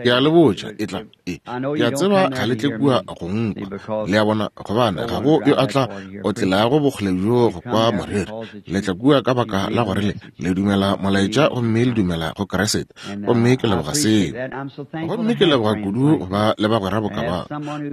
Ke a le botša, e tla, e, ke a tseba ga le tle kua go nkwa, le a bona, gobane ga go yo a tla otlelago bokgole bjo go kwa moreri. Le tla kua ka baka la gore le, le dumela molaetša gomme le dumela go Kriste, gomme ke leboga seo. Gomme ke leboga kudu go ba le bagwera boka ba,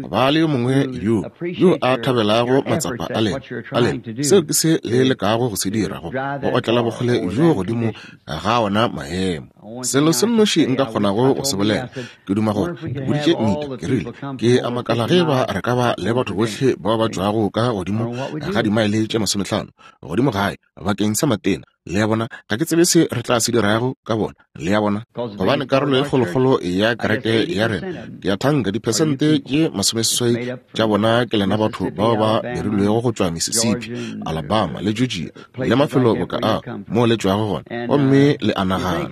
go ba le yo mongwe yo, yo a thabelago matsapa a lena, a lena. Seo ke se le lekago go se dira, go, go otlela bokgole bjo godimo ga ona maemo. Selo se nnoši nka kgonago go se bolela, ke duma gore ke boditše Nita, ke rile, ke a makala ge ba re ka ba le batho bohle bao ba tšwago ka godimo ga dimaele tše masomehlano godimo gae bakeng sa matena. Le a bona, ga ke tsebe se re tla se dirago ka bona. Le a bona, gobane karolo e kgolokgolo ya kereke ya rena, ke a thanka diphesente tše masomeseswai tša bona ke lena batho bao ba dirilwego go tšwa Mississippi, Alabama le Georgia le mafelo boka a moo le tšwago gona, gomme le a nagana.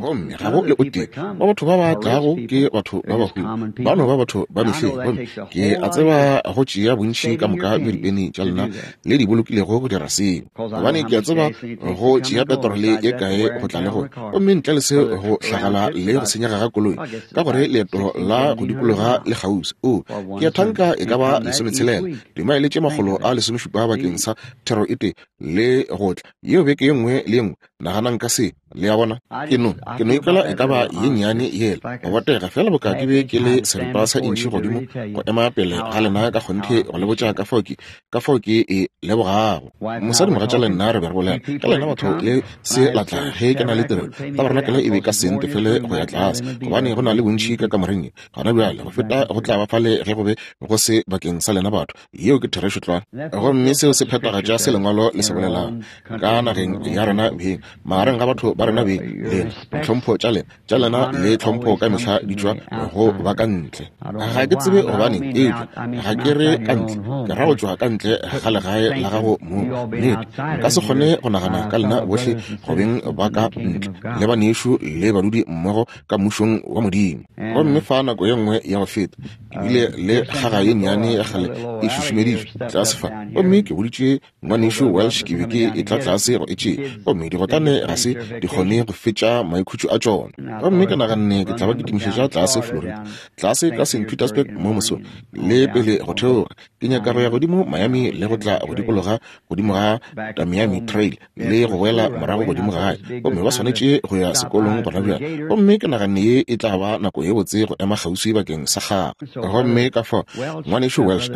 Gomme ga go le o tee wa batho ba ba tlago ke batho ba bahumi, ba no ba batho ba mehleng. Gomme ke a tseba go tšea bontši ka moka bja dipeni tša lena le di bolokilego go dira seo, gobane ke a tseba go tšea petrole ye kae go tla le go, gomme ntle le se go hlagala le go senyega ga koloi, ka gore leeto la go dikologa le kgauswi. O, ke a thanka e ka ba lesometshela, dimaele tše makgolo a lesomešupa bakeng sa thero e tee le go tla yeo beke ye nngwe le ye nngwe. Naganang ka se, le a bona. Ke no, ke no ikwela e ka ba ye nnyane yela, go botega, feela boka ke be ke le seripa sa intšhi godimo go ema pele ga lena ka kgonthe go le botša ka fao ke, ka fao ke e lebogago. Mosadimogatša le nna re be re bolela ka lena batho le se la tla ge ke na le tirelo. Tabarenakele e be ka se ntefele go ya tlase, gobane go na le bontši ka kamoreng ye gona bjale go feta go tla ba fale ge go be go se bakeng sa lena batho. Yeo ke therešo tlwa. Gomme seo se phethagatša se Lengwalo le se bolelago ka nageng ya rena beng, magareng ga batho ba rena beng, lena, ditlhompho tša lena, tša lena le tlhompho ka mehla di tšwa go ba ka ntle. Ga ke tsebe gobaneng, eupša ga ke re ka ntle, ke ra go tšwa ka ntle ga legae la gago mong. Nnete, nka se kgone go nagana ka lena bohle go beng ba ka ntle, le banešu le badudi mmogo ka Mmušong wa Modimo. Gomme fa nako ye nngwe ya go feta, ke bile le kgaga ye nnyane ya kgale e šušumeditšwe tlase fa, gomme ke boditše Ngwanešu Welsh ke be ke etla tlase go e tšea, gomme digotlane ga se di kgone go fetša maikhutšo a tšona. Gomme ke naganne ke tla ba ke timišetša tlase Florida, tlase ka St. Petersburg mo mosong, le pele go theoga. Ke nyaka go ya godimo Miami le go tla go dikologa godimo ga Tamiami Trail le go boela morago godimo gae. Gomme ba swanetše go ya sekolong gona bjale. Gomme ke naganne ye e tla ba nako ye botse go ema kgauswi bakeng sa gagwe. Gomme ka fao Ngwanešu Welsh,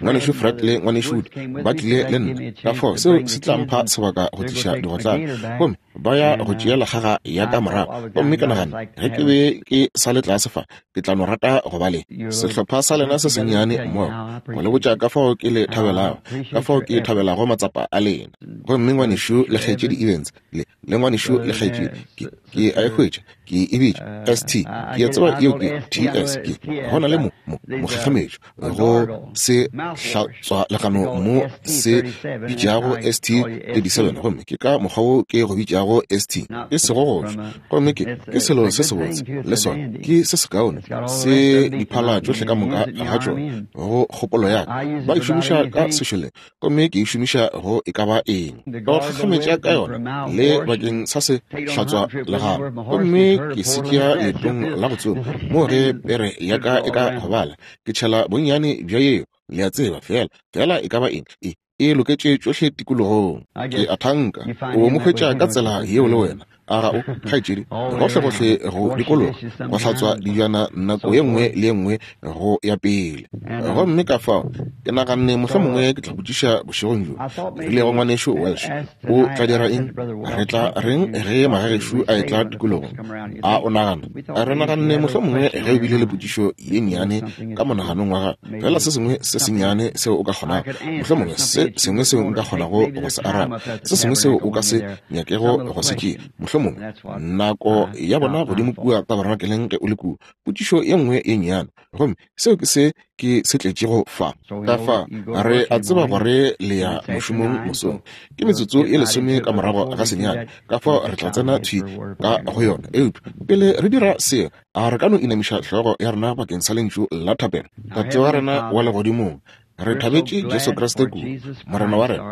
Ngwanešu Fred le Ngwanešu Wood ba tlile le nna, ka fao seo se tla mpha sebaka go tliša digotlane. Gomme ba ya go tšea legaga ya ka morago. Gomme ke nagana ge ke be ke sa le tlase fa, ke tla no rata go ba le sehlopha sa lena se sennyane mmogo, go le botša ka fao ke le thabelago, ka fao ke thabelago matsapa a lena. Gomme Ngwanešu le Kgaetšedi Evans, le, le Ngwanešu le Kgaetšedi, ke, ke a e hwetša, ke e bitša ST, ke a tseba yeo ke TS, ke, go na le mo, mo, mokgekgemetšo, go se hlatswa legano mo se bitšago ST 37, gomme ke ka mokgwa wo ke go bitšago ST, e sego go tšwa. Gomme ke, ke selo se sebotse, le sona, ke se sekaone, se diphala tšohle ka moka ga tšona, go kgopolo ya ka. Ba e šomiša ka sešoleng, gomme ke e šomiša go e ka ba eng, ka go kgakgametša ka yona, le bakeng sa se hlatswa legano. Gomme ke se tšea leetong la go tsoma, moo ge pere ya ka e ka gobala, ke tšhela bonnyane bja yeo, le a tseba, feela, feela e ka ba eng, e, e loketše tšohle tikologong. Ke a thanka o mo hwetša ka tsela yeo le wena, a ga o, kgaetšedi? Gohlegohle go dikologa, go hlatswa dijana nako ye nngwe le ye nngwe go ya pele. Gomme ka fao ke naganne mohlomongwe ke tla botšiša bošegong bjo, ke rile go Ngwanešu Welsh, O tla dira eng? Re tla reng ge magagešo a etla tikologong? A o nagana? Re naganne mohlomongwe ge o bile le potšišo ye nnyane ka monaganong wa gago, fela se sengwe se sennyane seo o ka kgonago, mohlomongwe se sengwe seo nka kgonago go se araba, se sengwe seo o ka se nyakego go se tšea, mohlomongwe nako ya bona godimo kua tabernakeleng ge o le kua, potšišo ye nngwe ye nnyane. Gomme seo ke se ke se tletšego fa. Ka fa, re a tseba gore le ya mošomong mosong. Ke metsotso ye lesome ka morago ga senyane, ka fao re tla tsena thwi ka go yona. Eupša pele re dira seo, a re ka no inamiša hlogo ya rena bakeng sa lentšu la thapelo. Tate wa rena wa Legodimong, Re thabetše Jesu Kriste kudu, Morena wa rena,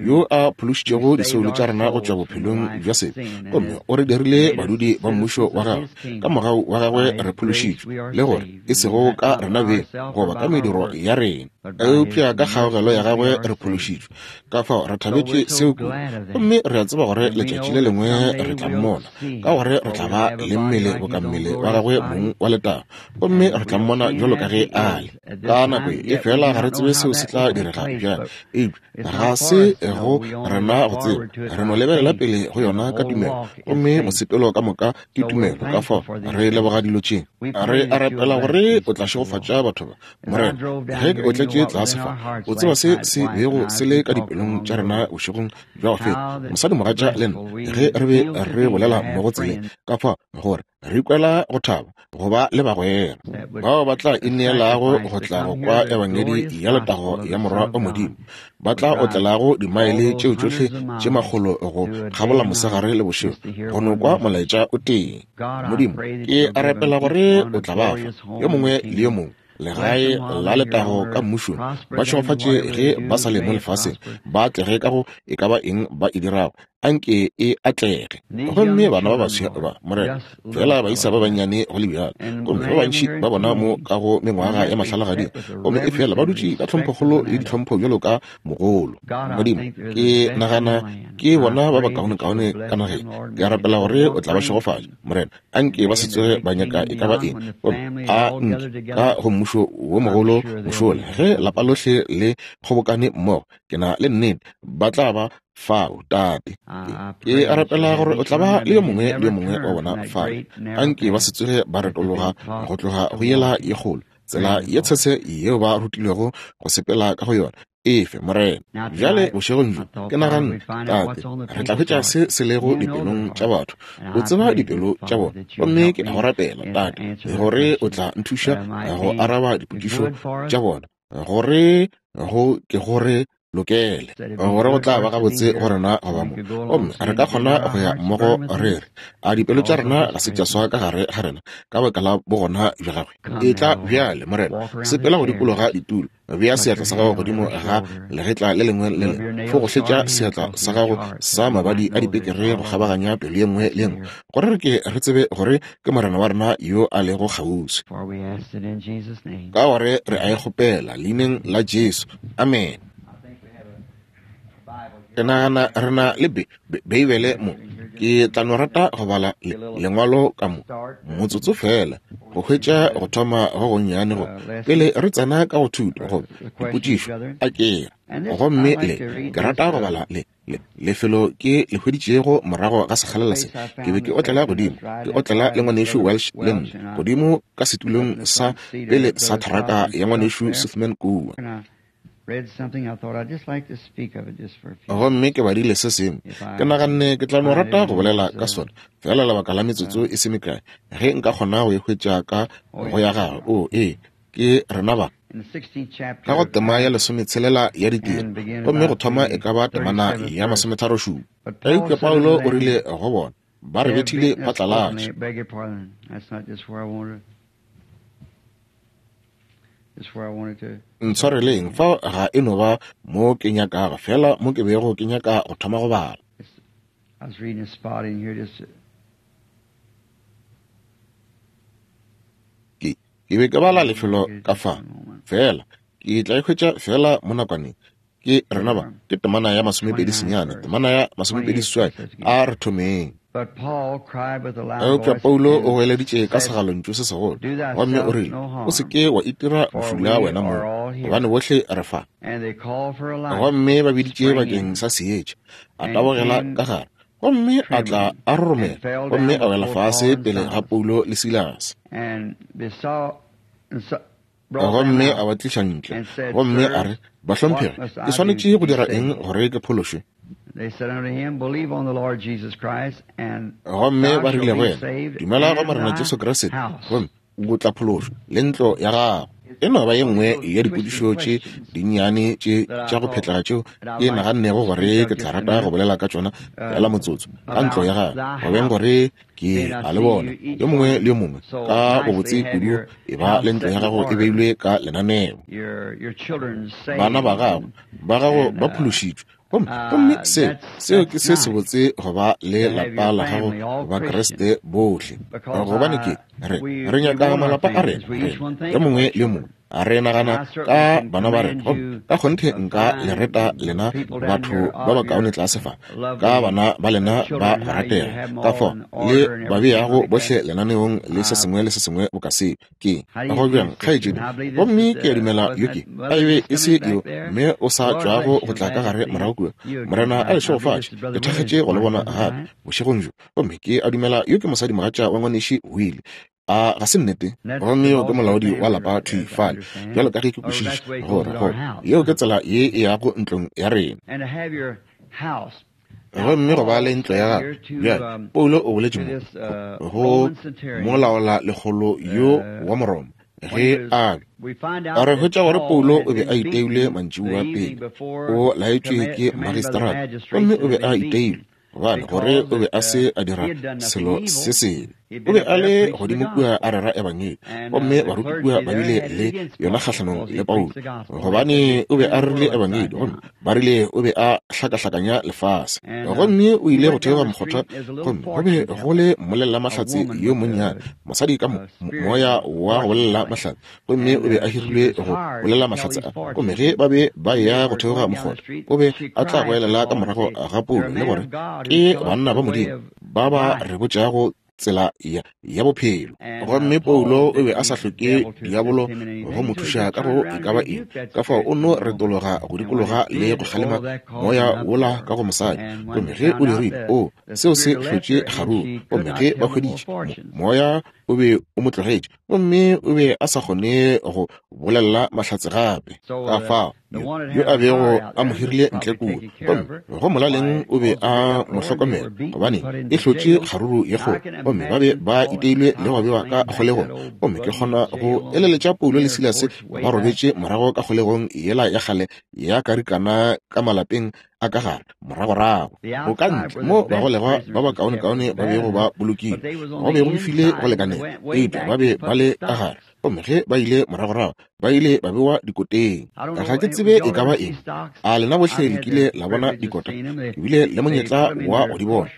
yo a phološitšego disoulo tša rena go tšwa bophelong bja sebe, gomme o re dirile badudi ba mmušo wa gagwe. Ka mogau wa gagwe re phološitšwe, le gore e sego ka rena beng goba ka mediro ya rena, eupša ka kgaogelo ya gagwe re phološitšwe. Ka fao re thabetše seo kudu, gomme re a tseba gore letšatši le lengwe re tla mmona, ka gore re tla ba le mmele boka mmele wa gagwe mong wa letago, gomme re tla mmona bjalo ka ge a le. Ka nako e fela ga re tsebe seo se tla direga bjang, eupša ga se go rena go tseba. Re no lebelela pele go yona ka tumelo, gomme mosepelo ka moka ke tumelo. Ka fao re leboga dilo tše. Re a rapela gore o tla šegofatša batho ba, Morena. Ge ke otletše tlase fa, o tseba se se bego se le ka dipelong tša rena bošegong bja go feta, mosadimogatša le nna, ge re be re bolela mmogo tseleng, ka fao gore re ikwela go thaba go ba le bagwera bao ba tla ineelago go tla go kwa ebangedi ya letago ya Morwa wa Modimo, ba tla otlelago dimaele tšeo tšohle tše makgolo go kgabola mosegare le bošego go no kwa molaetša o tee. Modimo, ke a rapela gore o tla ba fa yo mongwe le yo mongwe legae la letago ka mmušong, ba šegofatše ge ba sa le mo lefaseng, ba atlege ka go e ka ba eng ba e dirago, anke e atlege. Gomme bana ba baswa ba, Morena, fela baisa ba bannyane go le bjalo, gomme ba bantši ba bona mo ka go mengwaga ya mahlalagading, gomme e fela ba dutše ka tlhomphokgolo le ditlhompho bjalo ka mogolo. Modimo, ke nagana ke bona ba bakaonekaone ka nageng. Ke a rapela gore o tla ba šegofatša, Morena. Anke ba se tsoge ba nyaka e ka ba eng, gomme a nke ka go mmušo wo mogolo mošola, ge lapa lohle le kgobokane mmogo, ke na le nnete ba tla ba fao, Tate. Ke a rapela gore o tla ba le yo mongwe le yo mongwe wa bona fao. Anke ba se tsoge ba retologa go tloga go yela ye kgolo, tsela ye tshese yeo ba rutilwego go sepela ka go yona. Efe, Morena. Bjale bošegong bjo, ke naganne, Tate, re tla hwetša se se lego dipelong tša batho. O tseba dipelo tša bona. Gomme ke a go rapela, Tate, gore o tla nthuša go araba dipotšišo tša bona, gore go ke gore lokele, gore go tla ba gabotse go rena go ba mo, gomme re ka kgona go ya mmogo re re, a dipelo tša rena ga se tša swa ka gare ga rena ka baka la bogona bja gagwe. Etla bjale, Morena, sepela go dikologa ditulo, bea seatla sa gago godimo ga legetla le lengwe le lengwe, fogohletša seatla sa gago sa mabadi a dipekere go kgabaganya pelo ye nngwe le ye nngwe, gore re ke re tsebe gore ke Morena wa rena yo a lego kgauswi. Ka gore re a e kgopela leineng la Jesu. Amen. Ke nagana re na le Beibele mo. Ke tla no rata go bala lengwalo ka mo motsotso fela, go hwetša go thoma go gonnyane go pele re tsena ka go thuto goba dipotšišo. A ke gomme le ke rata go bala le lefelo ke le hweditšego morago ga sekgalela se. Ke be ke otlela godimo, ke otlela le ngwanešu Welsh le nna, godimo ka setulong sa pele sa tharaka ya ngwanešu Sufman kua. Gomme ke badile se sengwe, ke naganne ke tla no rata go bolela ka sona fela lebaka la metsotso e se mekae, ge nka kgona go e hwetša ka go ya gagwe. O, ee, ke rena ba. Ka go tema ya lesometshela ya Ditiro, gomme go thoma e ka ba temana ya masometharošupa. Eupša Paulo o rile go bona, ba re bethile phatlalatša. Ntshwareleng, fao ga e no ba mo ke nyakago, fela mo ke bego ke nyaka go thoma go bala. Ke, ke be ke bala lefelo ka fa, fela ke tla e hwetša fela mo nakwaneng. Ke rena ba, ke temana ya masomepedi senyane, temana ya masomepedi seswai. A re thomeng. Eupša Paulo o goeleditše ka segalontšu se segolo, gomme o rile, O se ke wa itira bošula wena mong, gobane bohle re fa. Gomme ba biditše bakeng sa seetša. A tabogela ka gare, gomme a tla a roromela, gomme a wela fase pele ga Paulo le Silase. Gomme a ba tliša ntle, gomme a re, Bahlomphegi, ke swanetše go dira eng gore ke phološwe? Gomme ba rile go yena, Dumela go Morena Jesu Kriste, gomme o tla phološwa, le ntlo ya gago. E no ba ye nngwe ya dipotšišo tše dinnyane tše tša go phetlega tšeo ke nagannego gore ke tla rata go bolela ka tšona feela motsotso, ka ntlo ya gago, go beng gore ke a le bona, yo mongwe le yo mongwe, ka bobotse kudu e ba le ntlo ya gago e beilwe ka lenaneo. Bana ba gago, ba gago ba phološitšwe. Gomme, gomme seo, seo ke se sebotse go ba le lapa la gago Bakriste bohle. Gobane ke, re, re nyaka malapa a rena, rena, yo mongwe le yo mongwe. A re nagana ka bana ba rena. Gomme ka kgonthe nka le reta lena batho ba bakaone tlase fa, ka bana ba lena ba go ratega, ka fao le ba beago bohle lenaneong le se sengwe le se sengwe boka seo. Ke go bjang, kgaetšedi? Gomme ke a dumela yo ke a e be e se yo mme o sa tšwago go tla ka gare morago kua. Morena a le šegofatše. Ke thakgetše go le bona gape bošegong bjo. Gomme ke a dumela yo ke mosadimogatša wa ngwaneši Willie. A ga se nnete? Gomme yo ke molaodi wa lapa thwi fale, bjalo ka ge ke kwešiša gore go yeo ke tsela ye e yago ntlong ya rena. Gomme go ba le ntlo ya gagwe. Bjale, Paulo o boletše mo go molaola lekgolo yo wa Moroma, ge a be a re hwetša gore Paulo o be a iteilwe mantšiboa pele, o laetšwe ke magistrata, gomme o be a iteilwe gobane gore o be a se a dira selo se sebe. O be a le godimo kua a rera ebangedi, gomme baruti kua ba bile le yona kgahlanong le Paulo, gobane o be a rerile ebangedi, gomme ba rile o be a hlakahlakanya lefase. Gomme o ile go theoga mokgotha, gomme go be go le mmolellamahlatse yo monnyane, mosadi ka moya wa go bolela mahlatse, gomme o be a hirilwe go bolela mahlatse a. Gomme ge ba be ba eya go theoga mokgotha, o be a tla goelela ka morago ga Paulo le gore, Ke banna ba Modimo ba ba re botšago tsela ya, ya bophelo. Gomme Paulo o be a sa hloke diabolo go mo thuša ka go e ka ba eng, ka fao o no retologa go dikologa le go kgalema moya wola ka go mosadi. Gomme ge o dirile, o, seo se hlotše kgaruru. Gomme ge ba hweditše, mo, moya o be o mo tlogetše, gomme o be a sa kgone go bolelela mahlatse gape. Ka fao yo a bego a mo hirile ntle kua, gomme go molaleng o be a mo hlokomela, gobane e hlotše kgaruru ye kgolo, gomme ba be ba iteilwe le go bewa ka kgolegong. Gomme ke kgona go eleletša Paulo le Silase ba robetše morago ka kgolegong yela ya kgale ya karikana ka malapeng a ka gare moragorago go ka ntle mo bagolegwa ba bakaonekaone ba bego ba bolokilwe, go be go befile go lekanela, eupša ba be ba le ka gare. Gomme ge ba ile moragorago, ba ile ba bewa dikoteng. Ga ke tsebe e ka ba eng. A lena bohle le kile la bona dikota? Ke bile le monyetla wa go di bona.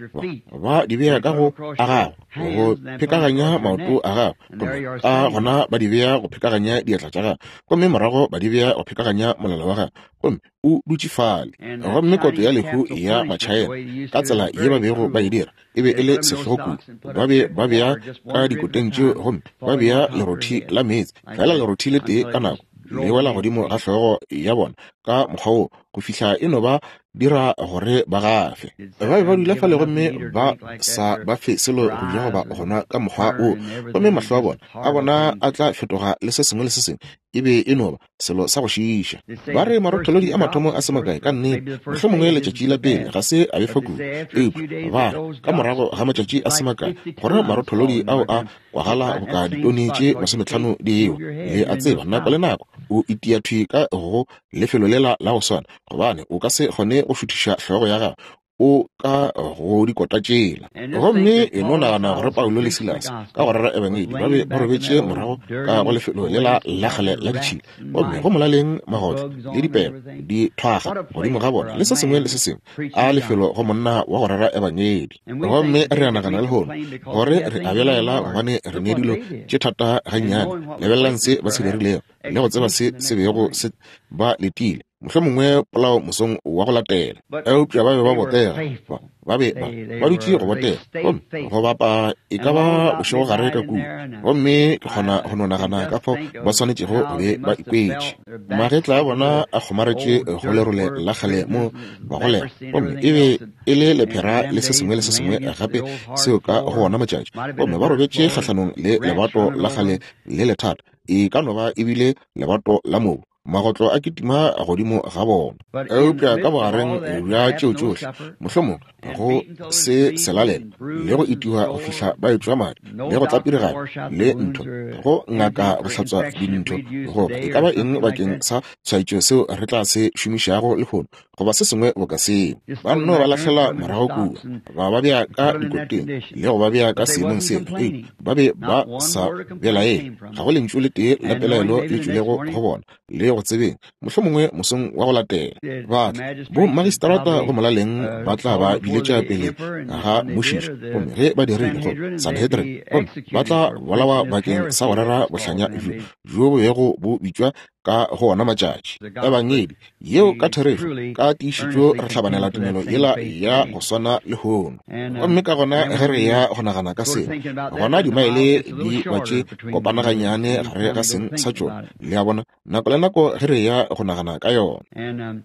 Ba di bea ka go a gago, go phekaganya maoto a gago, gomme ka gona ba di bea go phekaganya diatla tša gago, gomme morago ba di bea go phekaganya molala wa gago, gomme o dutše fale. Gomme kotlo ya lehu ya Machaena, ka tsela ye ba bego ba e dira, e be e le sehlogo kudu. Ba be ba bea ka dikoteng tšeo gomme ba bea lerothi la meetse, fela lerothi le tee ka nako, le wela godimo ga hlogo ya bona ka mokgwa wo, go fihla e no ba dira gore ba gafe. Ba be ba dula fale gomme ba sa ba fe selo go ja goba go nwa ka mokgwa wo, gomme mahlo a bona, a bona a tla fetoga le se sengwe le se sengwe. E be e no ba selo sa go šiiša. Ba re marotholodi a mathomo a se makae, ka nnete, mohlomongwe letšatši la pele ga se a befa kudu, eupša ba re ka morago ga matšatši a se makae gore marotholodi ao a kwagala boka ditone tše 50 di ewa. Le a tseba, nako le nako o itia thwi ka go lefelo lela la go swana, gobane o ka se kgone go šuthiša hlogo ya gago o ka go dikota tšela. Gomme e no nagana gore Paulo le Silase, ka go rera Ebangedi, ba be ba robetše morago ka go lefelo lela la kgale la ditšhila, gomme go molaleng magotlo le dipeba di thwaga godimo ga bona le se sengwe le se sengwe, a lefelo go monna wa go rera Ebangedi. Gomme re a nagana lehono gore re a belaela gobane re ne dilo tše thata gannyane. Lebelelang se ba se dirilego le go tseba se se bego se ba letile. Mohlomongwe polao mosong wa go latela. Eupša ba be ba botega. Ba, ba be ba, ba dutše go botega. Gomme go bapa e ka ba bošegogare ka kua. Gomme ke kgona go no nagana ka fao ba swanetšego go be ba ikwetše. Magetla a bona a kgomaretše go lerole la kgale mo ba golega. Gomme e be e le lephera le se sengwe le se sengwe gape seo ka go wona matšatši. Gomme ba robetše kgahlanong le lebato la kgale le lethata. E ka no ba e bile lebato la mobu. Magotlo a kitima godimo ga bona. Eupša ka bogareng bja tšeo tšohle, mohlomongwe go se selalelo, le go itiwa go fihla ba etšwa madi, le go tlapirigana, le ntho, go ngaka go hlatswa dintho, goba e ka ba eng bakeng sa tshwaetšo seo re tla se šomišago lehono, goba se sengwe boka seo. Ba nno ba lahlela morago kua, ba ba bea ka dikoteng, le go ba bea ka seemong seo. Eupša ba be ba sa belaele. Ga go lentšu le tee la pelaelo le tšwilego go bona, le go tsebeng, mohlomongwe mosong wa go latela. Ba tla, bommagistrata go molaleng ba tla ba biletša pele ga mmušiši, gomme ge ba dirile, go Sanhedrin, gomme ba tla bolawa bakeng sa go rera bohlanya bjo, bjo bo bego bo bitšwa ka go ona matšatši. Ebangedi yeo ka therešo, ka tiišetšo re hlabanela tumelo yela ya go swana lehono. Gomme ka gona ge re ya go nagana ka seo, gona dimaele di ba tše kopana gannyane gare ga seng sa tšona, le a bona, nako le nako ge re ya go nagana ka yona.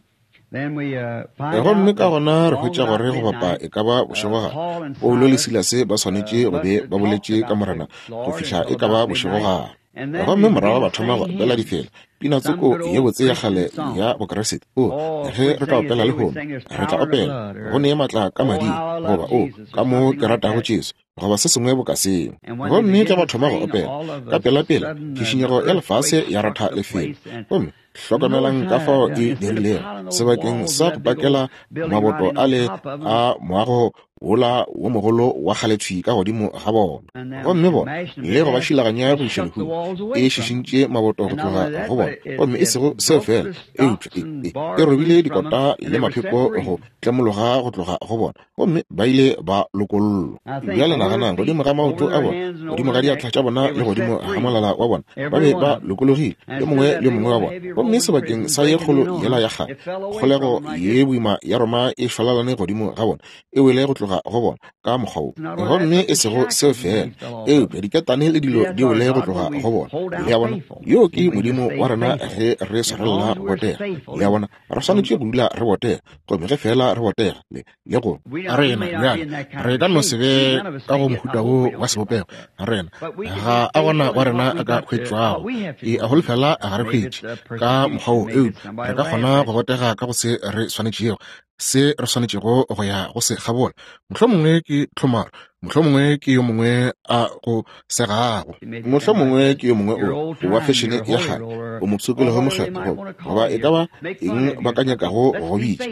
Gomme ka gona re hwetša gore go bapa e ka ba bošegogare, Paulo le Silase ba swanetše go be ba boletše ka Morena go fihla e ka ba bošegogare. Gomme morago ba thoma go opela difela, pina tsoko ye botse ya kgale ya Bokriste. O, ge re ka opela lehono, re tla opela, Go ne maatla ka mading, goba, O, ka mo ke ratago Jesu, goba se sengwe boka seo. Gomme ge ba thoma go opela, ka pelapela tšhišinyego ya lefase ya ratha lefelo. Gomme hlokamelang ka fao e dirilego, sebakeng sa go pakela maboto ale a moago wola wo mogolo wa kgale thwi ka godimo ga bona. Gomme bona, le go ba šilaganya go iša lehung, e šišintše maboto go tloga go bona. Gomme e sego seo feela, eupša e, e, e robile dikota le mapheko go tlemologa go tloga go bona, gomme ba ile ba lokollwa. Bjale naganang, godimo ga maoto a bona, godimo ga diatla tša bona le godimo ga molala wa bona, ba be ba lokologile, yo mongwe le yo mongwe wa bona. Gomme sebakeng sa ye kgolo yela ya kgale, kgolego ye boima ya Roma e šwalalane godimo ga bona, e wele go tloga go bona ka mokgwa wo. Gomme e sego seo feela, eupša diketane le dilo di wele go tloga go bona. Le a bona? Yoo ke Modimo wa rena ge re swarelela go botega. Le a bona? Re swanetše go dula re botega. Gomme ge feela re botega, le, le go rena bjale, re ka no se be ka go mohuta wo wa sebopego. Rena, ga a gona wa rena a ka hwetšwago. E a holofela ga re hwetše ka mokgwa wo, eupša re ka kgona go botega ka go se re swanetšego, se re swanetšego go ya go se kgabola. Mohlomongwe ke tlhomaro, mohlomongwe ke yo mongwe a go segago, mohlomongwe ke yo mongwe o wa fešene ya kgale, o mopshokologo mokgethwa, goba, goba e ka ba eng ba ka nyakago go go bitša,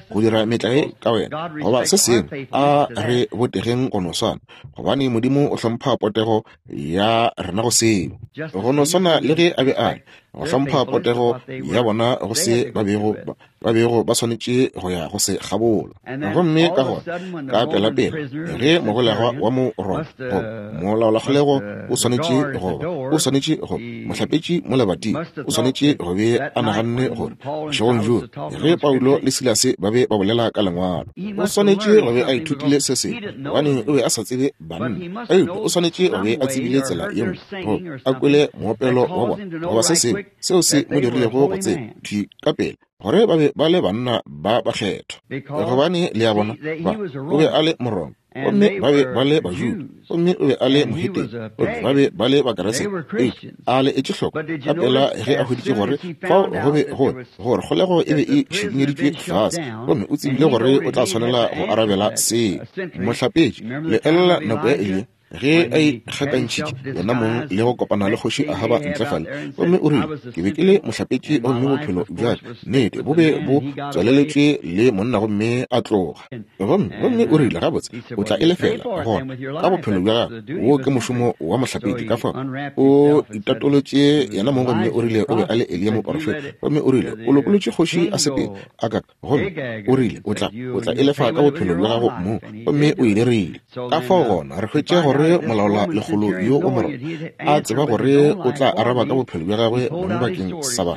go dira metlae ka wena, goba se sengwe. A re botegeng go no swana, gobane Modimo o hlompha potego ya rena go seo, go no swana le ge a be a re go hlompha potego ya bona go se ba bego ba ba bego ba swanetše go ya go se kgabola. Gomme ka gona, ka pelapela, ge mogolegwa wa mo Roma, goba molaolakgolego o swanetše go ba, o swanetše go, mohlapetši mo lebating, o swanetše go be a naganne gore, bošegong bjoo, ge Paulo le Silase ba be ba bolela ka Lengwalo, o swanetše go be a ithutile se sengwe, gobane o be a sa tsebe banna, eupša o swanetše go be a tsebile tsela ye nngwe, goba a kwele moopelo wa bona, goba se sengwe, seo se mo dirilego go tseba thwi ka pela gore ba be ba le banna ba bakgethwa. Gobane, le a bona, ba, o be a le Moroma, gomme ba be ba le Bajuda, gomme o be a le mohetene, gomme ba be ba le Bakeresete. Eupša a le etše hloko ka pela ge a hweditše gore fao go be go, gore kgolego e be e šikinyeditšwe fase, gomme o tsebile gore o tla swanela go arabela seo. Mohlapetši, le elela nako ya Eliya ge a ikgakantšhitše yena mong le go kopana le kgoši Ahaba ntle fale, gomme o rile, Ke be ke le mohlapetši, gomme bophelo bja ka, nnete, bo be bo tswaleletšwe le monna, gomme a tloga. Gomme, gomme o rile, Gabotse, o tla e lefela, gona, ka bophelo bja gago. Wo ke mošomo wa mohlapetši. Ka fao o itatolotše yena mong, gomme o rile o be a le Eliya moprofeta. Gomme o rile, O lokolotše kgoši a sepele, a ka, gomme o rile, O tla, o tla e lefa ka bophelo bja gago mong. Gomme o e dirile. Ka fao gona re hwetše gore molaola lekgolo yo o Moroma a tseba gore o tla araba ka bophelo bja gagwe mong bakeng sa ba,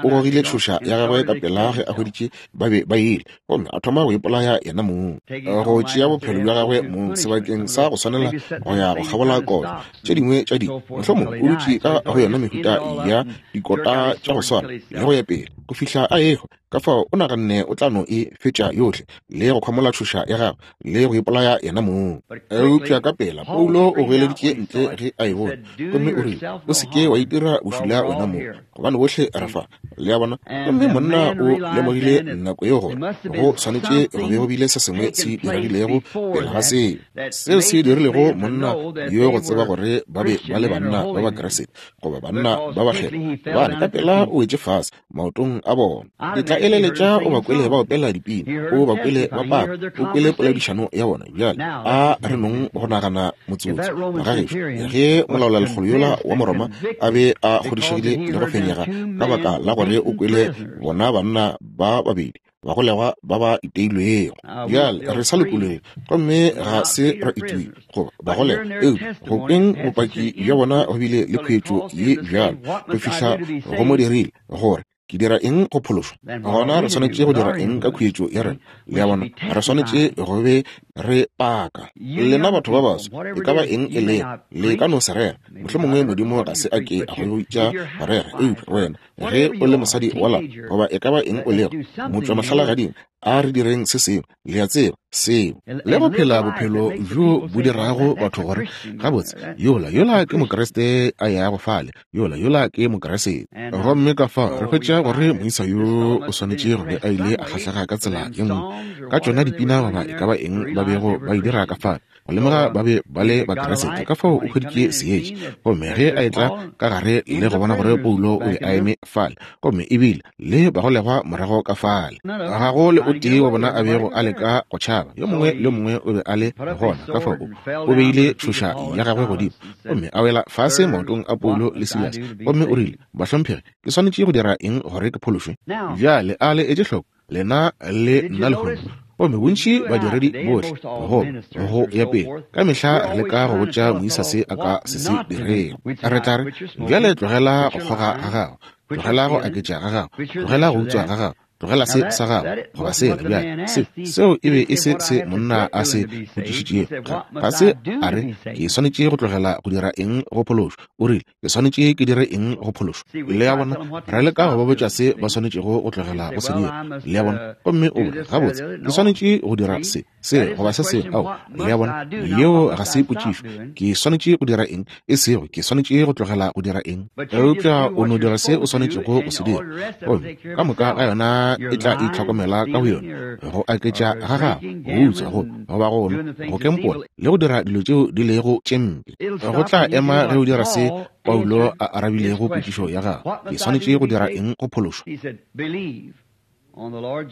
o gogile tšhoša ya gagwe ka pela ge a hweditše ba be ba ile, gomme a thoma go ipolaya yena mong, go tšea bophelo bja gagwe mong sebakeng sa go swanela go ya go kgabola kotlo. Tše dingwe tša di, mohlomongwe o dutše ka go yona mehuta ya dikota tša go swana le go ya pele. go fihla a ehwa. Ka fao o naganne o tla no e fetša yohle, le go khwamola tšhoša ya gagwe, le go ipolaya yena mong. Eupša ka pela Paulo o goeleditše ntle ge a e bone, gomme o rile, O se ke wa itira bošula wena mong, gobane bohle re fa. Le a bona? Gomme monna o lemogile nako yeo gore go swanetše go be go bile se sengwe se diregilego pele ga seo, seo se dirilego monna yo go tseba gore ba be ba le banna ba Bakriste goba banna ba bakgethwa, gobane ka pela o wetše fase maotong a bona. Ke tla eleletša o ba kwele ba opela dipina, o ba kwele ba paka, o kwele poledišano ya bona. Bjale a re nong go nagana motsotso, magagešo, ge molaolalekgolo yola wa Moroma a be a kgodišegile le go fenyega ka baka la gore o kwele bona banna ba babedi bagolegwa ba ba iteilwego. Bjale re sa lokologile gomme ga se ra itiwa goba bagolegwa, eupša go kweng bopaki bja bona go bile le khuetšo ye bjalo go fihla go mo dirile gore ke dira eng go phološwa. Gona re swanetše go dira eng ka khuetšo ya rena? Le a bona, re swanetše go be re paka. Lena batho ba baso, e ka ba eng e lego, le ka no se rera. Mohlomongwe Modimo ga se a ke a go bitša go rera, eupša wena Ge o le mosadi wa lapa, goba e ka ba eng o lego, motšwamohlalagading, a re direng se sengwe, le a tseba, seo. Le go phela bophelo bjo bo dirago batho gore, Gabotse, yola, yola ke Mokriste a yago fale, yola, yola ke Mokriste. Gomme ka fao re hwetša gore moisa yo o swanetše go be a ile a kgahlega ka tsela ye nngwe, ka tšona dipina goba e ka ba eng ba bego ba e dira ka fale. Go lemoga ba be ba le Bakeresete, ka fao o hweditše seetša. Gomme ge a etla ka gare le go bona gore Paulo o be a eme fale, gomme ebile le bagolegwa morago ka fale, ga go le o tee wa bona a bego a leka go tšhaba, yo mongwe le yo mongwe o be a le gona. Ka fao o beile tšhoša ya gagwe godimo gomme a wela fase maotong a Paulo le Silase, gomme o rile, Bahlomphegi, ke swanetše go dira eng gore ke phološwe? Bjale a le etše hloko, lena le nna lehono. Gomme bontši badiredi bohle, goba go ya pele, ka mehla re leka go botša moisa se a ka se se dirego. Re tla re, Bjale tlogela go kgoga ga gago, tlogela go aketša ga gago, tlogela go utswa ga gago, tlogela se sa gago, goba sela. Bjale, se, seo e be e se se monna a se botšišitšego. Ga, ga se a re, Ke swanetše go tlogela go dira eng go phološwa? O rile, Ke swanetše ke dire eng go phološwa? Le a bona, re leka go ba botša se ba swanetšego go tlogela go se dira. Le a bona? Gomme o re, Gabotse, ke swanetše go dira se, se, goba se sengwe. Ao, le a bona, yeo ga se potšišo. Ke swanetše go dira eng? E sego, ke swanetše go tlogela go dira eng? Eupša o no dira se o swanetšego go se dira, gomme ka moka ga yona e tla itlhokomela ka boyona. Go aketša ga gago, go utswa, go, goba go nwa, go kempola, le go dira dilo tšeo di lego tše mpe. Go tla ema ge o dira se Paulo a arabilego potšišo ya gagwe, Ke swanetše go dira eng go phološwa?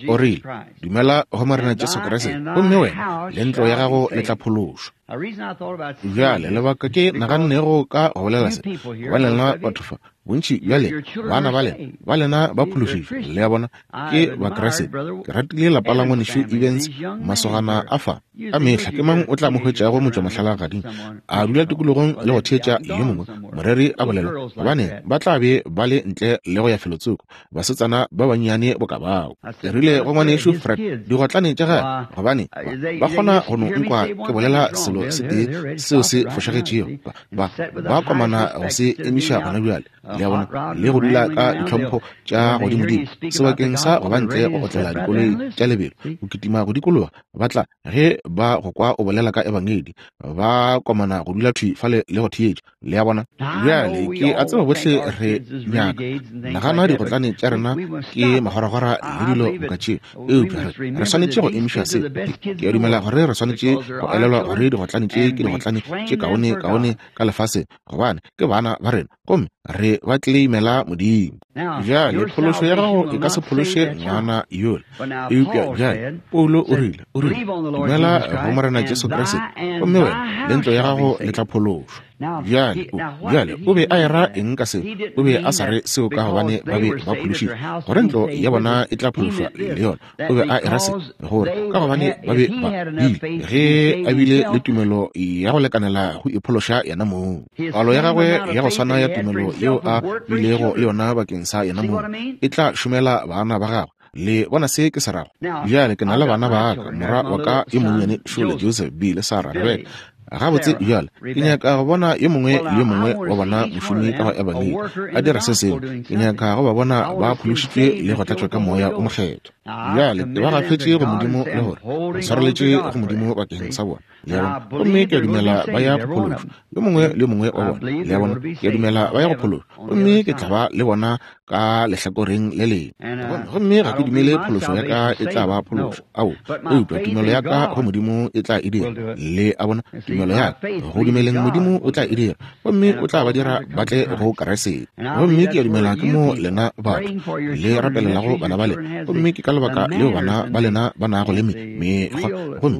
O rile, Dumela go Morena Jesu Kriste, gomme wena le ntlo ya gago le tla phološwa. Bjale, lebaka ke nagannego ka go bolela se, gobane lena batho fa, bontši bja lena, bana ba lena, ba lena ba phološitšwe, le a bona, ke Bakriste. Ke ratile lapa la ngwanešu Evans, masogana a fa. Ka mehla ke mang o tla mo hwetšago motšwamohlalagading a dula tikologong le go theetša yo mongwe moreri a bolela, gobane ba tla be ba le ntle le go ya felotsoko, basetsana ba bannyane boka bao. Ke rile go ngwanešu Fred, digotlane tša gagwe, gobane ba, ba kgona go no nkwa ke bolela selo se tee seo se fošagetšego, ba, ba, ba komana go se emiša gona bjale. Le a bona, le go dula ka ditlhompho tša godimodimo, sebakeng sa go ba ntle go otlela dikoloi tša lebelo, go kitima go dikologa, ba tla, ge ba go kwa o bolela ka Ebangedi, ba komana go dula thwi fale le go theetša. Le a bona? Bjale, ke a tseba bohle re nyaka, nagana digotlane tša rena ke magoragora le dilo boka tšeo, eupša re, re swanetše go emiša se. Ke, ke a dumela gore re swanetše go elelwa gore digotlane tše ke digotlane tše kaone, kaone ka lefaseng, gobane ke bana ba rena gomme re ba tleimela Modimo. Bjale, phološo ya gago e ka se phološe ngwana yola. Eupša bjale, Paulo o rile, o rile, dumela go Morena Jesu Kriste, gomme wena le ntlo ya gago le tla phološwa. Bjale, o, bjale, o be a era eng ka seo? O be a sa re seo ka gobane ba be ba phološitšwe, gore ntlo ya bona e tla phološwa le yona. O be a era se, gore ka gobane ba be ba bile, ge a bile le tumelo ya go lekanela go iphološa yena mong. Palo ya gagwe ya go swana ya tumelo yeo a bilego le yona bakeng sa yena mong e tla šomela bana ba gagwe. Le bona se ke se rago? Bjale ke na le bana ba ka, morwa wa ka yo monnyane šole, Joseph, Bill, Sarah, Rebecca. Gabotse bjale, ke nyaka go bona yo mongwe le yo mongwe wa bona mošomi ka go Ebangedi a dira se sengwe. Ke nyaka go ba bona ba phološitšwe le go tlatšwa ka Moya o Mokgethwa. Bjale, ba gafetše go Modimo le gore ba swareletše go Modimo bakeng sa bona. Le a bona? Gomme ke a dumela ba ya go phološwa, yo mongwe le yo mongwe wa bona. Le a bona? Ke a dumela ba ya go phološwa, gomme ke tla ba le bona ka lehlakoreng le lengwe. Gomme ga ke dumele phološo ya ka e tla ba phološo, ao, eupša tumelo ya ka go Modimo e tla e dira. Le a bona? Tumelo ya ka go dumeleng Modimo o tla e dira, gomme o tla ba dira ba tle go Kriste. Gomme ke a dumela ke mo lena batho le rapelelago bana ba lena, gomme ke ka lebaka leo bana ba lena ba nago le mekgwa. Gomme,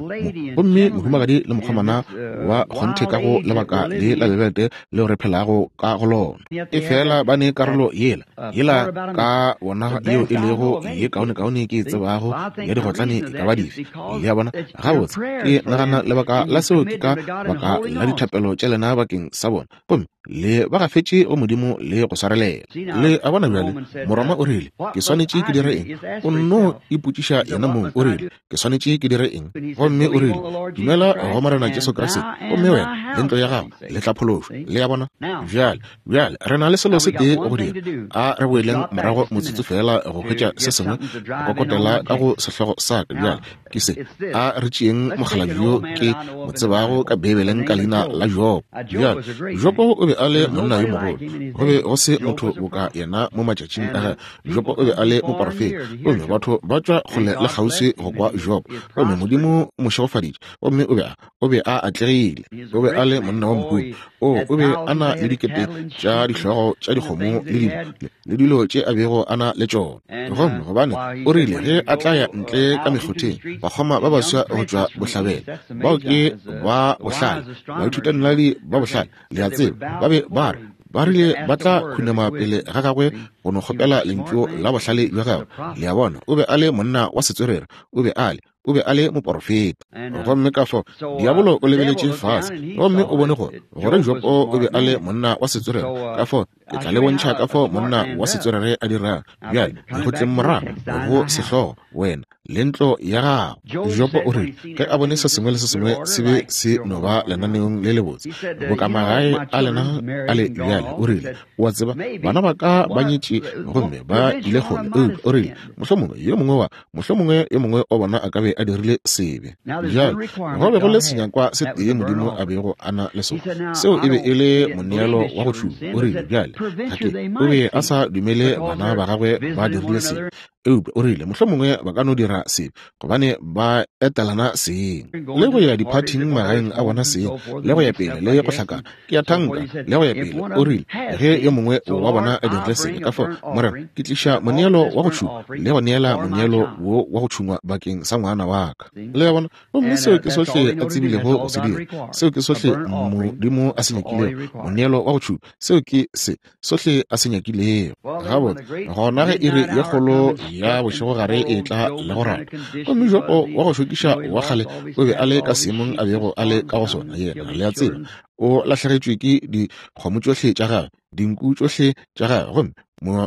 gomme mohumagadi le mokgomana wa kgonthe ka go lebaka le la lebete leo re phelago ka go lona. Efela ba ne karolo yela, yela ka bona yeo e lego ye kaonekaone ke e tsebago ya digotlane e ka ba dife. Le a bona? Gabotse, ke nagana lebaka la seo ke ka baka la dithapelo tša lena bakeng sa bona, gomme le ba gafetše go Modimo le go swarelela. Le a bona bjale, Moroma o rile, Ke swanetše ke dire eng? O nno ipotšiša yena mong, o rile, Ke swanetše ke dire eng? Gomme o rile, Dumela go Morena Jesu Kriste, gomme wena le ntlo ya gago le tla phološwa. Le a bona? Bjale, bjale re na le selo se tee go dira. A re boeleng morago motsotso feela go hwetša se sengwe go kokotela ka go sehlogo sa ka. Bjale ke se. A re tšeeng mokgalabje yo ke mo tsebago ka Beibeleng ka leina la Jobo. Bjale, Jobo o be a le monna yo mogolo. Go be go se motho boka yena mo matšatšing a gagwe. Jobo o be a le moporofeta, gomme batho ba tšwa kgole le kgauswi go kwa Jobo. Gomme Modimo o mo šegofaditše, gomme o be a, o be a atlegile. O be a le monna wa mohumi. O, o be a na le dikete tša dihlogo tša dikgomo le dilo, le dilo tše a bego a na le tšona. Gomme gobane o rile ge a tla ya ntle ka mekgotheng, bakgoma ba baswa go tšwa bohlabela, bao ke ba bohlale, baithutanaledi ba bohlale, le a tseba, ba be ba re, Ba rile ba tla khunama pele ga gagwe go no kgopela lentšu la bohlale bja gagwe. Le a bona, o be a le monna wa setswerere, o be a le, o be a le moporofeta. Gomme ka fao diabolo o lebeletše fase gomme o bone gore, gore Jobo o be a le monna wa setswerere. Ka fao ke tla le bontšha ka fao monna wa setswerere a dirago. Bjale, go tleng morago go sehlogo, wena le ntlo ya gago. Jobo o rile ge a bone se sengwe le se sengwe se be se no ba lenaneong le lebotse, boka magae a lena a le bjale, o rile, O a tseba, bana ba ka ba nyetše gomme ba ile kgole, eupša o rile, mohlomongwe yo mongwe wa, mohlomongwe yo mongwe wa bona a ka be a dirile sebe. Bjale, go be go le senyakwa se tee Modimo a bego a na le sona, seo e be e le moneelo wa go tšhuma. O rile, Bjale, ga ke, o be a sa dumele bana ba gagwe ba dirile sebe, Eupša o rile, mohlomongwe ba ka no dira sebe, gobane ba etelana seng, le go ya diphathing magaeng a bona seng, le go ya pele, le go hlakana, ke a thanka, le go ya pele. O rile, ge yo mongwe wa bona a dirile sebe, ka fao, Morena, ke tliša moneelo wa go tšhungwa, le go neela moneelo wo wa go tšhungwa bakeng sa ngwana wa ka. Le a bona? Gomme seo ke sohle a tsebilego go se dira. Seo ke sohle Modimo a se nyakilego, moneelo wa go tšhungwa. Seo ke se sohle a se nyakilego. Gabotse, gona ge iri ye kgolo ya bošegogare e etla le go rata, gomme Jobo wa go šokiša wa kgale o be a le ka seemong a bego a le ka go sona, yena, le a tseba, o lahlegetšwe ke dikgomo tšohle tša gagwe, dinku tšohle tša gagwe, gomme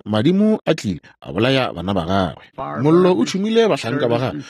madimo a tlile a bolaya bana ba gagwe. Mollo o tšhumile bahlanka ba gagwe,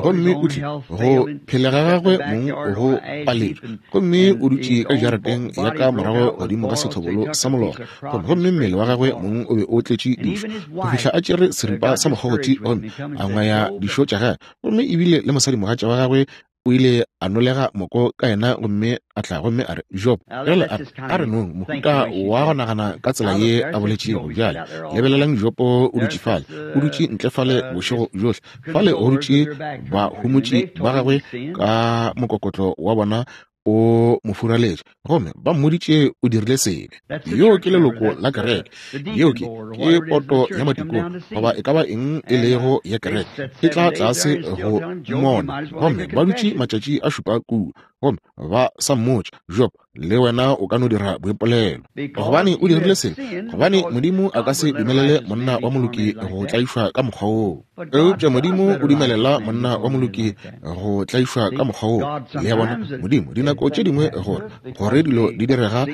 gomme o tlile go phela ga gagwe mong go paletšwe, gomme o dutše ka jarateng ya ka morago godimo ga sethobolo sa molora, gomme mmele wa gagwe mong o be o tletše dišo, go fihla a tšere seripa sa mokgogothi gomme a ngwaya dišo tša gagwe, gomme ebile le mosadimogatša wa gagwe o ile a nolega moko ka yena gomme a tla gomme a re, Job, bjale a re, a re nong mohuta wa go nagana ka tsela ye a boletšego. Bjale lebelelang Jobo o dutše fale, o dutše ntle fale bošego bjohle, fale go dutše bahomotši ba gagwe ka mokokotlo wa bona o mo furaletše, gomme ba mmoditše o dirile sebe. Yeo ke leloko la kereke, yeo ke, ke poto ya matikong, goba e ka ba eng e lego ya kereke, e tla tlase go mmona. Gomme ba dutše matšatši a šupa kua, gomme ba sa mmotša. Job. Le wena o ka no dira boipolelo. Gobane o dirile sebe, gobane Modimo a ka se dumelele monna wa moloki go tlaišwa ka mokgwa woo. Eupša Modimo o dumelela monna wa moloki go tlaišwa ka mokgwa woo. Le a bona? Modimo, dinako tše dingwe gore, gore dilo di direga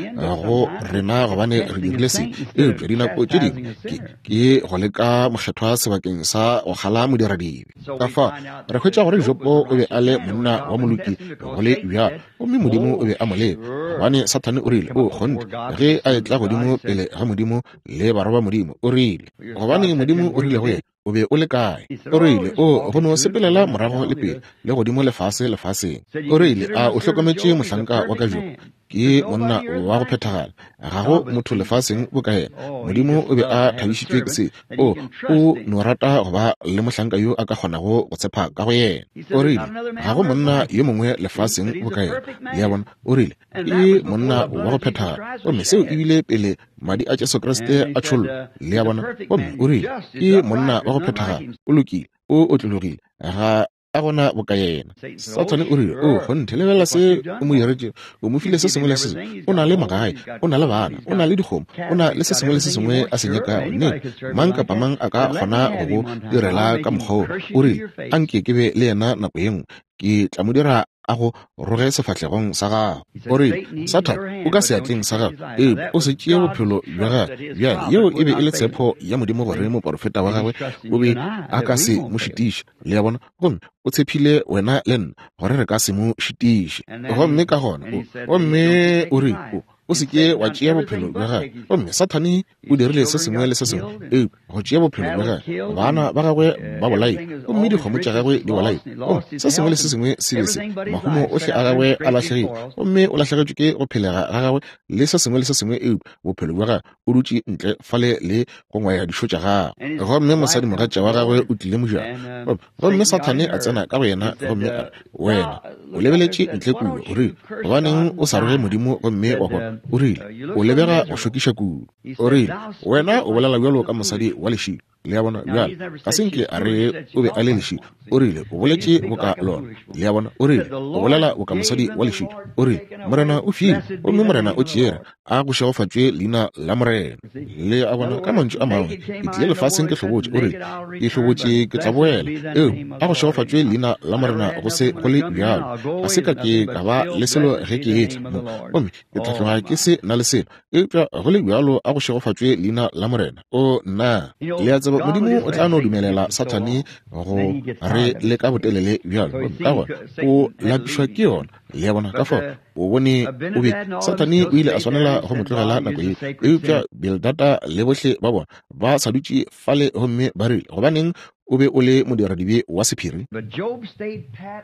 go rena gobane re dirile sebe, eupša dinako tše dingwe ke, ke go leka mokgethwa sebakeng sa go kgala modiradibe. Ka fao re hwetša gore Jopo o be a le monna wa moloki go le bjalo, gomme Modimo o be a mo leka, gobane Sathane o rile, O kgonthe, ge a etla godimo pele ga Modimo le barwa ba Modimo, o rile, gobane Modimo o rile go yena, O be o le kae? O rile, O go no sepelela morago le pele, le godimo le fase lefaseng. O rile, A o hlokometše mohlanka wa ka Jobo? Ke monna wa go phethagala. Ga go motho lefaseng boka yena. Modimo o be a thabišitšwe ke se. O, o no rata go ba le mohlanka yo a ka kgonago go tshepa ka go yena. O rile, Ga go monna yo mongwe lefaseng boka yena. Le a bona? O rile, Ke monna wa go phethagala. Gomme seo e bile pele Madi a Jesu Kriste a tšhollwa. Le a bona? Gomme o rile, Ke monna wa go phethagala. O lokile. O otlologile. Ga a gona boka yena. Sathane o rile, O kgonthe, lebelela se o mo diretšego. O mo file se sengwe le se sengwe. O na le magae, o na le bana, o na le dikgomo, o na le se sengwe le se sengwe a se nyakago. Nnete, mang kapa mang a ka kgona go go direla ka mokgwa woo. O rile, A nke ke be le yena nako ye nngwe. Ke tla mo dira a go roge sefahlegong sa gago. O rile, Sathane, o ka seatleng sa gago, eupša o se tšee bophelo bja gagwe. Bjale, yeo e be e le tshepo ya Modimo gore moporofeta wa gagwe o be a ka se mo šitiše. Le a bona? Gomme o tshephile wena le nna gore re ka se mo šitiše. Gomme ka gona o, gomme o rile, o, o se ke wa tšea bophelo bja gagwe. Gomme Sathane o dirile se sengwe le se sengwe eupša go tšea bophelo bja gagwe. Bana ba gagwe ba bolailwe, gomme dikgomo tša gagwe di bolailwe. Gomme se sengwe le se sengwe se be se, mahumo ohle a gagwe a lahlegile, gomme o lahlegetšwe ke go phelega ga gagwe le se sengwe le se sengwe eupša bophelo bja gagwe. O dutše ntle fale le go ngwaya dišo tša gagwe. Gomme mosadimogatša wa gagwe o tlile mojako, gomme Sathane a tsena ka go yena gomme a re, Wena o lebeletše ntle kua, o rile, gobaneng o sa roge Modimo gomme wa hwa? O rile, O lebega go šokiša kudu. O rile, Wena o bolela bjalo ka mosadi wa lešilo. Le a bona? Bjale, ga se nke a re o be a le lešilo. O rile, O boletše boka lona. Le a bona? O rile, O bolela boka mosadi wa lešilo. O rile, Morena o file, gomme Morena o tšere. A go šegofatšwe leina la Morena. Le a bona? Ka mantšu a mangwe, ke tlile lefaseng ke hlobotše. O rile, Ke hlobotše, ke tla boela. Eupša a go šegofatšwe leina la Morena go se go le bjalo. Ga se ka ke ka ba le selo ge ke etla mo, gomme ke tla tloga ke se na le selo. Eupša go le bjalo a go šegofatšwe leina la Morena. O nna! Le a tseba, Modimo o tla no dumelela Sathane go re leka botelele bjalo, gomme ka gona o lapišwa ke yona. Le a bona? Ka fao o bone o be Sathane o ile a swanela go mo tlogela nako ye. Eupša Bildada le bohle ba bona ba sa dutše fale gomme ba rile, Gobaneng o be o le modiradibe wa sephiri?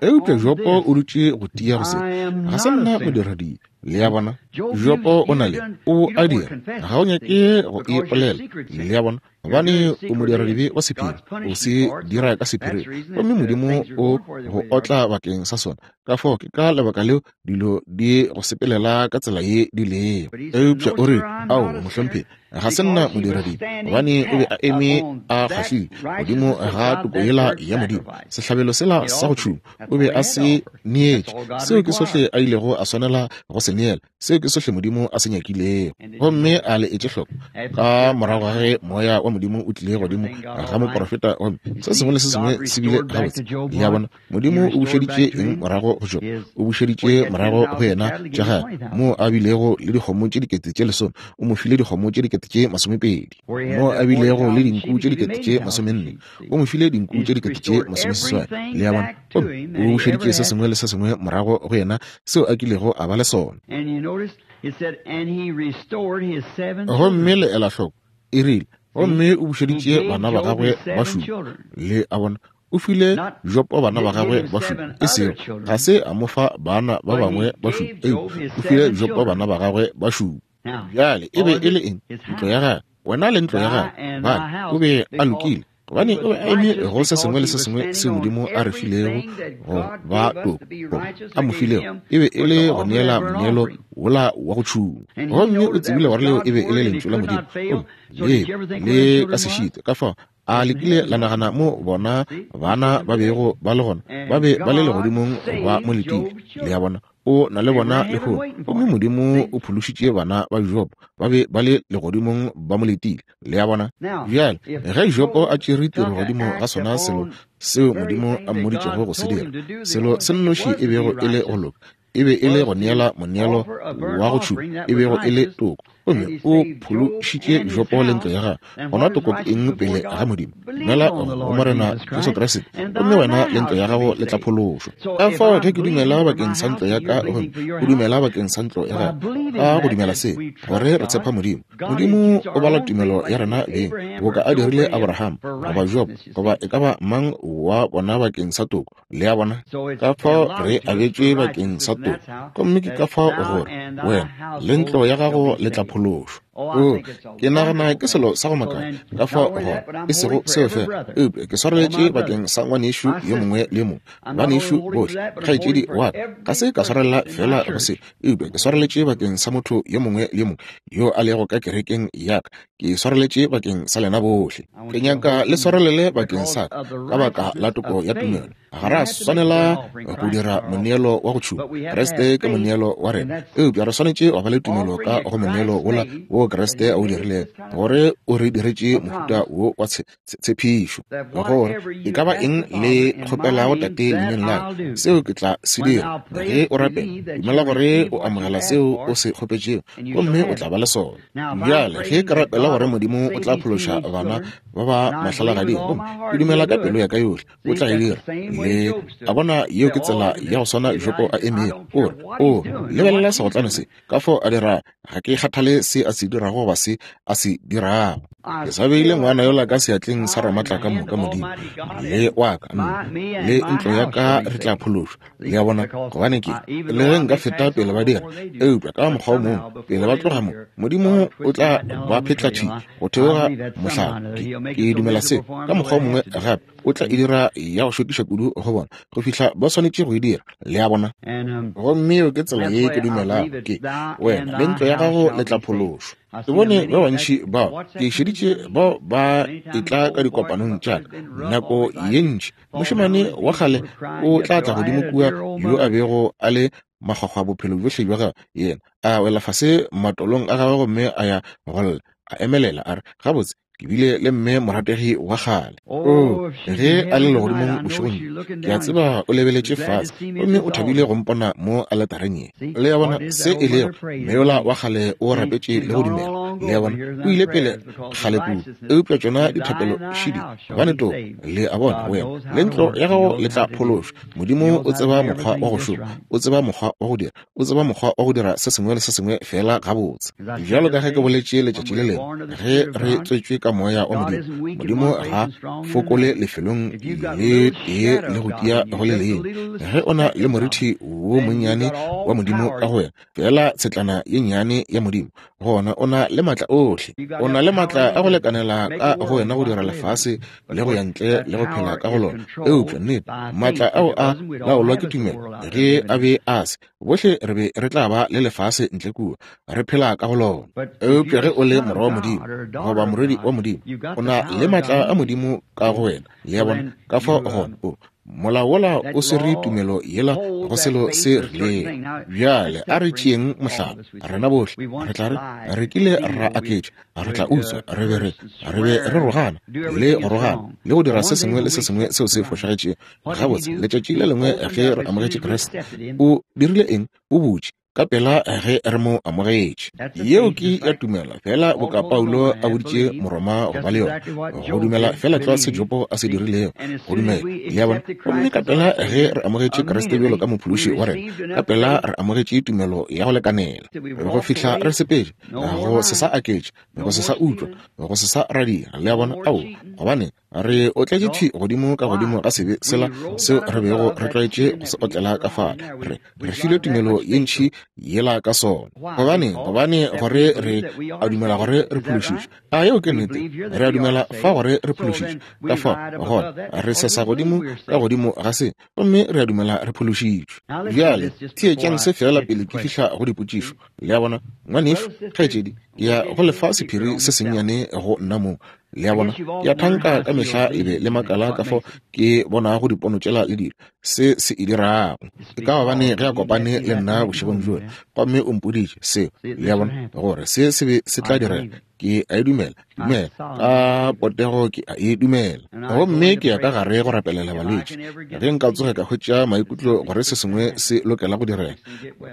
Eupša Jopo o dutše go tia go se, Ga se nna modiradibe. Le a bona? Jopo o na le, o a dira, ga o nyake go e polela. Le a bona? Gobane o modiradibe wa sephiri, o se dira ka sephiring, gomme Modimo o go otla bakeng sa sona. Ka fao ke ka lebaka leo dilo di go sepelela ka tsela ye di lego. Eupša o rile, Ao, mohlomphegi, ga se nna modiradibe, gobane o be a eme a kgahlile godimo ga toko yela ya Modimo, sehlabelo sela sa go tšhuma, o be a se neetše. Seo ke sohle a ilego a swanela go se neela. Seo ke sohle Modimo a se nyakilego. Gomme a le etše hloko, ka morago ga ge Moya wa Modimo o tlile godimo ga moprofeta, gomme se sengwe le se sengwe se bile gabotse. Le a bona? Modimo o bušeditše eng morago go Jobo? O bušeditše morago go yena tša gagwe, moo a bilego le dikgomo tše 10,000, o mo file dikgomo tše 20,000. Moo a bilego le dinku tše 40,000, o mo file dinku tše 80,000. Le a bona? Gomme o bušeditše se sengwe le se sengwe morago go yena seo a kilego a ba le sona. Gomme le ela hloko, e rile, gomme o bušeditše bana ba gagwe ba šupa. Le a bona? O file Jopo bana ba gagwe ba šupa, e sego, ga se a mo fa bana ba bangwe ba šupa, eupša o file Jopo bana ba gagwe ba šupa. Bjale, e be e le eng? Ntlo ya gagwe. Wena le ntlo ya gago. Gobane o be a lokile, gobane o be a eme go se sengwe le se sengwe seo Modimo a re filego go ba toko, a mo filego, e be e le go neela moneelo wola wa go tšhungwa. Gomme o tsebile gore leo e be e le Lentšu la Modimo, gomme le le ka se šitwe. Ka fao a le kile la nagana mo bona bana ba bego ba le gona? Ba be ba le legodimong ba mo letile. Le a bona? O na le bona lehono. Gomme Modimo o phološitše bana ba Jobo, ba be ba le legodimong ba mo letile. Le a bona? Bjale, ge Jobo a tšere tiro godimo ga sona selo seo Modimo a mmoditšego go se dira, selo se nnoši e bego e le go loka, e be e le go neela moneelo wa go tšhuma, e bego e le toko, gomme o phološitše Jobo le ntlo ya gagwe, gona toko ke eng pele ga Modimo? Dumela go Morena Jesu Kriste, gomme wena le ntlo ya gago le tla phološwa. Ka fao ge ke dumela bakeng sa ntlo ya ka, gomme o dumela bakeng sa ntlo ya gago, ka go dumela se, gore re tshepa Modimo. Modimo o bala tumelo ya rena beng, boka a dirile Abraham, goba Jobo, goba e ka ba mang wa bona bakeng sa toko. Le a bona? Ka fao re abetšwe bakeng sa toko, gomme ke ka fao gore wena le ntlo ya gago le tla phološwa. O, ke nagana ke selo sa go makala ka fao gore e sego seo fela, eupša ke swareletše bakeng sa ngwanešu yo mongwe le yo mongwe, banešu bohle, kgaetšedi wa ka. Ga se ka swarelela fela go se, eupša ke swareletše bakeng sa motho yo mongwe le yo mongwe yo a lego ka kerekeng ya ka. Ke swareletše bakeng sa lena bohle. Ke nyaka le swarelele bakeng sa ka ka baka la toko ya tumelo. Ga ra swanela go dira moneelo wa go tšhuma. Kriste ke moneelo wa rena. Eupša re swanetše go ba le tumelo ka go moneelo wola wo Kriste a o dirilego, gore o re diretše mohuta wo wa tshepišo, gore e ka ba eng le kgopelago Tate leineng la ka, seo ke tla se dira. Ge o rapela, dumela gore o amogela seo o se kgopetšego, gomme o tla ba le sona. Bjale, ge ke rapela gore Modimo o tla phološa bana ba ba mahlalagading, gomme ke dumela ka pelo ya ka yohle o tla e dira. Le a bona, yeo ke tsela ya go swana Jobo a emego. O re, O lebelela segotlane se, ka fao a dira, ga ke kgathale se a se dirago goba se a se dirago. Ke sa beile ngwana yola ka seatleng sa Ramatlakamoka Modimo, le wa ka, nna le ntlo ya ka re tla phološwa. Le a bona? Gobane ke, le ge nka feta pele ba dira, eupša ka mokgwa o mongwe, pele ba tloga mo, Modimo o tla ba phetla thwi go theoga mohlala. Ke, ke dumela seo. Ka mokgwa o mongwe gape, o tla e dira ya go šokiša kudu go bona, go fihla ba swanetše go e dira. Le a bona? Gomme yeo ke tsela ye ke dumelago, ke, wena le ntlo ya gago le tla phološwa. Ke bone ba bantši bao, ke šeditše bao ba etla ka dikopanong tša ka nako ye ntši. Mošemane wa kgale o tla tla godimo kua, yo a bego a le makgwakgwa bophelo bjohle bja gagwe, yena a wela fase matolong a gagwe gomme a ya go lla, a emelela, a re, Gabotse, ke bile le mme morategi wa kgale. Oo, ge a le legodimong bošegong bjo, ke a tseba o lebeletše fase gomme o thabile go mpona mo aletareng ye. Le a bona se e lego? Mme yola wa kgale o rapetše le go dumela. Le a bona? O ile pele kgale kudu, eupša tšona dithapelo šidi, gobane toko, le a bona, wena le ntlo ya gago le tla phološwa. Modimo o tseba mokgwa wa go šoma, o tseba mokgwa wa go dira, o tseba mokgwa wa go dira se sengwe le se sengwe feela gabotse. Bjalo ka ge ke boletše letšatši le lengwe, ge re tswetšwe ka Moya wa Modimo, Modimo ga fokole lefelong le tee le go tia go le lengwe. Ge o na le morithi wo monnyane wa Modimo ka go wena, feela tshetlana ye nnyane ya Modimo, gona o na le maatla ohle. O na le maatla a go lekanela ka go wena go dira lefase le go ya ntle le go phela ka go lona. Eupša nnete, maatla ao a laolwa ke tumelo. Ge a be a se, bohle re be re tla ba le lefase ntle kua, re phela ka go lona. Eupša ge o le morwa wa Modimo goba morwedi wa Modimo, o na le maatla a Modimo ka go wena. Le a bona? Ka fao gona o Molao wola o swere tumelo yela go selo se rilego. Bjale a re tšeeng mohlala, rena bohle re tla re, re kile ra aketša, re tla utswa, re be re, re be re rogana le go rogana le go dira se sengwe le se sengwe seo se fošagetšego. Gabotse, letšatši le lengwe ge re amogetše Kriste, o dirile eng? O butše ka pela ge re mo amogetše. Yeo ke ya tumelo, feela boka Paulo a boditše Moroma go ba le yona, go dumela feela tlwa se Jobo a se dirilego, go dumela. Le a bona? Gomme ka pela ge re amogetše Kriste bjalo ka Mophološi wa rena, ka pela re amogetše tumelo ya go lekanela go fihla re sepetše, go se sa aketša, go se sa utswa, go se sa radia. Le a bona? Aowa, gobane Re otletše thwi godimo ka godimo ga sebe sela seo re bego re tlwaetše go se otlela ka fale. Re, re filwe tumelo ye ntši yela ka sona. Gobane, gobane gore re a dumela gore re phološitšwe. A yeo ke nnete? Re a dumela fa gore re phološitšwe. Ka fao, gona, re sesa godimo ka godimo ga se, gomme re a dumela re phološitšwe. Bjale, theetšang se feela pele ke fihla go dipotšišo. Le a bona? Ngwanešu, kgaetšedi, Ke ya go le fa sephiri se sennyane go nna mong. Le a bona? Ke a thanka ka mehla le be le makala ka fao ke bonago dipono tšela le dilo, se se e dirago. Ke ka gobane ge a kopane le nna bošegong bjola, gomme o mpoditše seo, le a bona, gore se se be se tla direga. Ke a e dumela, dumela, ka potego ke a e dumela. Gomme ke ya ka gare go rapelela balwetši. Ge nka tsoge ka hwetša maikutlo gore se sengwe se lokela go direga,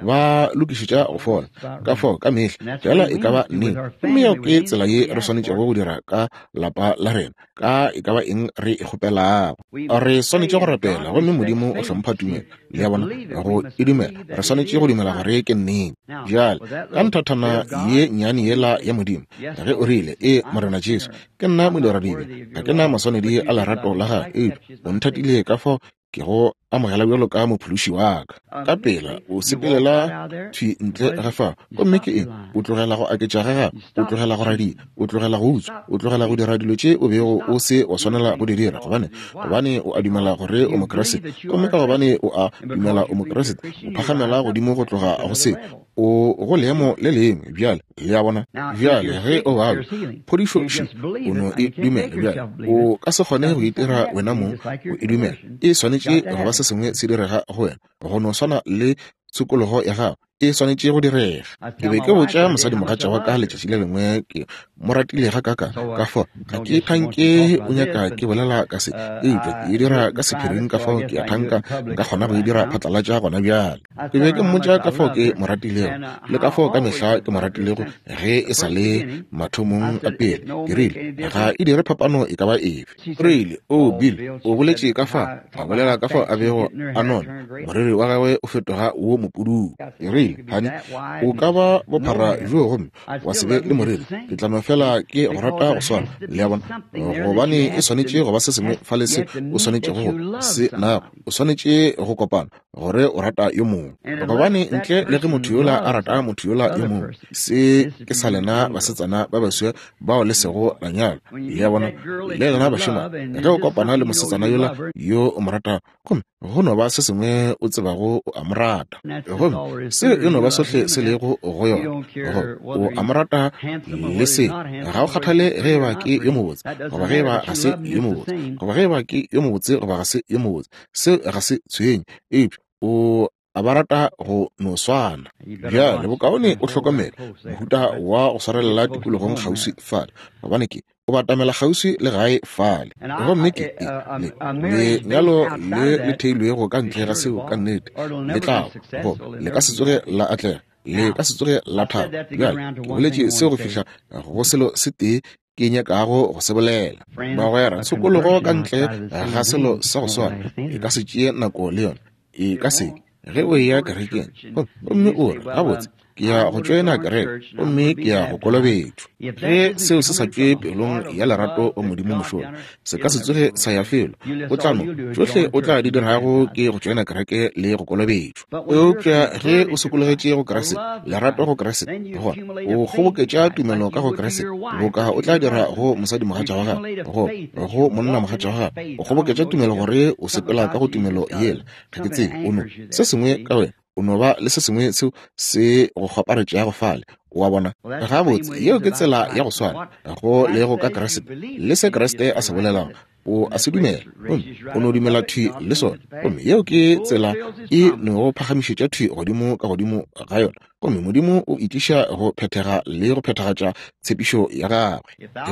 ba lokišetša go fola. Ka fao ka mehla, fela e ka ba neng. Gomme yeo ke tsela ye re swanetšego go dira ka lapa la rena, ka e ka ba eng re e kgopelago. Re swanetše go rapela, gomme Modimo o hlompha tumelo. Le a bona, go e dumela, re swanetše go dumela gore ke nnete. Bjale, ka nthathana ye nnyane yela ya Modimo, ge o rile, Ee, Morena Jesu, ke nna modiradibe, ga ke na maswanedi a lerato la Gago, eupša O nthatile ka fao ke go amogela bjalo ka mophološi wa ka. Ka pela o sepelela thwi ntle ga fao, gomme ke eng? O tlogela go aketša ga gago, o tlogela go radia, o tlogela go utswa, o tlogela go dira dilo tše o bego o se wa swanela go di dira. Gobane, gobane o a dumela gore o Mokriste, gomme ka gobane o a dumela o Mokriste, o phagamela godimo go tloga go se, o go leemo le lengwe bjale. Le a bona? Bjale ge o babja, phodišo še, o no e dumela. Bjale o ka se kgone go itira wena mong go e dumela. E swanetše go ba se sengwe se direga go wena, go no swana le tshokologo ya gago e swanetše go direga. Ke be ke botša mosadimogatša wa ka letšatši le lengwe, ke mo ratile ga kaka, ka fao ga ke thanke o nyaka ke bolela ka se, eupša ke e dira ka sephiring, ka fao ke a thanka nka kgona go e dira phatlalatša gona bjale. Ke be ke mmotša ka fao ke mo ratilego le ka fao ka mehla ke mo ratilego ge e sa le mathomong a pele. Ke rile, Ga e dire phapano e ka ba efe. O rile, O Bill, o boletše ka fa, a bolela ka fao a bego a nona, moriri wa gagwe o fetoga wo mopududu. Ke rile, Honey, o ka ba bophara bjoo gomme wa se be le moriri, ke tla no fela ke go rata go swana. Le a bona? Gobane e swanetše go ba se sengwe fale se o swanetšego go se nago. O swanetše go kopana gore o rata yo mongwe, gobane ntle le ge motho yola a rata motho yola yo mongwe, se ke sa lena basetsana ba baswa bao le sego la nyalwa. Le a bona? Le lena bašemane, ge o kopana le mosetsana yola yo o mo ratago, gomme go no ba se sengwe o tsebago o a mo rata, gomme seo e no ba sohle se lego go yona, go o a mo rata le se, ga o kgathale ge e ba ke yo mobotse goba ge e ba ga se yo mobotse, goba ge e ba ke yo mobotse goba ga se yo mobotse, seo ga se tshwenye, eupša o a ba rata go no swana. Bjale bokaone o hlokomele mohuta wa go swarelela tikologong kgauswi fale, gobane ke o batamela kgauswi le gae fale. Gomme ke le lenyalo le le theilwego ka ntle ga seo ka nnete le tla go le ka se tsoge la atlega, le ka se tsoge la thaba. Bjale ke boletše seo go fihla go selo se tee ke nyakago go se bolela. Bagwera, tshokologo ka ntle ga selo sa go swana e ka se tšee nako le yona, e ka se ke. Ge o eya kerekeng gomme o re, Gabotse, ke ya go tšoena kereke gomme ke ya go kolobetšwa. Ge seo se sa tšwe pelong ya lerato go Modimo mošola, se ka se tsoge sa ya felo. O tla no, tšohle o tla di dirago ke go tšoena kereke le go kolobetšwa. Eupša ge o sokologetše go Kriste, lerato go Kriste, gona o kgoboketša tumelo ka go Kriste, boka o tla dira go mosadimogatša wa gago, go, go monnamogatša wa gago. O kgoboketša tumelo gore o sepela ka go tumelo yela. Ga ke tsebe, o no, se sengwe ka wena, o no ba le se sengwe seo se go kgwaparetšago fale. O a bona? Gabotse, yeo ke tsela ya go swana go lego ka Kriste le se Kriste a se bolelago. O a se dumela, gomme o no dumela thwi le sona. Gomme yeo ke tsela e no phagamišetša thwi godimo ka godimo ga yona. Gomme Modimo o itliša go phethega le go phethagatša tshepišo ya gagwe.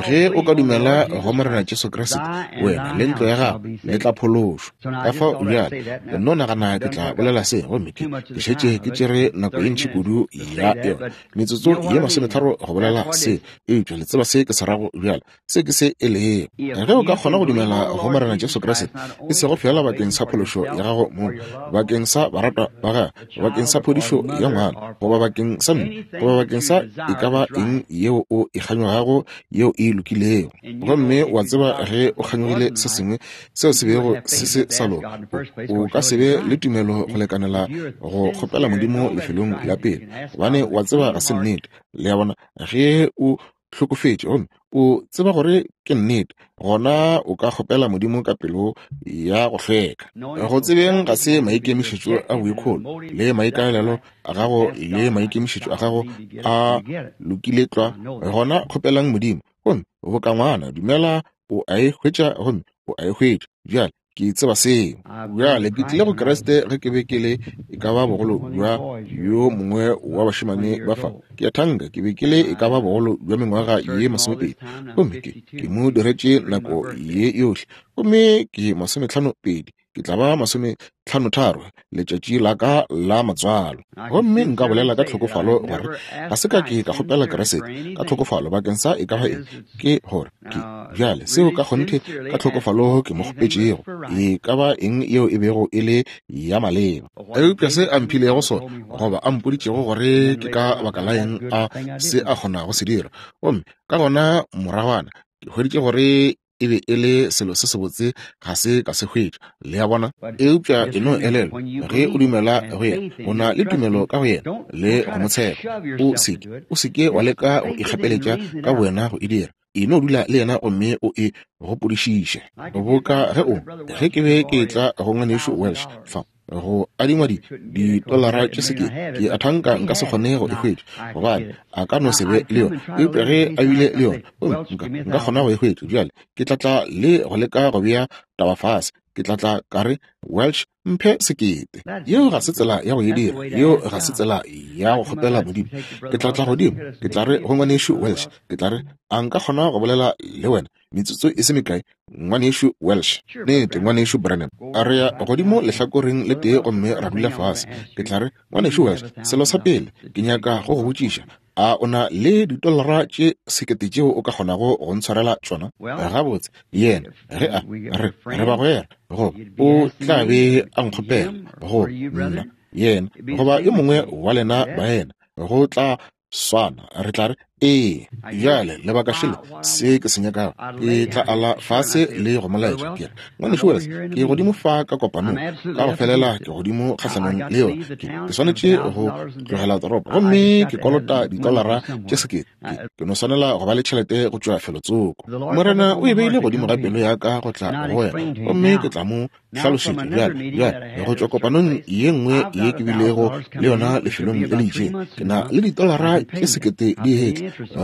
Ge o ka dumela go Morena Jesu Kriste, wena le ntlo ya gago le tla phološwa. Ka fao bjale, nno nagana ke tla bolela se, gomme ke, ke šetše ke tšere nako ye ntši kudu ya yona, metsotso ye masometharo go bolela se, eupša le tseba se ke se rago bjale. Se ke se e lego. Ge o ka kgona go dumela go Morena Jesu Kriste, e sego feela bakeng sa phološo ya gago mong, bakeng sa baratwa ba gago, bakeng sa phodišo ya ngwana, goba bakeng sa mme, goba bakeng sa e ka ba eng yeo o e kganyogago yeo e lokilego, gomme wa tseba ge o kganyogile se sengwe seo se bego se se sa loka, o ka se be le tumelo go lekanela go kgopela Modimo lefelong la pele, gobane wa tseba ga se nnete. Le a bona? Ge o. hlokofetše gomme o tseba gore ke nnete, gona o ka kgopela Modimo ka pelo ya go hlweka. Go tsebeng ga se maikemišetšo a boikgolo le maikaelelo a gago le maikemišetšo a gago a lokile tlwa, gona kgopelang Modimo gomme boka ngwana dumela o a e hwetša gomme o a e hwetša. Bjale ke tseba seo. Bjale ke tlile go Kriste ge ke be ke le e ka ba bogolo bja yo mongwe wa bašemane ba fa. Ke a thanka ke be ke le e ka ba bogolo bja mengwaga ye 20, gomme ke mo diretše nako ye yohle, gomme ke 52, ke tla ba 53 letšatši la ka la matswalo. Gomme nka bolela ka tlhokofalo gore ga se ka ke ka kgopela Kriste ka tlhokofalo bakeng sa e ka ba eng, ke gore ke bjale seo ka kgonthe ka tlhokofalo ke mo kgopetšego e ka ba eng yeo e bego e le ya maleba. Eupša se a mphilego sona goba a mpoditšego gore ke ka baka la eng a se a kgona go se dira, gomme ka gona moragwana ke hweditše gore e be e le selo se sebotse ga se ka se hwetša. Le a bona? Eupša e no elelwa, ge o dumela go yena, o na le tumelo ka go yena le go mo tshepa. O seke wa leka go ikgapeletša ka bowena go e dira. E no dula le yena gomme o e gopodišiše. Boka ge ke be ke etla go ngwanešu Welsh fa go adingwa ditolara tše sekete, ke a thanka nka se kgone go e hwetša gobane a ka no se be le yona, eupša ge a bile le yona gomme nka kgona go e hwetša. Bjale ke tla tla le go leka go bea taba fase. Ke tla tla ka re, Welsh, mphe sekete. Yeo ga se tsela ya go e dira. Yeo ga se tsela ya go kgopela Modimo. Ke tla tla godimo, ke tla re go ngwanešu Welsh, ke tla re, a nka kgona go bolela le wena metsotso e se mekae, ngwanešu Welsh? Nnete, ngwanešu Branham. A re ya godimo lehlakoreng le tee gomme ra dula fase. Ke tla re, ngwanešu Welsh, selo sa pele ke nyaka go go botšiša, a o na le ditolara tše sekete tšeo o ka kgonago go ntshwarela tšona? Gabotse, yena ge a re re bagwera, goba o tla be a nkgopela go nna, yena goba yo mongwe wa lena baena, go tla swana, re tla re ee. Bjale lebaka šele se ke se nyakago, ke tla ala fase le go molaetša. Ke re, ngwanešu Wells, ke godimo fa ka kopanong ka go felela, ke godimo kgahlanong le yona. Ke swanetše go tlogela toropo gomme ke kolota ditolara tše sekete. Ke no swanela go ba le tšhelete go tšwa felotsoko. Morena o e beile godimo ga pelo ya ka go tla go wena, gomme ke tla mo hlalošetša bjale go tšwa kopanong ye nngwe ye ke bilego le yona lefelong le le itšeng. Ke na le ditolara tše sekete di etla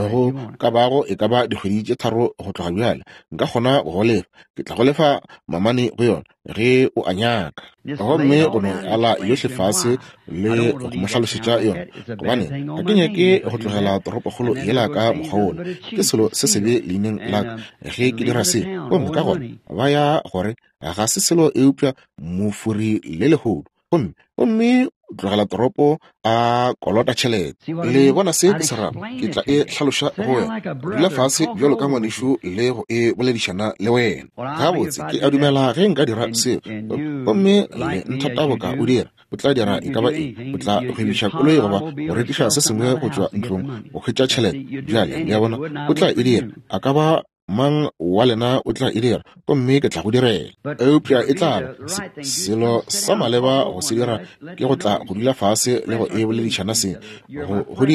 go ka bago e ka ba dikgwedi tše 3 go tloga bjale. Nka kgona go go lefa, ke tla go lefa mamane go yona ge o a nyaka. Gomme go no ala yohle fase le go mo hlalošetša yona, gobane ga ke nyake go tlogela toropokgolo yela ka mokgwa wola. Ke selo se sebe leineng la ka ge ke dira se. Gomme ka gona ba ya gore ga se selo eupša mofuri le lehodu, gomme tlogela toropo a kolota tšhelete. Le bona se ke se rago? Ke tla e hlaloša go wena. Dula fase bjalo ka ngwanešu le go e boledišana le wena. Gabotse, ke a dumela ge nka dira seo, gomme le nthata boka o dira, o tla dira e ka ba eng, o tla gwebiša koloi goba go rekiša se sengwe go tšwa ntlong go hwetša tšhelete. Bjale, le a bona, o tla e dira. A ka ba mang wa lena o tla e dira, gomme ke tla go direla. Eupša e tla ba selo sa maleba go se dira ke go tla go dula fase le go e boledišana seng, go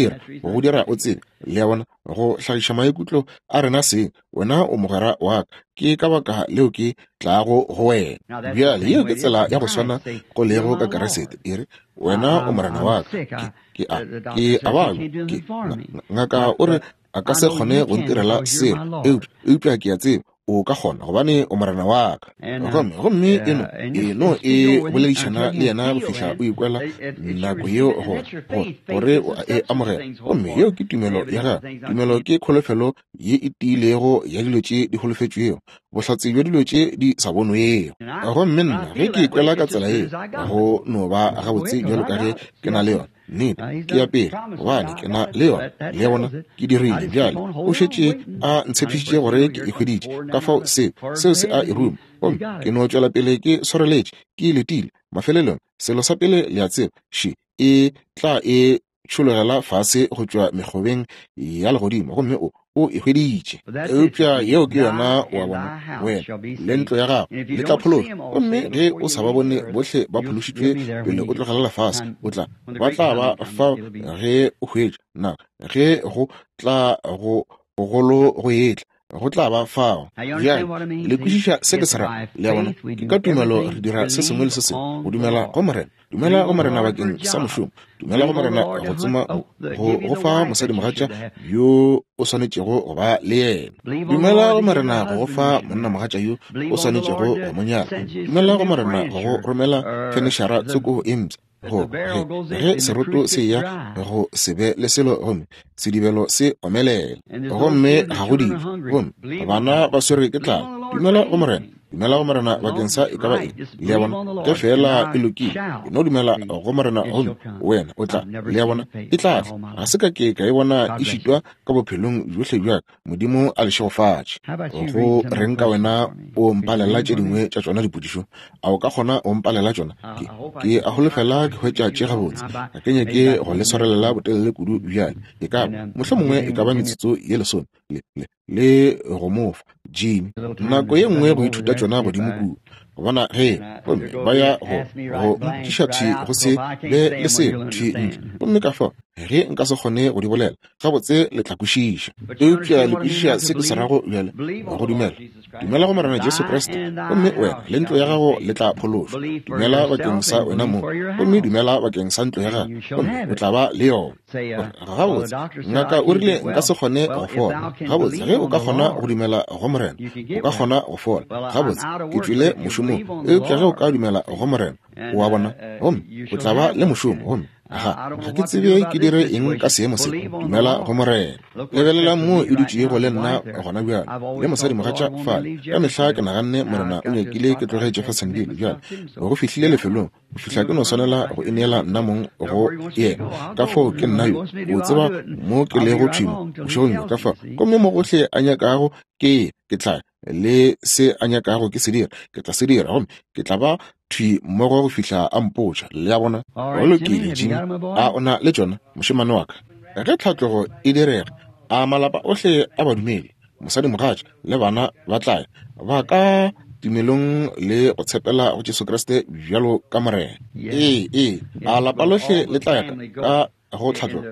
dira o tsebe, le a bona, go hlagiša maikutlo a rena seng. Wena o mogwera wa ka, ke ka baka leo ke tlago go wena. Bjale yeo ke tsela ya go swana go lego ka Keresete. E re, wena o morena wa ka, ke a babja, ngaka o re a ka se kgone go ntirela selo, eupša ke a tseba o ka kgona gobane o morena wa ka. Gomme e no e boledišana le yena go fihla o ikwela nako yeo gore o a e amogela. Gomme yeo ke tumelo ya gago. Tumelo ke kholofelo ye e tiilego ya dilo tše di holofetšwego, bohlatse bja dilo tše di sa bonwego. Gomme nna ge ke ikwela ka tsela yeo, go no ba gabotse bjalo ka ge ke na le yona. Nnete, ke ya pele gobane ke na le yona. Le bona, ke dirile bjale. O šetše a ntshepišitše gore ke e hweditše, ka fao seo se a e ruma. Gomme ke no tšwela pele ke swareletše, ke letile. Mafelelong, selo sa pele le a tseba, še e tla e tšhologela fase go tšwa mekgobeng ya legodimo, gomme o e hweditše. Eupša yeo ke yona, wa bona, wena le ntlo ya gago le tla phološwa. Gomme ge o sa ba bone bohle ba phološitšwe pele o tlogela lefase, ba tla ba fa ge o hwetša na ge go tla go Gogolo go etla, go tla ba fao. Bjale, le kwešiša se ke se rago? Le a bona? Ke ka tumelo re dira se sengwe le se sengwe, go dumela go Morena. Dumela go Morena bakeng sa mošomo. Dumela go Morena go tsoma go go fa mosadimogatša yo o swanetšego go ba le yena. Dumela go Morena go go fa monnamogatša yo o swanetšego go mo nyala. Dumela go Morena go go romela fenešara tsoko e mpsha. Go ge, ge seroto se ya go se be le selo gomme sedibelo se omelela gomme ga go dijo gomme bana ba swerwe ke tlala, dumela go Morena. Dumela go Morena bakeng sa e ka ba eng. Le a bona? Ge feela e lokile, e no dumela go Morena gomme wena o tla. Le a bona? E tla tla. Ga se ka ke ka e bona e šitwa ka bophelong bjohle bja ka. Modimo a le šegofatše. Go reng ka wena o mpalela tše dingwe tša tšona dipotšišo? A o ka kgona o mpalela tšona? Ke, ke a holofela ke hwetša tše gabotse. Ga ke nyake go le swarelela botelele kudu bjale. E ka ba, mohlomongwe e ka ba metsotso ye lesome, le, le, le go mo fa, Jimmy, nako ye nngwe go ithuta tšona godimo kua, go bona ge, gomme ba ya go, go mpotšiša thwi go se be le selo thwi ntle. Gomme ka fao, ge nka se kgone go di bolela gabotse, le tla kwešiša. Eupša le kwešiša se ke se rago bjale, go dumela. Dumela go Morena Jesu Kriste, gomme wena le ntlo ya gago le tla phološwa. Dumela bakeng sa wena mong, gomme dumela bakeng sa ntlo ya gago, gomme o tla ba le yona. Gabotse, ngaka o rile nka se kgone go fola. Gabotse, ge o ka kgona go dumela go Morena, o ka kgona go fola. Gabotse, ke tšwile mošomong, eupša ge o ka dumela go Morena, o a bona, gomme o tla ba le mošomo, gomme ga, ga ke tsebe ke dire eng ka seemo se. Dumela go Morena. Lebelelang moo e dutšego le nna gona bjale, le mosadimogatša fale. Ka mehla ke naganne Morena o nyakile ke tloge Jeffersonville bjale, go fihlile lefelong go fihla ke no swanela go ineela nna mong go yena. Ka fao ke nna yo, o tseba mo ke lego thwi mo bošegong bjo. Ka fao, gomme mo gohle a nyakago ke ye, ke tla ya, le se a nyakago ke se dira, ke tla se dira, gomme ke tla ba thwi mmogo go fihla a mpotša. Le a bona? Go lokile, Jimmy, a o na le tšona, mošemane wa ka? Ge tlhatlogo e direga, a malapa ohle a badumedi, mosadimogatša le bana ba tla ya, ba ka tumelong le go tshepela go Jesu Kriste bjalo ka Morena. Ee, ee, a lapa lohle le tla ya ka go tlhatlogo.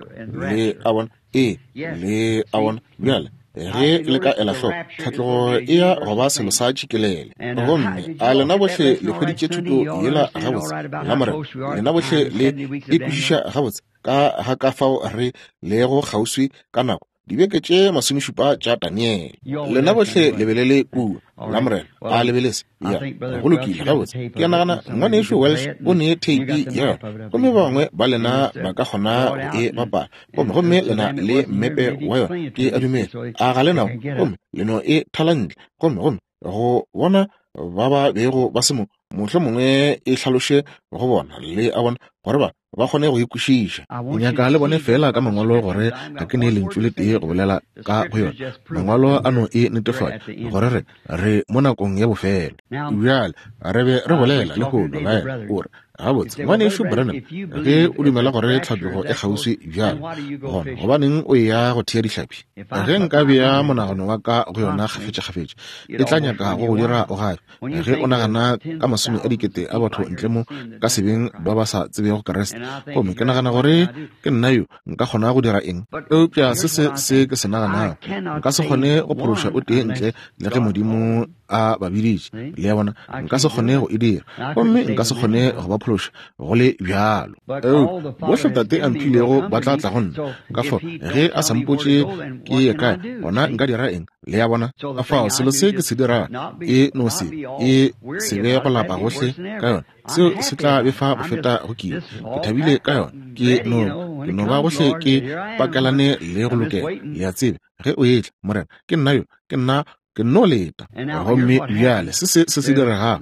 Le a bona? Ee, le a bona? Bjale, ge le ka ela hloko, tlhatlogo e ya go ba selo sa tšikelele. Gomme a lena bohle le hweditše thuto yela gabotse la Morena? Lena bohle le e kwešiša gabotse ka ga ka fao re lego kgauswi ka nako dibeke tše masomešupa tša Daniele. Lena bohle le be le le kua Lamorena, a le be le se? Ya, go lokile, gabotse. Ke a nagana Ngwanešu Welsh o ne theipi ya yona, gomme ba bangwe ba lena ba ka kgona go e bapala. Gomme, gomme le na le mmepe wa yona, ke a dumela. A ga le nao? Gomme le no e thala ntle. Gomme, gomme go bona ba ba bego ba se mo, mohlomongwe e hlaloše go bona, le a bona, gore ba, ba kgone go e kwešiša. Ke nyaka le bone feela ka Mangwalo gore ga ke ne lentšu le tee go bolela ka go yona. Mangwalo a no e netefatša gore re, re mo nakong ya bofelo. Bjale, re be re bolela lehono, baena, o re, Gabotse, Ngwanešu Branham, ge o dumela gore tlhatlogo e kgauswi bjalo, gona gobaneng o eya go thea dihlapi? Ge nka bea monagano wa ka go yona kgafetšakgafetša, e tla nyaka go go dira o gafe. Ge o nagana ka masome a dikete a batho ntle mo ka sebeng ba ba sa tsebego Kriste, gomme ke nagana gore ke nna yo nka kgona go dira eng? Eupša se se se ke se naganago, nka se kgone go phološa o tee ntle le ge Modimo a ba biditše. Le a bona? Nka se kgone go e dira, gomme nka se kgone go ba phološa go le bjalo. Eupša bohle Tate a mphilego ba tla tla go nna. Ka fao, ge a sa mpotše ke ye kae, gona nka dira eng? Le a bona? Ka fao, selo se ke se dirago e no se, e se be go lapa gohle ka yona. Seo se tla befa go feta go kile. Ke thabile ka yona. Ke no, ke no ba gohle ke pakelane le go lokela. Le a tseba, ge o etla, Morena, ke nna yo, ke nna Ke nno leta. Gomme bjale se se se se diregago,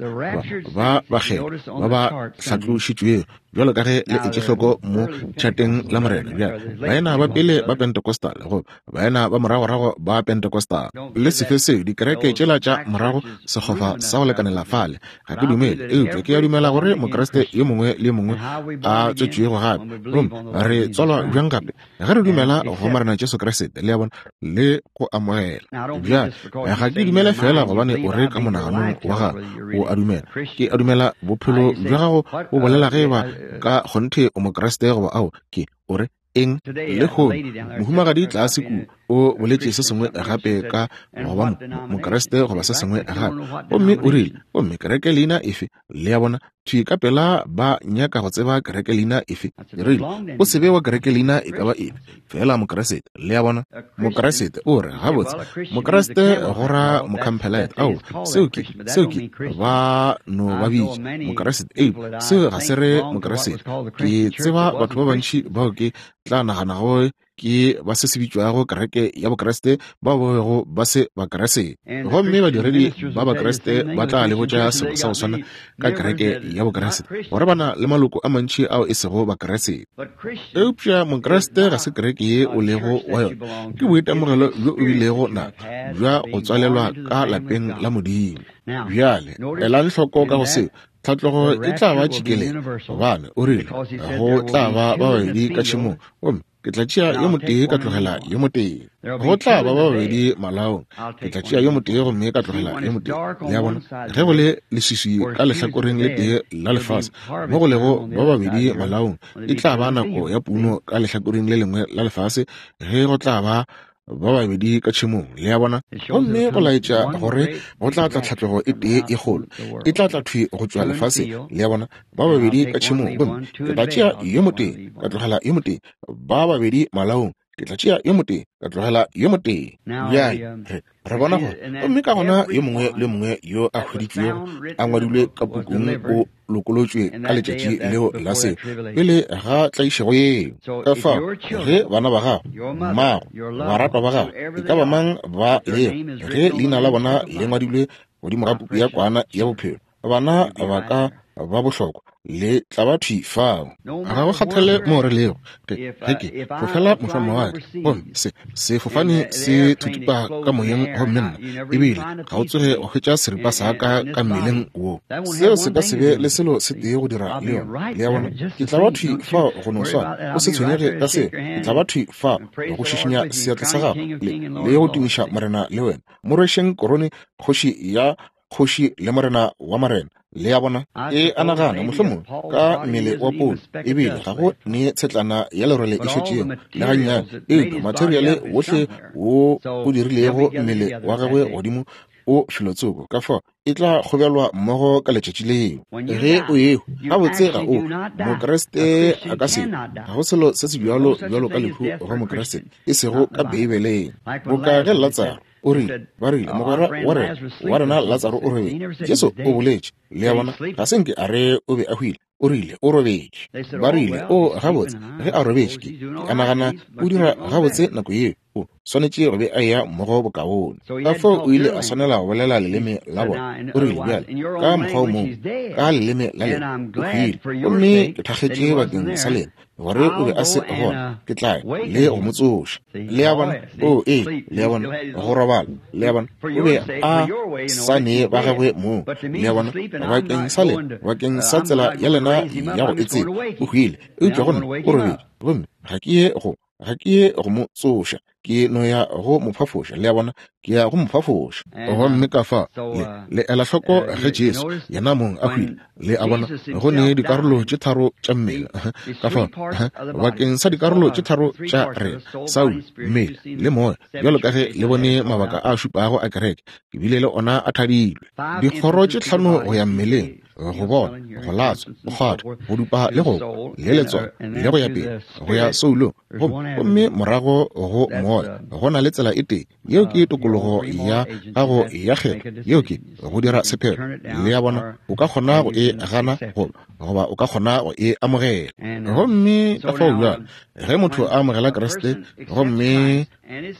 ba, ba bakgethwa ba ba hlatlošitšwego, bjalo ka ge le etše hloko mo tšhateng la Morena, bjale, baena ba pele ba Pentecostal, goba baena ba moragorago ba Pentecostal, le sefe seo, dikereke tšela tša morago, sekgofa sa go lekanela fale, ga ke dumele, eupša ke a dumela gore Mokriste yo mongwe le yo mongwe a tswetšwego gape, gomme re tswalwa bjang gape? Ge re dumela go Morena Jesu Kriste, le a bona, le go amogela. Bjale, ga ke dumele feela gobane o re ka monaganong wa gago o a dumela. Ke a dumela bophelo bja gago bo bolela ge eba ka kgonthe o Mokriste goba ao. Ke, o re, Eng? Lehono, mohumagadi tlase kua o boletše se sengwe gape ka go ba Mokriste goba se sengwe gape. Gomme o rile, Gomme kereke leina efe? Le a bona, thwi ka pela ba nyaka go tseba kereke leina efe. Ke rile, O se be wa kereke leina e ka ba efe, feela Mokriste. Le a bona? Mokriste o re, Gabotse, Mokriste go ra Mocampbellite. Ao, seo ke, seo ke, ba no ba bitša Mokriste. Eupša seo ga se re Mokriste. Ke tseba batho ba bantši bao ke tla naganago ke ba se se bitšwago kereke ya Bokriste bao ba bego ba se Bakriste. Gomme badiredi ba Bakriste ba tla le botša selo sa go swana ka kereke ya Bokriste, gore ba na le maloko a mantši ao e sego Bakriste. Eupša Mokriste ga se kereke ye o lego wa yona, ke boitemogelo bjo o bilego na bja go tswalelwa ka lapeng la Modimo. Bjale, elang hloko ka go seo, Tlhatlogo e tla ba tšhikelelo, gobane o rile, Go tla ba ba babedi ka tšhemong, gomme ke tla tšea yo motee ka tlogela yo motee. Go tla ba ba babedi malaong, ke tla tšea yo motee gomme ka tlogela yo motee. Le a bona? Ge go le leswiswi ka lehlakoreng le tee la lefase, mo go lego ba babedi malaong, e tla ba nako ya puno ka lehlakoreng le lengwe la lefase, ge go tla ba ba babedi ka tšhemong. Le a bona? Gomme go laetša gore go tla tla tlhatlogo e tee e kgolo, e tla tla thwi go tšwa lefaseng. Le a bona? Ba babedi ka tšhemong, gomme ke tla tšea yo motee, ka tlogela yo motee. Ba babedi malaong, ke tla tšea yo motee, ka tlogela yo motee. Bjale, re, re bona gore, gomme ka gona yo mongwe le yo mongwe yo a hweditšwego a ngwadilwe ka pukung o lokolotšwe ka letšatši leo la se pele ga tlaišego yeo. Ka fao, ge bana ba gago, mmago, baratwa ba gago, e ka ba mang ba lego, ge leina la bona le ngwadilwe godimo ga puku ya Kwana ya Bophelo, bana ba ka ba bohlokwa le tla ba thwi fao. Ga go kgathale moo re lego. Ge, ge ke fofela mošwamawatle, gomme se, sefofane se thuthupa ka moyeng gomme nna ebile ga o tsoge wa hwetša seripa sa ka ka mmeleng wo. Seo se ka se be le selo se tee go dira le yona. Le a bona? Ke tla ba thwi fao go no swana. O se tshwenyege ka seo. Ke tla ba thwi fao go šišinya seatla sa gago le, le go tumiša Morena le wena. Mo rwešeng korone, Kgoši ya Kgoši le Morena wa marena. Le a bona? Ke a nagana, mohlomongwe, ka mmele wa Paulo, ebile ga go ne tshetlana ya lerole e šetšego, le gannyane, eupša materiale wohle wo o dirilego mmele wa gagwe godimo o felotsoko, ka fao e tla kgobelwa mmogo ka letšatši leo. Ge o ehwa, gabotse ga o Mokriste a ka se, ga go selo se se bjalo bjalo ka lehu go Mokriste, e sego ka Beibeleng. Boka ge Latsaro, O rile, ba rile, Mogwera wa rena, wa rena Latsaro o robetše. Jesu o boletše, le a bona, ga se nke a re o be a hwile. O rile, O robetše. Ba rile, O, gabotse, ge a robetše, ke, ke a nagana o dira gabotse nako yeo. O swanetše go be a eya mmogo bokaone. Ka fao o ile a swanela go bolela leleme la bona. O rile, Bjale, ka mokgwa o mongwe, ka leleme la lena, o hwile. Gomme ke thakgetše bakeng sa lena, gore o be a se gona, ke tla ya le go mo tsoša. Le a bona? O, ee, le a bona, go robala. Le a bona? O be a sa ne ba gagwe moo. Le a bona? Bakeng sa lena, bakeng sa tsela ya lena ya go e tseba, o hwile. Eupša go nna, o robetše. Gomme ga ke ye go, ga ke ye go mo tsoša. Ke no ya go mo phafoša. Le a bona? Ke ya go mo phafoša. Gomme ka fa, le, le ela hloko ge Jesu, yena mong, a hwile. Le a bona, go ne dikarolo tše tharo tša mmele. Ka fa, bakeng sa dikarolo tše tharo tša rena, Saulo, mmele, le moya, bjalo ka ge le bone mabaka a šupago a kereke, ke bile le ona a thadilwe. Dikgoro tše tlhano go ya mmeleng, go bona, go latswa, go kgwatha, go dupa le go kwa, le letswalo, le go ya pele, go ya soulong, gomme, gomme morago go moya. Go na le tsela e tee, yeo ke tokologo ya gago ya kgetho, yeo ke go dira sephetho. Le a bona, o ka kgona go e gana goba, goba o ka kgona go e amogela. Gomme ka fao bjale, ge motho a amogela Kriste gomme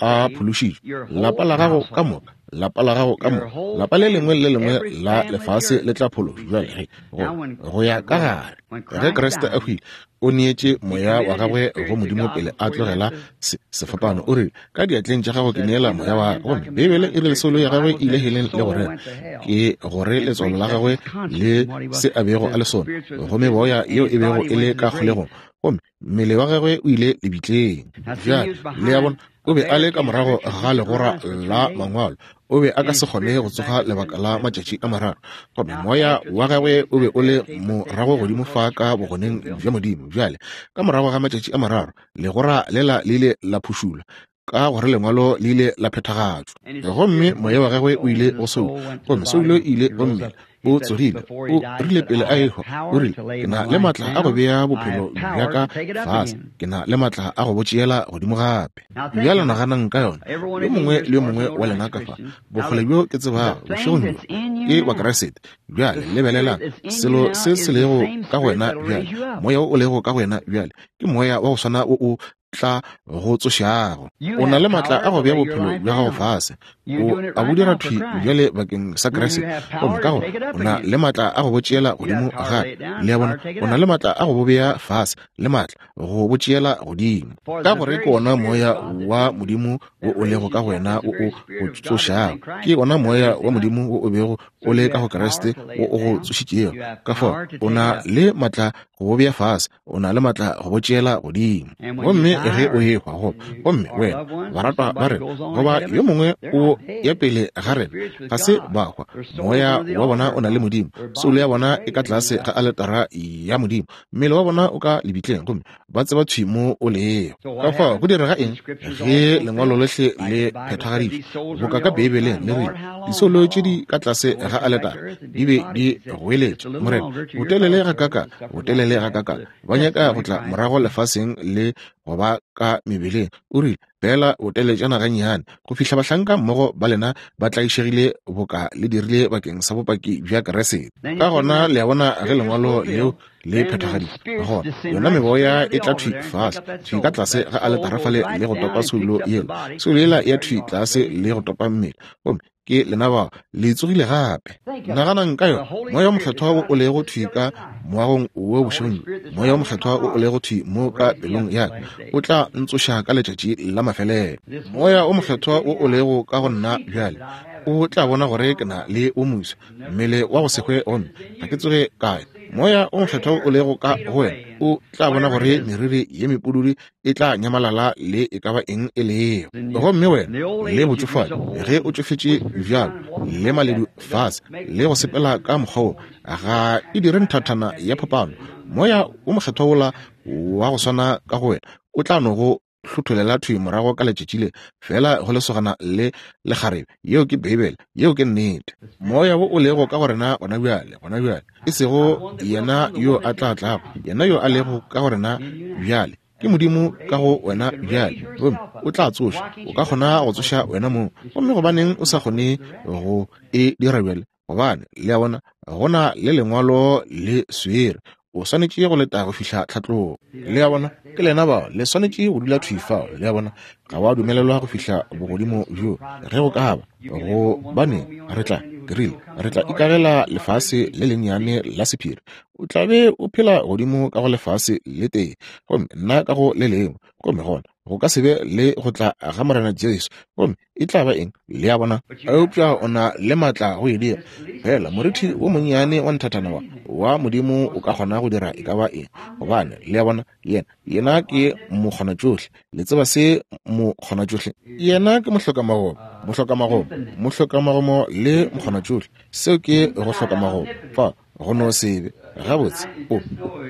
a phološitšwe, lapa la gago ka moka, lapa la gago ka moka, lapa le lengwe le le lengwe la lefase le tla phološwa. Bjale ge, go, go ya ka gare, ge Kriste a hwile, o neetše moya wa gagwe go Modimo pele a tlogela se, sefapano. O rile, Ka diatleng tša gago ke neela moya wa ka. Gomme Beibele e rile soulo ya gagwe e ile heleng le go rera, ke gore letswalo la gagwe le se a bego a le sona, gomme boya yeo e bego e le ka kgolegong, gomme mmele wa gagwe o ile lebitleng. Bjale, le a bona, o be a le ka morago ga legora la mangwalo. O be a ka se kgone go tsoga lebaka la matšatši a mararo. Gomme moya wa gagwe o be o le morago godimo fa ka bogoneng bja Modimo. Bjale, ka morago ga matšatši a mararo, legora lela le ile la phušulwa, ka gore lengwalo le ile la phethagatšwa. Gomme moya wa gagwe o ile go Saulo, gomme Saulo ile go mmila. O tsogile, o rile pele a ehwa, o rile, Ke na le maatla a go bea bophelo bja ka fase, ke na le maatla a go bo tšeela godimo gape. Bjale naganang ka yona, yo mongwe le yo mongwe wa lena ka fa, bokgole bjo ke tsebago, bošegong bjo, ke Bakriste. Bjale lebelelang, selo se se lego ka go wena bjale, moya wo o lego ka go wena bjale, ke moya wa go swana wo o tla go tsošago. O na le maatla a go bea bophelo bja gago fase, o a bo dira thwi bjale bakeng sa Kriste, gomme ka gore o na le maatla a go bo tšeela godimo gape. Le a bona, o na le maatla a go bo bea fase, le maatla go bo tšeela godimo, ka gore ke ona moya wa Modimo wo o lego ka go wena wo o go tsošago. Ke ona moya wa Modimo wo o bego o le ka go Kriste wo o go tsošitšego. Ka fao o na le maatla go bo bea fase, o na le maatla go bo tšeela godimo. Gomme ge o ehwa, goba, gomme wena, baratwa ba rena, goba yo mongwe o ya pele ga rena, ga se ba hwa, moya wa bona o na le Modimo, soulo ya bona e ka tlase ga aletara ya Modimo, mmele wa bona o ka lebitleng, gomme ba tseba thwi mo o lego. Ka fao go direga eng ge lengwalo lohle le phethagaditšwe, boka ka Beibeleng le rile, Disoulo tše di ka tlase ga aletara di be di goeletša, Morena, botelele gakakang, botelele gakakang, ba nyaka go tla morago lefaseng le go ba ka mebeleng. O rile, Feela boteletšana gannyane, go fihla bahlanka mmogo ba lena ba tlaišegile boka le dirile bakeng sa bopaki bja Kriste. Ka gona le a bona ge lengwalo leo le phethagaditšwe, gona yona meboya e tla thwi fase, thwi ka tlase ga aletara fale le go topa soulo yela. Soulo yela ya thwi tlase le go topa mmele, gomme ke lena bao le tsogile gape. Naganang ka yona, Moya wo Mokgethwa wo o lego thwi ka moagong wo bošegong bjo, Moya wo Mokgethwa wo o lego thwi mo ka pelong ya ka, o tla ntsoša ka letšatši la mafelelo. Moya wo Mokgethwa wo o lego ka go nna bjale, o tla bona gore ke na le wo moswa, mmele wa go se hwe, gomme ga ke tsoge ka ya. Moya wo Mokgethwa wo o lego ka go wena, o tla bona gore meriri ye mepududu e tla nyamalala le e ka ba eng e lego. Gomme wena le botšofadi, ge o tšofetše bjalo, le maledu fase, le go sepela ka mokgwa wo, ga e dire nthathana ya phapano. Moya wo Mokgethwa wola wa go swana ka go wena o tla no go hlotholela thwi morago ka letšatši le, feela go lesogana le lekgarebe. Yeo ke Beibele. Yeo ke nnete. Moya wo o lego ka go rena gona bjale, gona bjale, e sego yena yo a tla tlago, yena yo a lego ka go rena bjale, ke Modimo ka go wena bjale, gomme o tla tsoša. O ka kgona go tsoša wena mong. Gomme gobaneng o sa kgone go e dira bjale? Gobane, le a bona, go na le Lengwalo le swere. O swanetše go leta go fihla tlhatlogo. Le a bona? Ke lena bao, le swanetše go dula thwi fao. Le a bona? Ga wa dumelelwa go fihla bogodimo bjo. Ge go ka ba, gobane re tla, ke rile, re tla ikagela lefase le lennyane la sephiri. O tla be o phela godimo ka go lefase le tee, gomme nna ka go le lengwe. Gomme gona go ka se be le go tla ga Morena Jesu. Gomme e tla ba eng? Le a bona? Eupša o na le maatla go e dira. Fela morithi wo monnyane wa nthathana wa, wa Modimo o ka kgona go dira e ka ba eng. Gobane, le a bona, Yena, Yena ke mokgonatšohle. Le tseba se mokgonatšohle? Yena ke mohlokamagomo, mohlokamagomo, mohlokamagomo le mokgonatšohle. Seo ke go hlokamagomo. Fa, go no se be gabotse, o,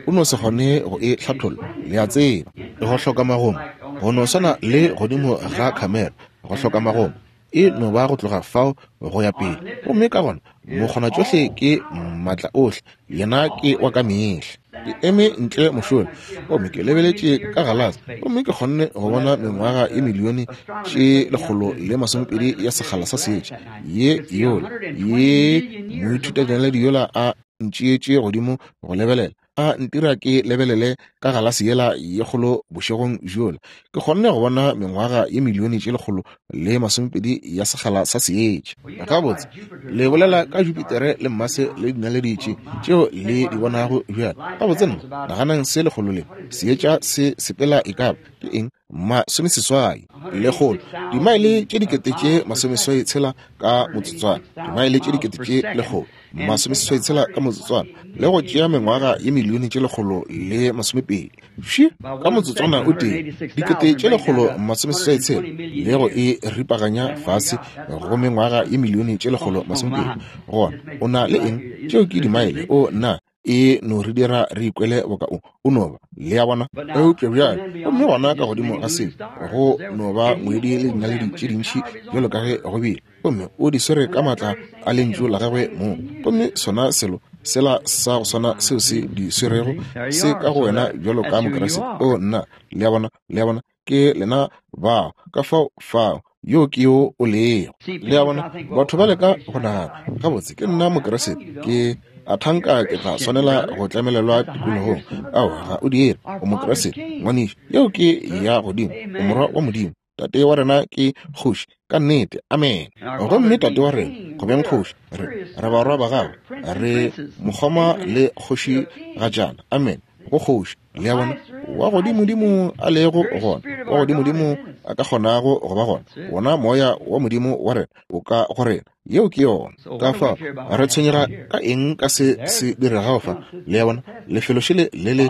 o no se kgone go e hlatholla, le a tseba. Go hloka magomo, go no swana le godimo ga khamera, go hloka magomo, e no ba go tloga fao go ya pele. Gomme ka gona mokgonatšohle ke maatla ohle, yena ke wa ka mehla. Ke eme ntle mošola gomme ke lebeletše ka galase, gomme ke kgonne go bona mengwaga ye milione tše 120 ya sekgala sa seetša ye yola ye moithutadinaledi yola a ntšeetše godimo go lebelela, a ntira ke lebelele ka galase yela ye kgolo bošegong bjola. Ke kgonne go bona mengwaga ye milione tše 120 ya sekgala sa seetša. Gabotse, le bolela ka Jupitere le Mmase le dinaledi tše tšeo le di bonago bjale. Gabotse, nna naganang se lekgolo le seetša se sepela e ka ba ke eng? 86, lekgolo, dimaele tše 86,000 ka motsotswana, dimaele tše 186,000 ka motsotswana, le go tšea mengwaga ye milione tše 120. Fše, ka motsotswana o tee, 186,000, le go e ripaganya fase go mengwaga ye milione tše 120. Gona o na le eng? Tšeo ke dimaele. O na e no re dira re ikwele boka o no ba, le a bona. Eupša bjale, gomme gona ka godimo ga seo, go no ba ngwedi le dinaledi tše dintši bjalo ka ge go bile, gomme o di swere ka maatla a lentšu la gagwe mong. Gomme sona selo sela sa go swana seo se di swerego se ka go wena bjalo ka Mokriste. O nna, le a bona, le a bona, ke lena bao, ka fao fao yo ke yo o lego. Le a bona, batho ba leka go nagana, gabotse ke nna Mokriste, ke a thanka ke tla swanela go tlamelelwa tikologong. Ao, ga o dire. O Mokriste, ngwanešu. Yeo ke ya godimo. O morwa wa Modimo. Tate wa rena ke kgoši, ka nnete. Amen. Gomme tate wa rena, go beng kgoši, re barwa ba gagwe, re mokgoma le kgoši gajana. Amen. Go kgoši. Le a bona, wa godimodimo a lego gona, wa godimodimo a ka kgonago go ba gona, wona moya wa Modimo wa rena o ka go rena. Yeo ke yona. Ka fao re tshwenyega ka eng ka se se diregago fa? Le a bona, lefelo šele le le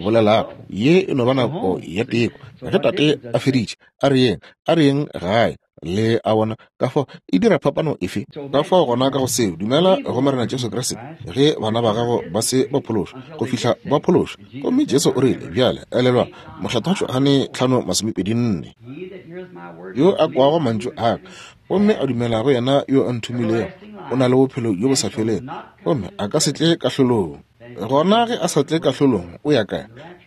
bolelago, ye e no ba nako ya teko. Ge tate a feditše, a re yeng, a re yeng gae. Le a bona, ka fao e dira phapano efe? Ka fao gona ka go seo, dumela go Morena Jesu Kriste ge bana ba gago ba se ba phološwa, go fihla ba phološwa. Gomme Jesu o rile, bjale elelwa, Mokgethwa Johane 5:24, yo a kwago mantšu a ka gomme a dumela go yena yo a nthomilego, o na le bophelo bjo bo sa felego, gomme a ka se tle kahlolong. Gona ge a sa tle kahlolong, o ya kae?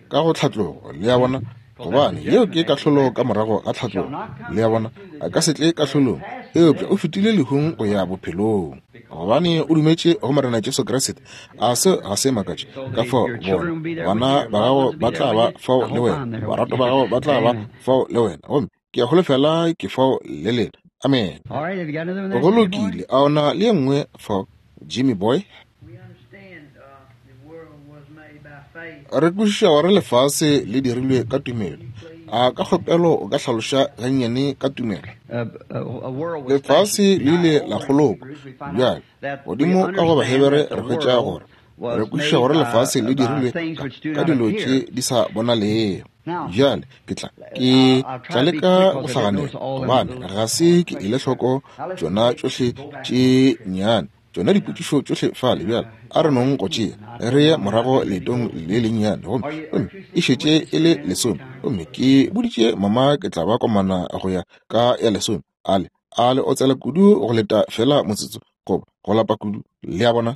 Ka go tlhatlogo. Le a bona? Gobane yeo ke kahlolo ka morago ga tlhatlogo. Le a bona? A ka se tle kahlolong, eupša o fetile lehung go ya bophelong, gobane o dumetše go Morena Jesu Kriste. A se ga se makatše? Ka fao bona bana ba gago ba tla ba fao le wena, baratwa ba gago ba tla ba fao le wena, gomme ke a holofela ke fao le lena. Amen. Go lokile. A ona le ye nngwe fao, Jimmy Boy? Re kwešiša gore lefase le dirilwe ka tumelo. A ka kgopelo o ka hlaloša gannyane ka tumelo? Lefase le ile la kgolokwa. Bjale, godimo ka go Bahebere re hwetša gore re kwešiša gore lefase le dirilwe ka dilo tše di sa bonalego. Bjale ke tla ke tla leka go hlaganela, gobane ga se ke ele hloko tšona tšohle tše nnyane, tšona dipotšišo tšohle fale. Bjale a re nong go tšea re ye morago leetong le lennyane, gomme gomme e šetše e le lesome, gomme ke boditše mama ke tla ba komana go ya ka ya lesome. Ale a le otsela kudu go leta fela motsotso, goba go lapa kudu, le a bona.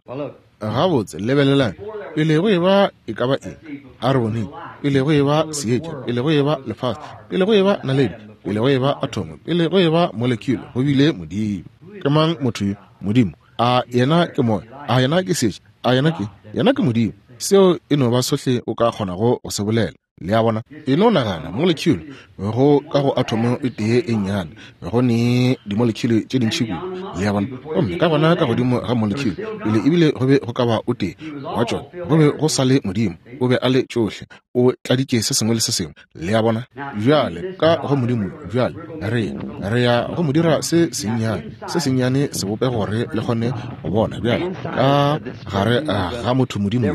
Gabotse, lebelelang, pele go eba e ka ba eng, a re boneng, pele go eba seetša, pele go eba lefase, pele go eba naledi, pele go eba athomo, pele go eba molecule, go bile Modimo. Ke mang motho yo? Modimo. A yena ke moya? A yena ke seetša? A yena ke? Yena ke Modimo. Seo e no ba sohle o ka kgonago go se bolela. Le a bona? E no nagana, molecule go ka go athomo e tee e nnyane, go ne dimolecule tše dintši kudu. Le a bona? Gomme ka gona ka godimo ga molecule, pele ebile go be go ka ba o tee wa tšona, go be go sa le Modimo. O be a le tšohle. O tladitše se sengwe le se sengwe. Le a bona? Bjale, ka go Modimo, bjale re, re ya go mo dira se sennyane, se sennyane sebopego gore le kgone go bona. Bjale, ka gare ga motho Modimo yo,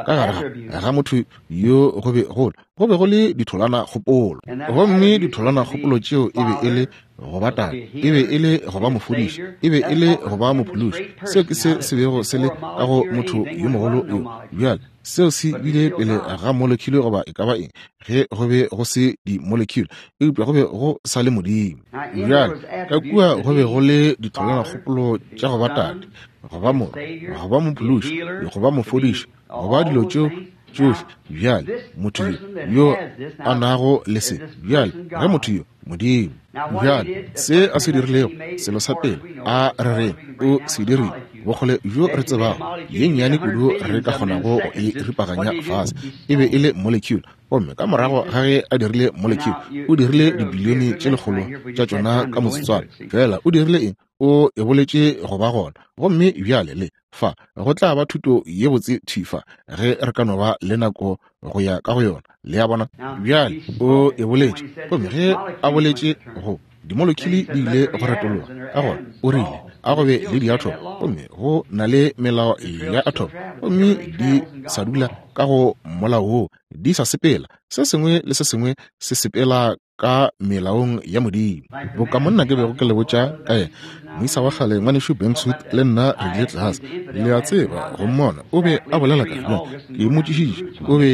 ka gare ga motho yo go be go go be go le ditholwana kgopolo, gomme ditholwana kgopolo tšeo e be e le go ba tate, e be e le go ba mofodiši, e be e le go ba mophološi. Seo ke se se bego se le ka go motho yo mogolo yo. Bjale seo se bile pele ga molecule goba e ka ba eng, ge go be go se di-molecule, eupša go be go sa le Modimo. Bjale ka kua go be go le ditholwana kgopolo tša go ba tate, go ba morwa, go ba mophološi, go ba mofodiši, go ba dilo tšeo tšohle. Bjale motho yo yo a nago le se, bjale ge motho yo Modimo, bjale se a se dirilego, selo sa pele a re reng o se dirile, bokgole bjo re tsebago, ye nnyane kudu re ka kgonago go e ripaganya fase, e be e le molecule. Gomme ka morago ga ge a dirile molecule, o dirile dibilione tše lekgolo tša tšona ka motsotswana fela. O dirile eng? O e boletše go ba gona. Gomme bjale le fa go tla ba thuto ye botse thwi fa, ge re ka no ba le nako go ya ka go yona. Le a bona? Bjale O e boletše. Gomme ge A boletše go dimolekule di ile go retologa, ka gona O rile a go be le diathomo, gomme go na le melao ya athomo, gomme di sa dula ka go molao woo, di sa sepela, se sengwe le se sengwe se sepela ka melaong ya Modimo. Boka monna ke bego ke le botša ka yena, moisa wa kgale ngwanešu Bankswood le nna re ile tlase, le a tseba, go mmona. O be a bolela ka bjang. Ke mmotšišitše, o be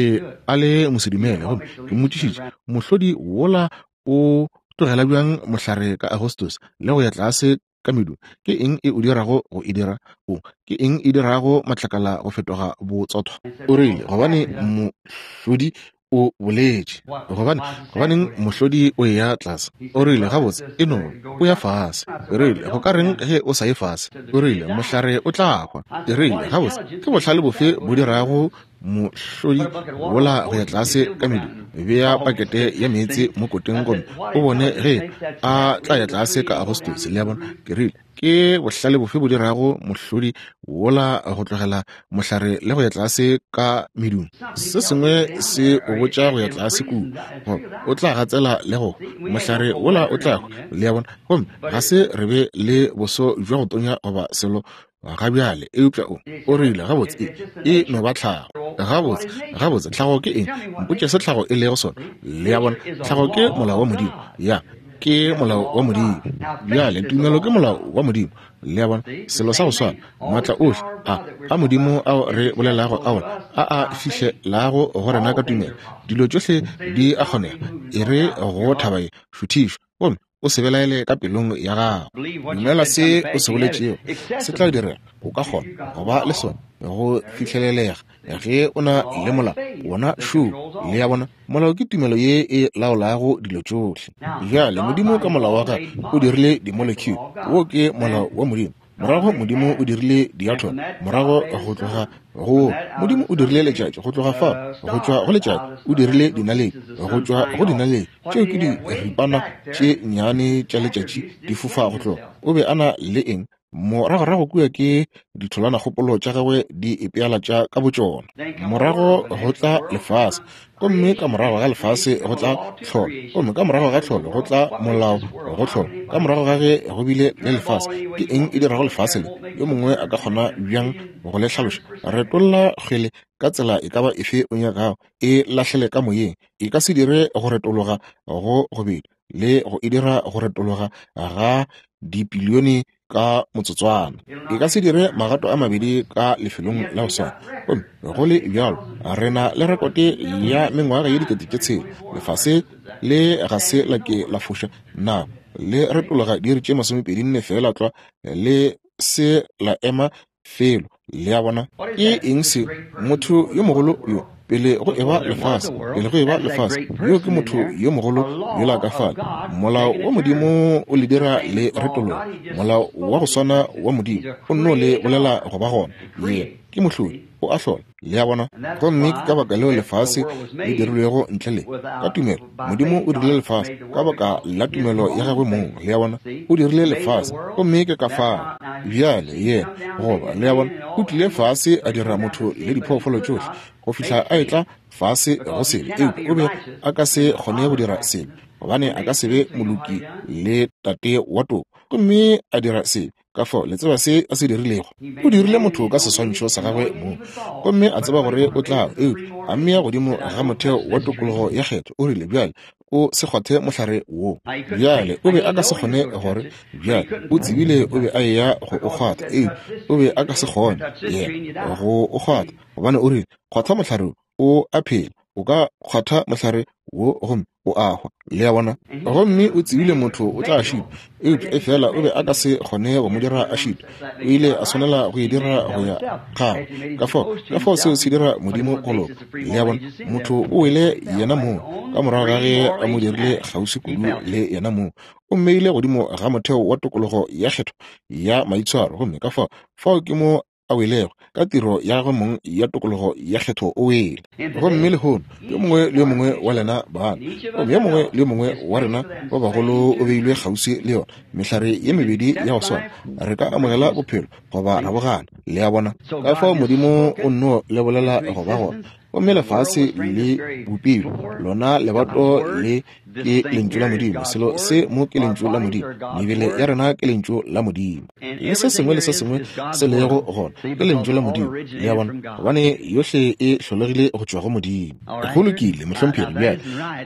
a le mosedumele, gomme ke mmotšišitše, mohlodi wola o tlogela bjang mohlare ka Agostose le go ya tlase ka medung? Ke eng e o dirago go e dira? O, ke eng e dirago matlakala go fetoga botsothwa? O rile, Gobane mohlodi o boletše. Gobane, gobaneng mohlodi o eya tlase? O rile, Gabotse, e no, o ya fase. Ke rile, Go ka reng ge o sa ye fase? O rile, Mohlare o tla hwa. Ke rile, Gabotse, ke bohlale bofe bo dirago mohlodi wola go ya tlase ka medu? Bea pakete ya meetse mo koteng gomme o bone ge a tla ya tlase ka Agostose. Le a bona? Ke rile, Ke bohlale bofe bo dirago mohlodi wola go tlogela mohlare le go ya tlase ka medung? Se sengwe se o botša go ya tlase kua, goba o tla gatsela le go mohlare wola o tla hwa. Le a bona? Gomme ga se re be le boso bja go tonya goba selo ga bjale, eupša o, o rile, gabotse, e, e no ba tlhago. Gabotse, gabotse, tlhago ke eng? Mpotše se tlhago e lego sona. Le a bona? Tlhago ke molao wa Modimo. Ya, ke molao wa Modimo. Bjale, tumelo ke molao wa Modimo. Le a bona? Selo sa go swana, maatla ohle a, a Modimo ao re bolelago a ona, a a fihlelago go rena ka tumelo, dilo tšohle di a kgonega. E re go thaba ye, šuthišwa, gomme o se belaele ka pelong ya gago. Dumela se o se boletšego, se tla direga. O ka kgona go ba le sona go fihlelelega ge o na le molao. Wona šo, le a bona, molao ke tumelo ye e laolago dilo tšohle. Bjale, Modimo ka molao wa gagwe o dirile di-molecule. Wo ke molao wa Modimo. Morago Modimo o dirile diathomo, morago go tloga go Modimo o dirile letšatši, go tloga fao go tšwa go letšatši o dirile dinaledi, go tšwa go dinaledi tšeo ke diripana tše nnyane tša letšatši di fofa go tloga. O be a na le eng? Moragorago kua ke ditholwanakgopolo tša gagwe di ipealatša ka botšona. Morago go tla lefase, gomme ka morago ga lefase go tla tlholo, gomme ka morago ga tlholo go tla molao go tlholo. Ka morago ga ge go bile le lefase, ke eng e dirago lefase le? Yo mongwe a ka kgona bjang go le hlaloša? Retolla kgwele ka tsela e ka ba efe o nyakago, e lahlele ka moyeng, e ka se dire go retologa go gobedi le go e dira go retologa ga dipilione ka motsotswana. E ka se dire magato a mabedi ka lefelong la go swana. Gomme go le bjalo, re na le rekote ya mengwaga ye 6000. Lefase le ga se la ke la foša nako, le retologa diiri tše 24 feela tlwa, le se la ema felo. Le a bona? Ke eng seo? Motho yo mogolo yo, pele go eba lefase, pele go eba lefase, yo ke motho yo mogolo yola ka fale. Molao wa Modimo o le dira le retologa. Molao wa go swana wa Modimo o nno le bolela go ba gona. Yena ke mohlodi, o a hlola. Le a bona? Gomme ke ka baka leo lefase le dirilwego ntle le ka tumelo. Modimo o dirile lefase ka baka la tumelo ya gagwe mong. Le a bona? O dirile lefase, gomme ke ka fao bjale yena, goba, le a bona, o tlile fase a dira motho le diphoofolo tšohle go fihla a etla fase go sebe. Eupša o be a ka se kgone go dira sebe, gobane a ka se be moloki le tate wa toko, gomme a dira sebe. Ka fao le tseba se a se dirilego? O dirile motho ka seswantšho sa gagwe mong, gomme a tseba gore o tla, eupša a mmea godimo ga motheo wa tokologo ya kgetho. O rile, Bjale, o se kgwathe mohlare wo. Bjale, o be a ka se kgone gore, bjale, o tsebile o be a eya go o kgwatha, eupša o be a ka se kgone, yena, go o kgwatha, gobane o rile, Kgwatha mohlare wo, o a phela. O ka kgwatha mohlare wo gomme o a hwa. Le a bona? Gomme o tsebile motho o tla šitwa, eupša efela o be a ka se kgone go mo dira a šitwa. O ile a swanela go e dira go ya gagwe. Ka fao, ka fao seo se dira Modimo go loka. Le a bona? Motho o wele yena mong, ka morago ga ge a mo dirile kgauswi kudu le yena mong. O mmeile godimo ga motheo wa tokologo ya kgetho ya maitshwaro, gomme ka fao, fao ke mo. a welego, ka tiro ya gagwe mong ya tokologo ya kgetho o wele. Gomme lehono, yo mongwe le yo mongwe wa lena bana, gomme yo mongwe le yo mongwe wa rena ba bagolo o beilwe kgauswi le yona mehlare ye mebedi ya go swana. Re ka amogela bophelo goba ra bo gana. Le a bona? Ka fao Modimo o nno le bolela go ba gona. Gomme lefase le bopilwe, lona lebato le ke Lentšu la Modimo. Selo se mo ke Lentšu la Modimo. Mebele ya rena ke Lentšu la Modimo. Le se sengwe le se sengwe se lego gona ke Lentšu la Modimo. Le a bona? Gobane yohle e hlolegile go tšwa go Modimo. Go lokile, mohlomphegi. Bjale,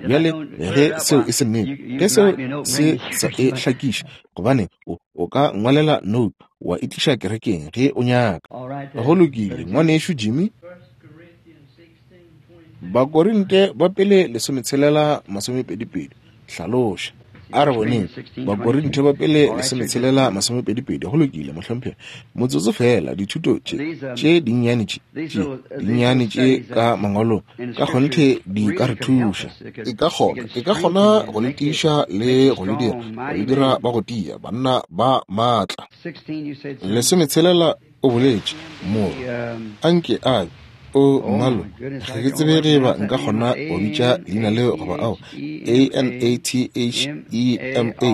bjale ge seo e se nnete, ge seo se sa e hlakiše, gobane o, o ka ngwalela note wa e tliša kerekeng ge o nyaka. Go lokile, Ngwanešu Jimmy. Bakorinte ba pele 16:22. Hlaloša. A re boneng. Bakorinte ba pele 16:22. Go lokile, mohlomphegi. Motsotso feela, dithuto tše, tše dinnyane tše, tše dinnyane tše ka Mangwalong, ka kgonthe di ka re thuša. E ka kgona, e ka kgona go le tiiša le go le dira, go le dira ba go tia, banna ba maatla. 16 O boletše, Morwa, anke a be. O, mmalo, ga ke tsebe ge eba nka kgona go bitša leina leo goba ao. A-N-A-T-H-E-M-A,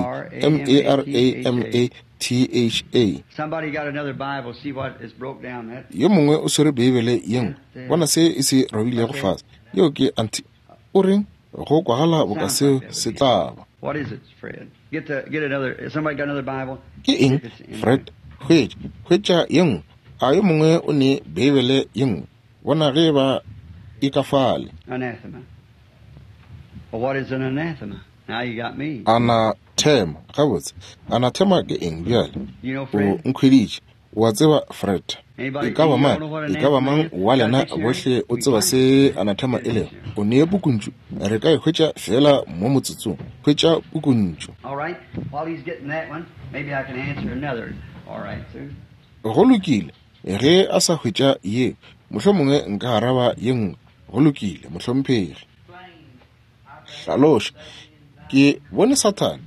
M-A-R-A-M-A-T-H-A. Yo mongwe o swere Beibele ye nngwe, bona se e se robilego fase. Yeo ke anti. O reng? Go kwagala boka seo se tla ba. Ke eng, Fred? Hwetša, hwetša ye nngwe. A yo mongwe o ne Beibele ye nngwe? Bona ge eba e ka fale. Anathema. Gabotse, anathema ke eng bjale? O nkhweditše. O a tseba, Fred. E ka ba mang, e ka ba mang wa lena bohle o tseba se anathema e lego? O ne pukuntšu. Re ka e hwetša feela mo motsotsong. Hwetša pukuntšu. Go lokile, ge a sa hwetša ye, mohlomongwe nka araba ye nngwe. Go lokile, mohlomphegi. Hlaloša, Ke bone Sathane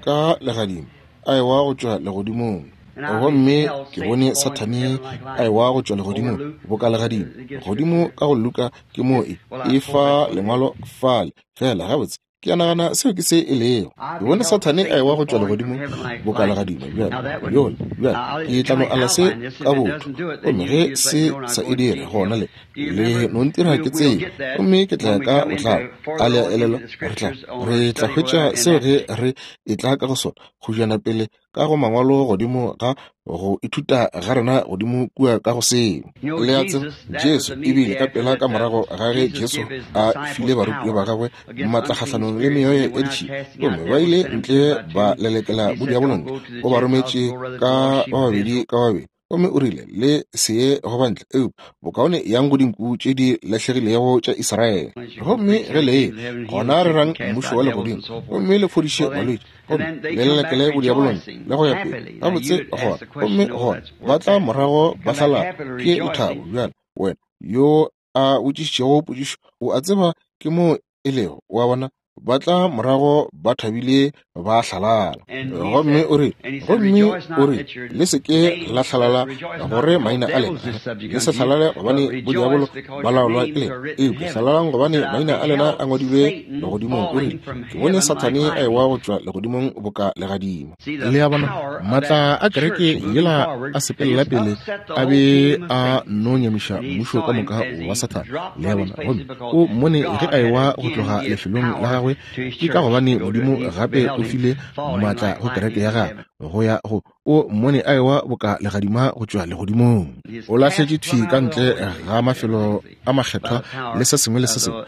ka legadima a ewa go tšwa legodimong. Gomme ke bone Sathane a ewa go tšwa legodimong boka legadima. Godimo ka go Luka ke moo e, e fa lengwalo fale. Feela gabotse, ke a nagana seo ke se e lego. Ke bone Sathane a ewa go tšwa legodimong boka legadima. Bjale, yola, bjale, ke tla no ala se ka botho. Gomme ge se sa e dire, gona le, Le no ntira ke tsebe, gomme ke tla ya ka botlalo. A le a elelwa? Re tla, re tla hwetša seo ge re etla ka go sona, go jana pele ka go Mangwalo godimo ga go ithuta ga rena godimo kua ka go seo. Le a tseba, Jesu, ebile ka pela ka morago ga ge Jesu a file barutiwa ba gagwe maatla kgahlanong le meoya ya ditšhila, gomme ba ile ntle ba lelekela bodiabolo ntle, o ba rometše ka ba babedi ka babedi. Gomme o rile, Le se ye go bantle, eupša bokaone yang go dinku tše di lahlegilego tša Israele. Gomme ge le ye, gona rerang mmušo wa legodimo, gomme le fodiše balwetši, gomme le lelekele bodiabolong, le go ya pele. Gabotse, gona, gomme gona ba tla morago ba hlalala ke lethabo. Bjale, wena yo a botšišitšego potšišo, o a tseba ke moo e lego, o a bona, ba tla morago ba thabile ba hlalala. Gomme o re, gomme o re, le se ke la hlalala gore maina a lena, le se hlalale gobane bodiabolo ba laolwa ke lena, eupša hlalalang gobane maina a lena a ngwadilwe legodimong. O rile, ke bone Sathane a ewa go tšwa legodimong boka legadima. Le a bona, maatla a kereke yela a sepelela pele a be a no nyamiša mmušo ka moka wa Sathane. Le a bona, gomme o mmone ge a ewa go tloga lefelong la gagwe, ke ka gobane Modimo gape o file maatla go kereke ya gagwe go ya go o mmone a ewa boka legadima go tšwa legodimong. O lahletše thwi ka ntle ga mafelo a makgethwa le se sengwe le se sengwe.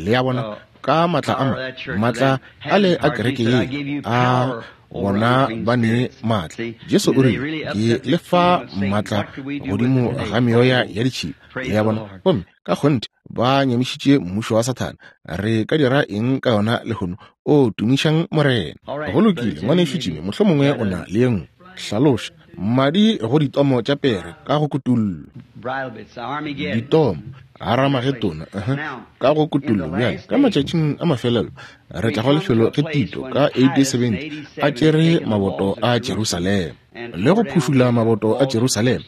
Le a bona, ka maatla a ma, maatla a le a kereke ye a bona ba ne maatla. Jesu o rile, Ke le fa maatla godimo ga meoya ya ditšhila. Le a bona? Gomme ka kgonthe ba nyamišitše mmušo wa Sathane. Re ka dira eng ka yona lehono? O, tumišang Morena. Go lokile, Ngwanešu Jimmy, mohlomongwe o na le ye nngwe. Hlaloša, Madi go ditomo tša pere ka go kutullo. Ditomo, Haramagedona, uh -huh, ka go kutullo. Bjale, ka matšatšing a mafelelo, re tla go lefelo ge Tito ka AD 70 a tšere maboto a Jerusalema. Le go phušula maboto a Jerusalema.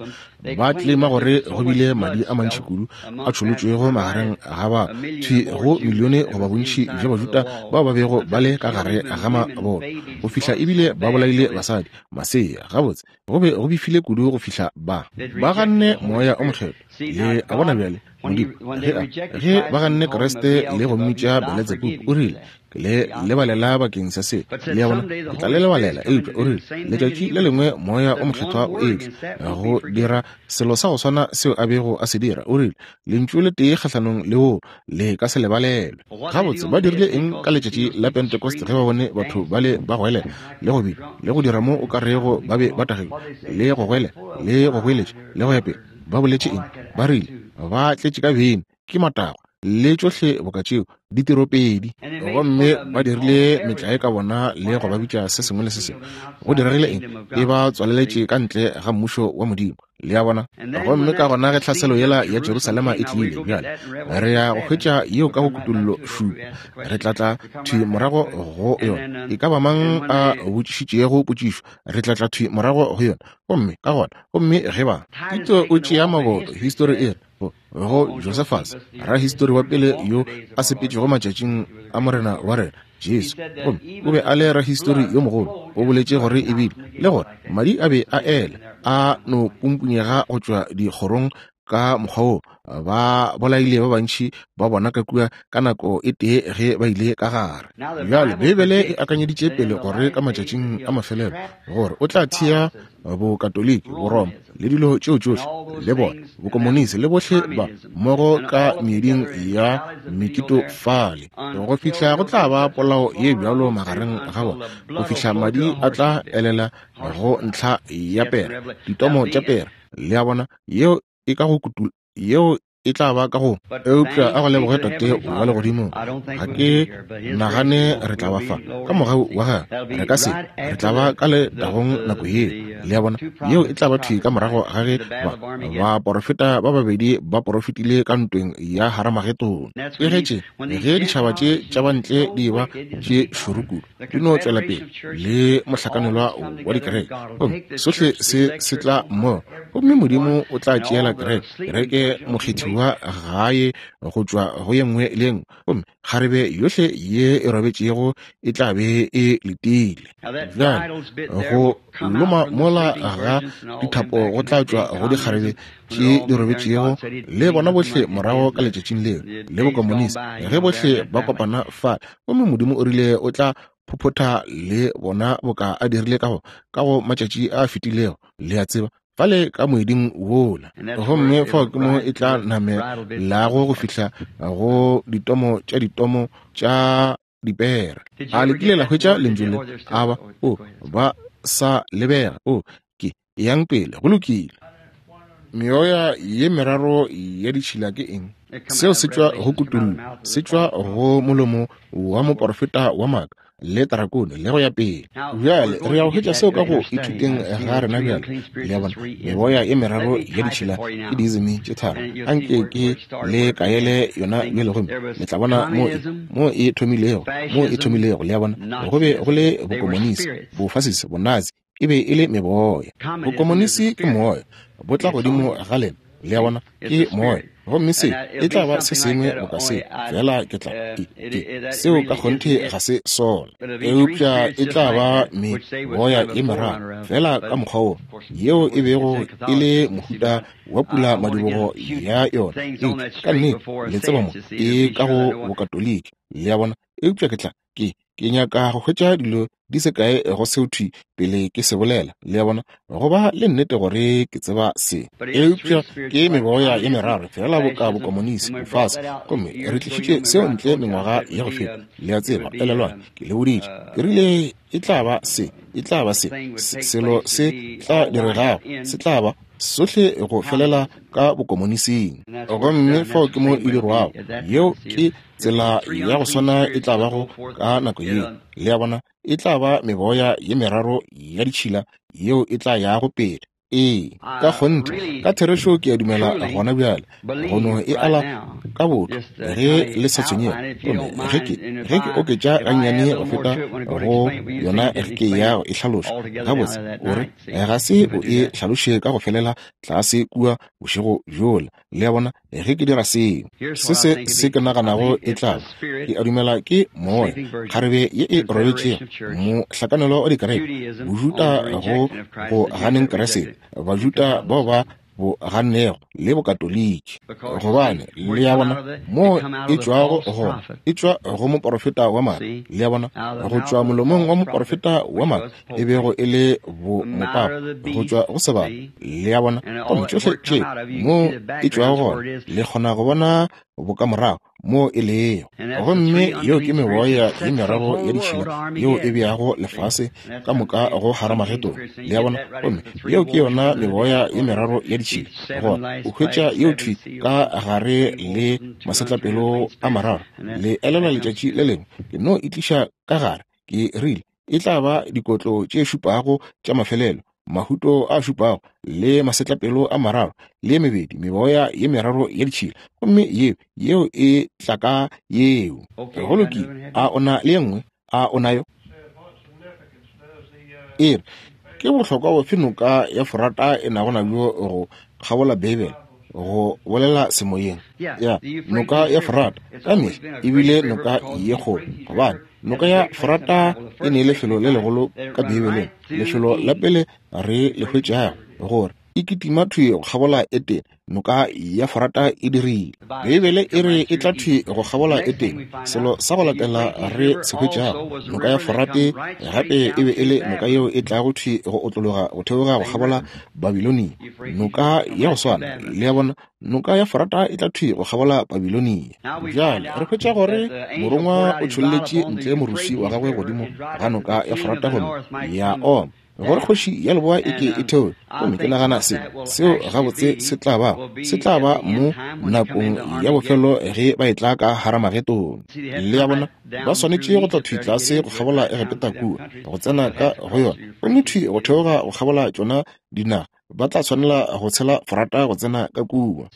Ba tleleima gore go bile madi a mantši kudu a tšholotšwego magareng ga ba thwi go milione goba bontši bja Bajuda bao ba bego ba le ka gare ga maboto, go fihla ebile ba bolaile basadi, masea. Gabotse, go be go befile kudu go fihla ba ba ganne Moya o Mokgethwa. Le a bona bjale, Modimo, ge a, ge ba ganne Kriste le go mmitša Beletsebubu, o rile, Ke le lebalela bakeng sa se. Le a bona, ke tla le lebalela. Eupša o rile, letšatši le lengwe Moya o Mokgethwa o etla go dira selo sa go swana seo a bego a se dira. O rile, Lentšu le tee kgahlanong le woo le ka se lebalelwe. Gabotse, ba dirile eng ka letšatši la Pentecost ge ba bone batho bale ba goelela le go bina le go dira mo o ka rego ba be ba tagilwe, le go goelela le go goeletša le go ya pele? Ba boletše eng? Ba rile ba tletše ka beine, ke matagwa, le tšohle boka tšeo, ditiropedi. Gomme ba dirile metlae ka bona le go ba bitša se sengwe le se sengwe. Go diregile eng? E ba tswaleletše ka ntle ga Mmušo wa Modimo. Le a bona? Gomme ka gona ge tlhaselo yela ya Jerusalema e tlile, bjale re ya go hwetša yeo ka go Kutollo šupa. Re tla tla thwi morago go yona. E ka ba mang a botšišitšego potšišo, re tla tla thwi morago go yona. Gomme ka gona, gomme ge ba. Tito o tšea maboto, histori e re, go, go Josephus, rahistori wa pele yo a sepetšego matšatšing a Morena wa rena Jesu, gomme o be a le rahistori yo mogolo, o boletše gore ebile le gore madi a be a ela a no pumpunyega go tšwa dikgorong ka mokgwa wo ba bolaile ba bantši ba bona ka kua ka nako e tee ge ba ile ka gare. Bjale Beibele e akanyeditše pele gore ka matšatšing a mafelelo gore o tla thea Bokatoliki, Boroma, le dilo tšeo tšohle, le bona bokomonisi le bohle ba mmogo ka meeding ya mekitofale, go fihla go tla ba polao ye bjalo magareng ga bona, go fihla madi a tla elela go ntlha ya pere, ditomo tša pere. Le a bona, yeo e ka go kutu, yeo e tla ba ka go. Eupša a go leboge Tate wa Legodimong, ga ke nagane re tla ba fa ka mogau wa Gagwe. Re ka se, re tla ba ka letagong nako yeo. Le a bona, yeo e tla ba thwi ka morago ga ge ba, baporofeta ba babedi ba porofetile ka ntweng ya Haramagedone. Ke ge tše, ge ditšhaba tše tša bantle di eba tše šoro kudu, di no tšwela pele le mohlakanelwa wa dikereke, gomme sohle se se tla mmogo, gomme Modimo o tla tšeela kereke, kereke mokgethiwa gae go tšwa go ye nngwe le ye nngwe, gomme kgarebe yohle ye e robetšego e tla be e letile. Bjale go loma mola ga dithapo go tla tšwa go dikgarebe tše di robetšego le bona bohle morago ka letšatšing leo, le bokomonisi, ge bohle ba kopana fa, gomme Modimo o rile o tla phophotha le bona boka a dirile ka go, ka go matšatši a fetilego, le a tseba, fale ka moeding wola. Gomme fao ke mo e tla namelago go fihla go ditomo tša ditomo tša dipere. A le kile la hwetša lentšu le? A ba, o, ba sa lebega. O, ke, eyang pele. Go lokile. Meoya ye meraro ya ditšhila ke eng? Seo se tšwa go kutollo, se tšwa go molomo wa moporofeta wa maaka le tarakone le go ya pele. Bjale re ya go hwetša seo ka go ithuteng ga rena bjale. Le a bona, meboya ye meraro ya ditšhila ke diizimi tše tharo. Anke ke le kaele yona bjale gomme le tla bona mo e, mo e thomilego, mo e thomilego. Le a bona, go be go le bokomonisi, bofasisi, bonazi, e be e le meboya. Bokomonisi ke moya, bo tla godimo ga lena. Le a bona, ke moya. Gomme se e tla ba se sengwe boka se, fela ke tla, ke, ke, seo ka kgonthe ga se sona. Eupša e tla ba meboya ye meraro, fela ka mokgwa wo, yeo e bego e le mohuta wa pula madibogo ya yona. Eupša ka nnete, le tseba mo, e ka go Bokatoliki, le a bona. Eupša ke tla, Ke, ke nyaka go hwetša dilo di se kae go seo thwi pele ke se bolela, le a bona, go ba le nnete gore ke tseba se. Eupša ke meboya ye meraro, feela boka bokomonisi, bofase. Gomme re tlišitše seo ntle mengwaga ya go feta, le a tseba. Elelwang, ke le boditše, ke rile e tla ba se, e tla ba se, se selo se tla diregago, se tla ba sohle go felela ka bokomonising. Gomme fao ke mo e dirwago. Yeo ke Tsela ya go swana e tla bago ka nako yeo, le a bona, e tla ba meboya ye meraro ya ditšhila yeo e tla yago pele. Ee, ka kgonthe, ka therešo ke a dumela gona bjale, go no e ala ka botho ge le sa tshwenyege. Gomme ge ke, ge ke oketša gannyane go feta go yona ge ke ya go e hlaloša gabotse, o re, ga se o e hlaloše ka go felela tlase kua bošego bjola. Le a bona, ge ke dira seo, se se se ke naganago e tla ba, ke a dumela ke moya, kgarebe ye e robetšego, mohlakanelo wa dikereke, Bojuta go go ganeng Kriste, Bajuta bao ba bo gannego le Bokatoliki. Gobane, le a bona, moo e tšwago gona, e tšwa go moporofeta wa maaka, le a bona, go tšwa molomong wa moporofeta wa maaka, e bego e le bo mopapa go tšwa go sebaka, le a bona. Gomme tšohle tše mo e tšwago gona, le kgona go bona bokamorago mo e lego. Gomme yeo ke meboya ye meraro ya ditšhila yeo e beago lefase ka moka go Haramagedone, le a bona. Gomme yeo ke yona meboya ye meraro ya ditšhila. Gona o hwetša yeo thwi ka gare le masetlapelo a mararo. Le elelwa letšatši le lengwe ke no e tliša ka gare, ke rile, E tla ba dikotlo tše šupago tša mafelelo, mahuto a šupago, le masetlapelo a mararo, le ye mebedi, meboya ye meraro ya ditšhila. Gomme yeo, yeo e tla ka yeo. Go lokile. A o na le ye nngwe? A o nayo? E re, Ke bohlokwa bofe noka ya Forata e nago nabjo go kgabola Beibele? Go bolela semoyeng. Ya, noka ya Forata ka mehla e bile noka ye kgolo, gobane Noka ya Forata e ne lefelo le legolo ka Beibeleng. Lefelo la pele re le hwetšago gore e kitima thwi go kgabola Etene, noka ya Forata e dirile. Beibele e re e tla thwi go kgabola Etene. Selo sa go latela re se hwetšago, noka ya Forate gape e be e le noka yeo e tlago thwi go otlologa go theoga go kgabola Babilonia. Noka ya go swana, le a bona, Noka ya Forata e tla thwi go kgabola Babilonia. Bjale re hwetša gore morongwa o tšholletše ntle moruswi wa gagwe godimo ga noka ya Forata gomme ya oma, gore kgoši ya leboa e ke e theoge. Gomme ke nagana se, seo gabotse se tla ba, se tla ba mo nakong ya bofelo ge ba etla ka Haramagedone. Le a bona, ba swanetše go tla thwi tlase go kgabola Egepeta kua, go tsena ka go yona, gomme thwi go theoga go kgabola tšona dinaga ba tla tshwanela go tshela Forata go tsena ka kua.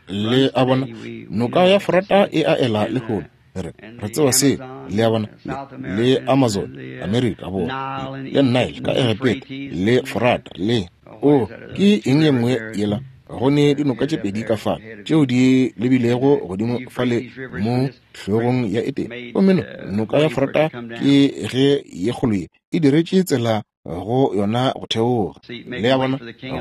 Le a bona, noka ya Forata e a ela lehono. Re, re tseba se, le a bona, le, le Amazon, Amerika Borwa, le Nile ka Egepeta, le Forata, le, o, ke eng ye nngwe yela? Go ne dinoka tše pedi ka fale tšeo di lebilego godimo fale mo hlogong ya Etene. Gomme no, noka ya Forata ke ge ye kgolo ye e diretše tsela go yona go theoga. Le a bona,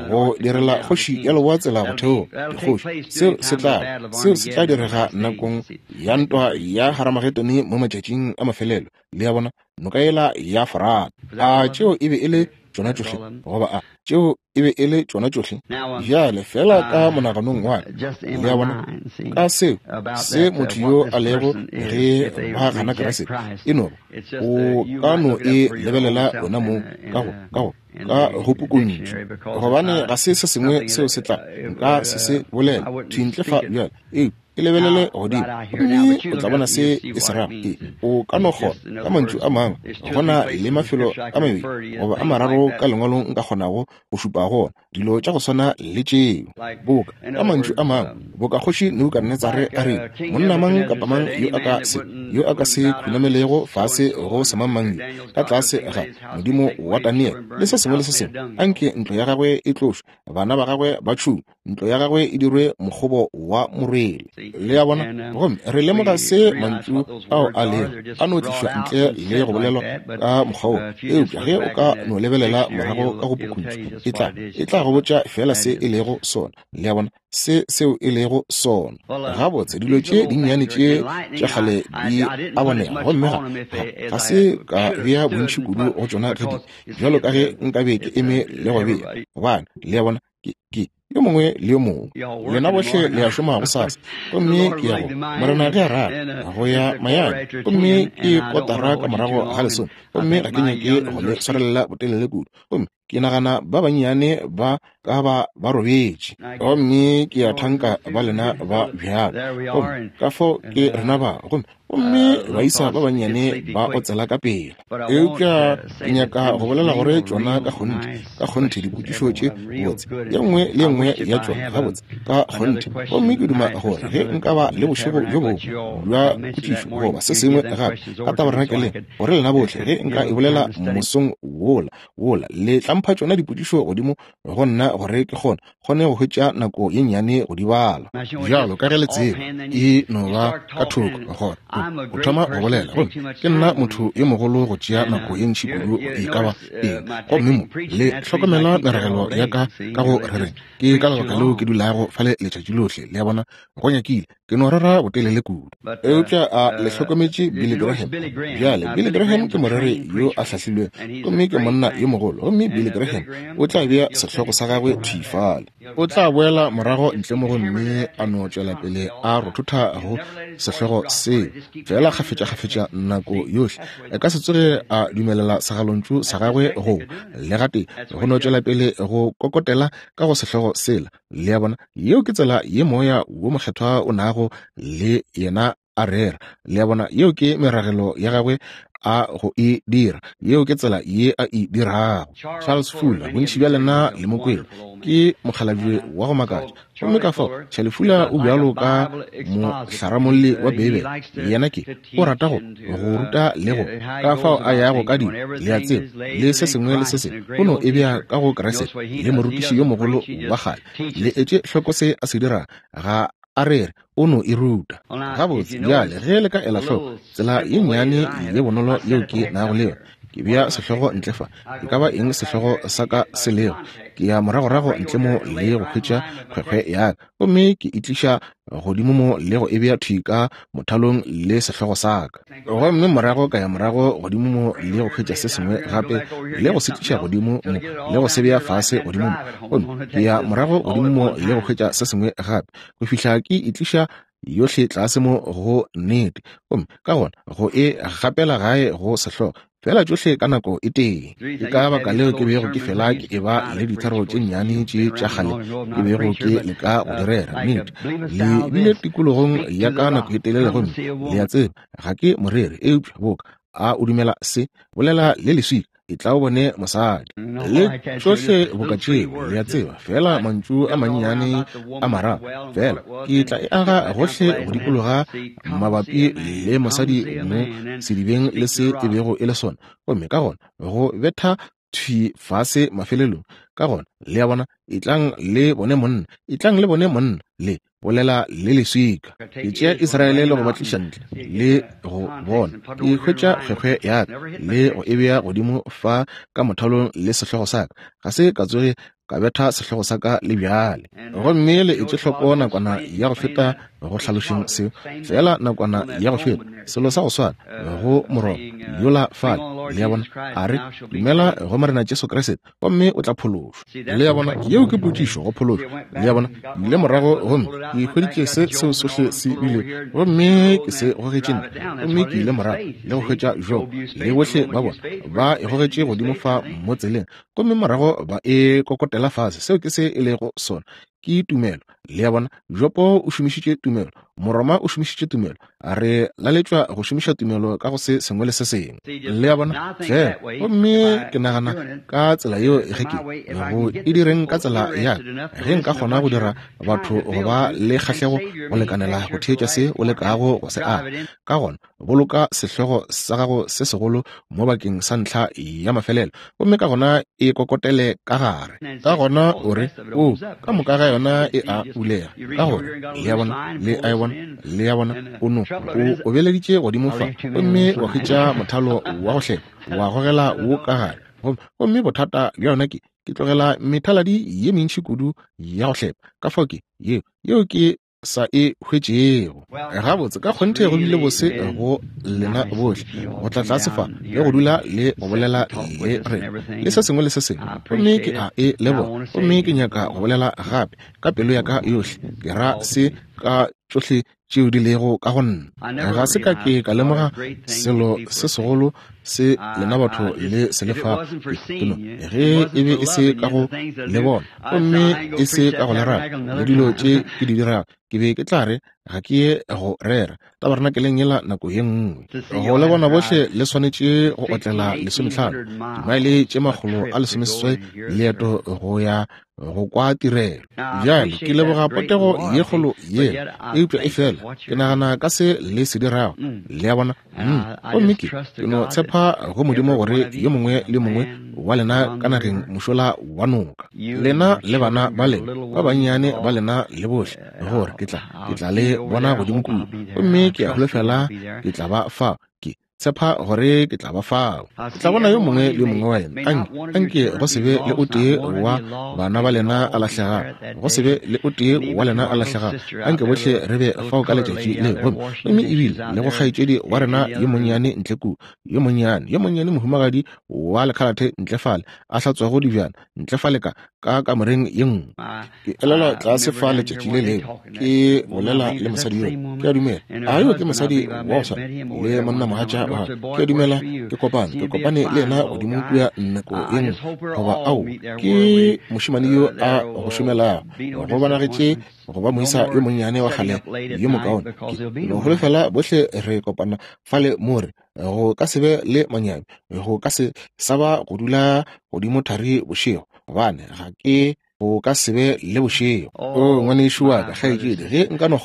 go direla kgoši ya leboa tsela go theoga, dikgoši. Seo se tla, seo se tla direga nakong ya ntwa ya Haramagedone mo matšatšing a mafelelo. Le a bona, noka yela ya Forata. A tšeo e be e le tšona tšohle? Goba a tšeo e be e le tšona tšohle? Bjale, feela ka monaganong wa ka, le a bona, ka seo, se motho yo a lego ge ba gana Kriste, e no ba o ka no e lebelela wena mong ka go, ka go, ka go pukuntšu, gobane ga se se sengwe seo se tla, nka se se bolela thwi ntle fa bjale, eupša e lebelele godimo gomme o tla bona se e se rago. E, o ka no kgona, ka mantšu a mangwe, go na le mafelo a mabedi goba a mararo ka lengwalong nka kgonago go šupa go ona dilo tša go swana le tšeo. Boka, ka mantšu a mangwe, boka kgoši Nebukadnetsare a rile, Monna mang kapa mang yo a ka se, yo a ka se khunamelego fase go semangmang yo, ka tlase ga Modimo wa Daniele, le se sengwe le se sengwe, anke ntlo ya gagwe e tlošwe, bana ba gagwe ba tšhungwe, ntlo ya gagwe e dirwe mokgobo wa morwele. Le a bona? Gomme re lemoga se mantšu ao a lego, a no tlišwa ntle le go bolelwa ka mokgwa wo. Eupša ge o ka no lebelela morago ka go pukuntšu, e tla, e tla go botša feela se e lego sona. Le a bona? Se seo e lego sona. Gabotse, dilo tše dinnyane tše tša kgale di a bonega, gomme ga, ga, ga se ka bea bontši kudu go tšona ge di, bjalo ka ge nkabe ke eme le go bea. Gobane, le a bona, ke. Ke yo mongwe le yo mongwe. Lena bohle le a šoma gosasa. Gomme ke ya go, Morena ge a rata, go ya Miami. Gomme ke kotara ka morago ga lesome. Gomme ga ke nyake go le swarelela botelele kudu. Gomme ke nagana ba bannyane ba ka ba ba robetše. Gomme ke a thanka ba lena ba bjalo. Gomme ka fao ke rena ba. Gomme gomme baisa ba bannyane ba otsela ka pela. Eupša ke nyaka go bolela gore tšona ka kgonthe, ka kgonthe dipotšišo tše botse, ye nngwe le ye nngwe ya tšona gabotse ka kgonthe. Gomme ke duma gore ge nka ba le bošego bjo bongwe bja potšišo goba se sengwe gape ka tabarenakeleng, gore lena bohle ge nka e bolela mosong wola, wola, le tla mpha tšona dipotšišo godimo go nna gore ke kgone, kgone go hwetša nako ye nnyane go di bala. Bjalo ka ge le tseba, e no ba ka thoko gore o thoma go bolela. Gomme ke nna motho yo mogolo go tšea nako ye ntši kudu e ka ba eng. Gomme mo le hlokomela meragelo ya ka ka go rereng. Ke ka lebaka leo ke dulago fale letšatši lohle, le a bona, go nyakile ke no rera botelele kudu. Eupša a le hlokometše Billy Graham? Bjale, Billy Graham ke moreri yo a hlahlilwego, gomme ke monna yo mogolo. Gomme Billy Graham o tla bea sehlogo sa gagwe thwi fale. O tla boela morago ntle mo gomme a no tšwela pele a rothotha go sehlogo seo, feela kgafetšakgafetša nako yohle. A ka se tsoge a dumelela segalontšu sa gagwe go le gatee, go no tšwela pele go kokotela ka go sehlogo sela. Le a bona, yeo ke tsela ye Moya wo Mokgethwa o nago le yena a rera. Le a bona, yeo ke meragelo ya gagwe a go e dira. Yeo ke tsela ye a e dirago. Charles Fuller, bontši bja lena le mo kwele, ke mokgalabje wa go makatša. Gomme ka fao, Charlie Fuller o bjalo ka mohlaramolli wa Beibele. Yena ke, o rata go, go ruta le go, ka fao a yago ka dilo, le a tseba, le se sengwe le se sengwe, o no e bea ka go Kriste, le morutiši yo mogolo wa kgale. Le etše hloko se a se dirago, ga a rere, o no e ruta. Gabotse, bjale, ge le ka ela hloko, tsela ye nnyane ye bonolo yeo ke nago le yona, ke bea sehlogo ntle fa, e ka ba eng sehlogo sa ka se lego, ke ya moragorago ntle mo le go hwetša kgwekgwe ya ka, gomme ke e tliša godimo mo le go e bea thwi ka mothalong le sehlogo sa ka. Gomme morago ka ya morago godimo mo le go hwetša se sengwe gape le go se tliša godimo mo le go se bea fase godimo mo. Gomme ke ya morago godimo mo le go hwetša se sengwe gape go fihla ke e tliša yohle tlase mo go nnete, gomme ka gona go e gapela gae go sehlogo, feela tšohle ka nako e tee. Ke ka baka leo ke bego ke fela ke eba le dithero tše nnyane tše tša kgale ke bego ke leka go di rera. Nnete, le bile tikologong ya ka nako e telele, gomme le a tseba ga ke moreri, eupša boka a o dumela se, bolela le leswika, etla o bone mosadi. Le tšohle boka tšeo, le a tseba, feela mantšu a mannyane a mararo, feela ke tla e aga gohle go dikologa mabapi le mosadi mo sedibeng le se e bego e le sona, gomme ka gona go betha thwi fase mafelelong. Ka gona, le a bona, etlang le bone monna, etlang le bone monna, le bolela le leswika. Ke tšea Israele le go ba tliša ntle, le go bona. Ke hwetša kgwekgwe ya ka le go e bea godimo fa ka mothalong le sehlogo sa ka. Ga se ka tsoge ka betha sehlogo sa ka le bjale. Gomme le etše hloko nakwana ya go feta go hlalošeng seo, feela nakwana ya go feta, selo sa go swana go Moroma yola fale, le a bona, a re, Dumela go Morena Jesu Kriste, gomme o tla phološwa. Le a bona, yeo ke potšišo, go phološwa. Le a bona, ke ile morago gomme ke hweditše se seo sohle se bile, gomme ke se gogetše ntle, gomme ke ile morago le go hwetša Job le bohle ba bona ba e gogetše godimo fa mo tseleng, gomme morago ba e kokotela fase. Seo ke se e lego sona, ke tumelo. Le a bona, Jopo o šomišitše tumelo, Moroma o šomišitše tumelo. Re laletšwa go šomiša tumelo ka go se sengwe le se sengwe. Le a bona? Fela, gomme ke nagana ka tsela yeo ge ke go e direng ka tsela ya ge nka kgona go dira batho go ba le kgahlego go lekanela go theetša se o lekago go se aga. Ka gona boloka sehlogo sa gago se segolo mo bakeng sa ntlha ya mafelelo, gomme ka gona e kokotele ka gare. Ka gona o re, O, ka moka ga yona e a bulega. Ka gore, le a bona, le a e bona, le a bona, o no o obeleditše godimo fa, gomme wa hwetša mothalo wa go hlepa, wa gogela wo ka gare. Gomme bothata bja yona ke, ke tlogela methaladi ye mentši kudu ya go hlepa. Ka fao ke, yeo, yeo ke. sa e hwetšego. Gabotse, ka kgonthe go bile bose go lena bohle go tla tlase fa le go dula le go bolela le rena le se sengwe le se sengwe. Gomme ke a e leboga, gomme ke nyaka go bolela gape ka pelo ya ka yohle, ke ra se ka tšohle tšeo di lego ka go nna. Ga se ka ke ka lemoga selo se segolo se lena batho le se lefago. Ke no, ge e be e se ka go le bona gomme e se ka go le rata le dilo tše ke di dirago, ke be ke tla re ga ke ye go rera tabernakeleng yela nako ye nngwe. Go le bona bohle le swanetše go otlela 15 dimaele tše 180 leeto go ya go kwa tirelo. Bjale ke leboga potego ye kgolo yela, eupša efela ke nagana ka se le se dirago, le a bona. Gomme ke no tshepa go Modimo gore yo mongwe le mongwe wa lena ka nageng mošola wa noka, lena le bana ba lena ba bannyane ba lena le bohle, gore ke tla le bona godimo kua. Gomme ke a holofela ke tla ba fao, ke tshepa gore ke tla ba fao. Ke tla bona yo mongwe le yo mongwe wa lena. Anke go se be le o tee wa bana ba lena a lahlegago, go se be le o tee wa lena a lahlegago. Anke bohle re be fao ka letšatši leo. Gomme ebile le go kgaetšedi wa rena yo monnyane ntle kua, yo monnyane mohumagadi wa lekhalathe ntle fale, a hlatswago dibjana ntle fale ka kamoreng ye nngwe. Ke elelwa tlase fa letšatši le lengwe ke bolela le mosadi yo, ke a dumela a yo ke mosadi wa go swana le monnamogatša wa gagwe. Ke a dumela ke kopane le yena godimo kua nako ye nngwe, goba ao ke mošemane yo a go šomelago, go bonagetše go ba moisa yo monnyane wa kgale yo mokaone. Ke no holofela bohle re kopana fale mo re go ka se be le manyami, go ka se sa ba go dula godimo thari bošego, gobane ga ke go ka se be le bošego. O ngwanešu wa ka, kgaetšedi, ge nka no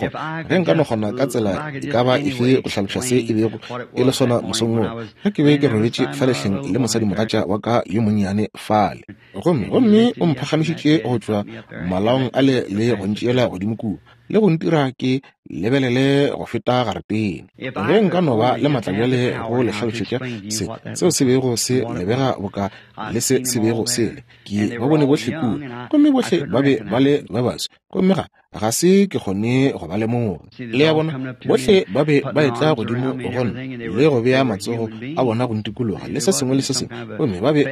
kgona ka tsela e ka ba efe go hlaloša se e bego e le sona mosong wo, ge ke be ke robetše fa lehleng le mosadimogatša wa ka yo monnyane fale, gomme o mphagamišitše go tšwa malaong ale le go ntšeela godimo kua le go ntira ke lebelele go feta garetene. Ge nka no ba le matla bjale go le hlalošetša se seo se bego se lebega boka le se se bego se le, ke ba bone bohle kua, gomme bohle ba be ba le ba baso, gomme ga se ke kgone go ba lemoga. Le a bona, bohle ba be ba etla godimo go nna le go bea matsogo a bona go ntikologa le se sengwe le se sengwe, gomme ba be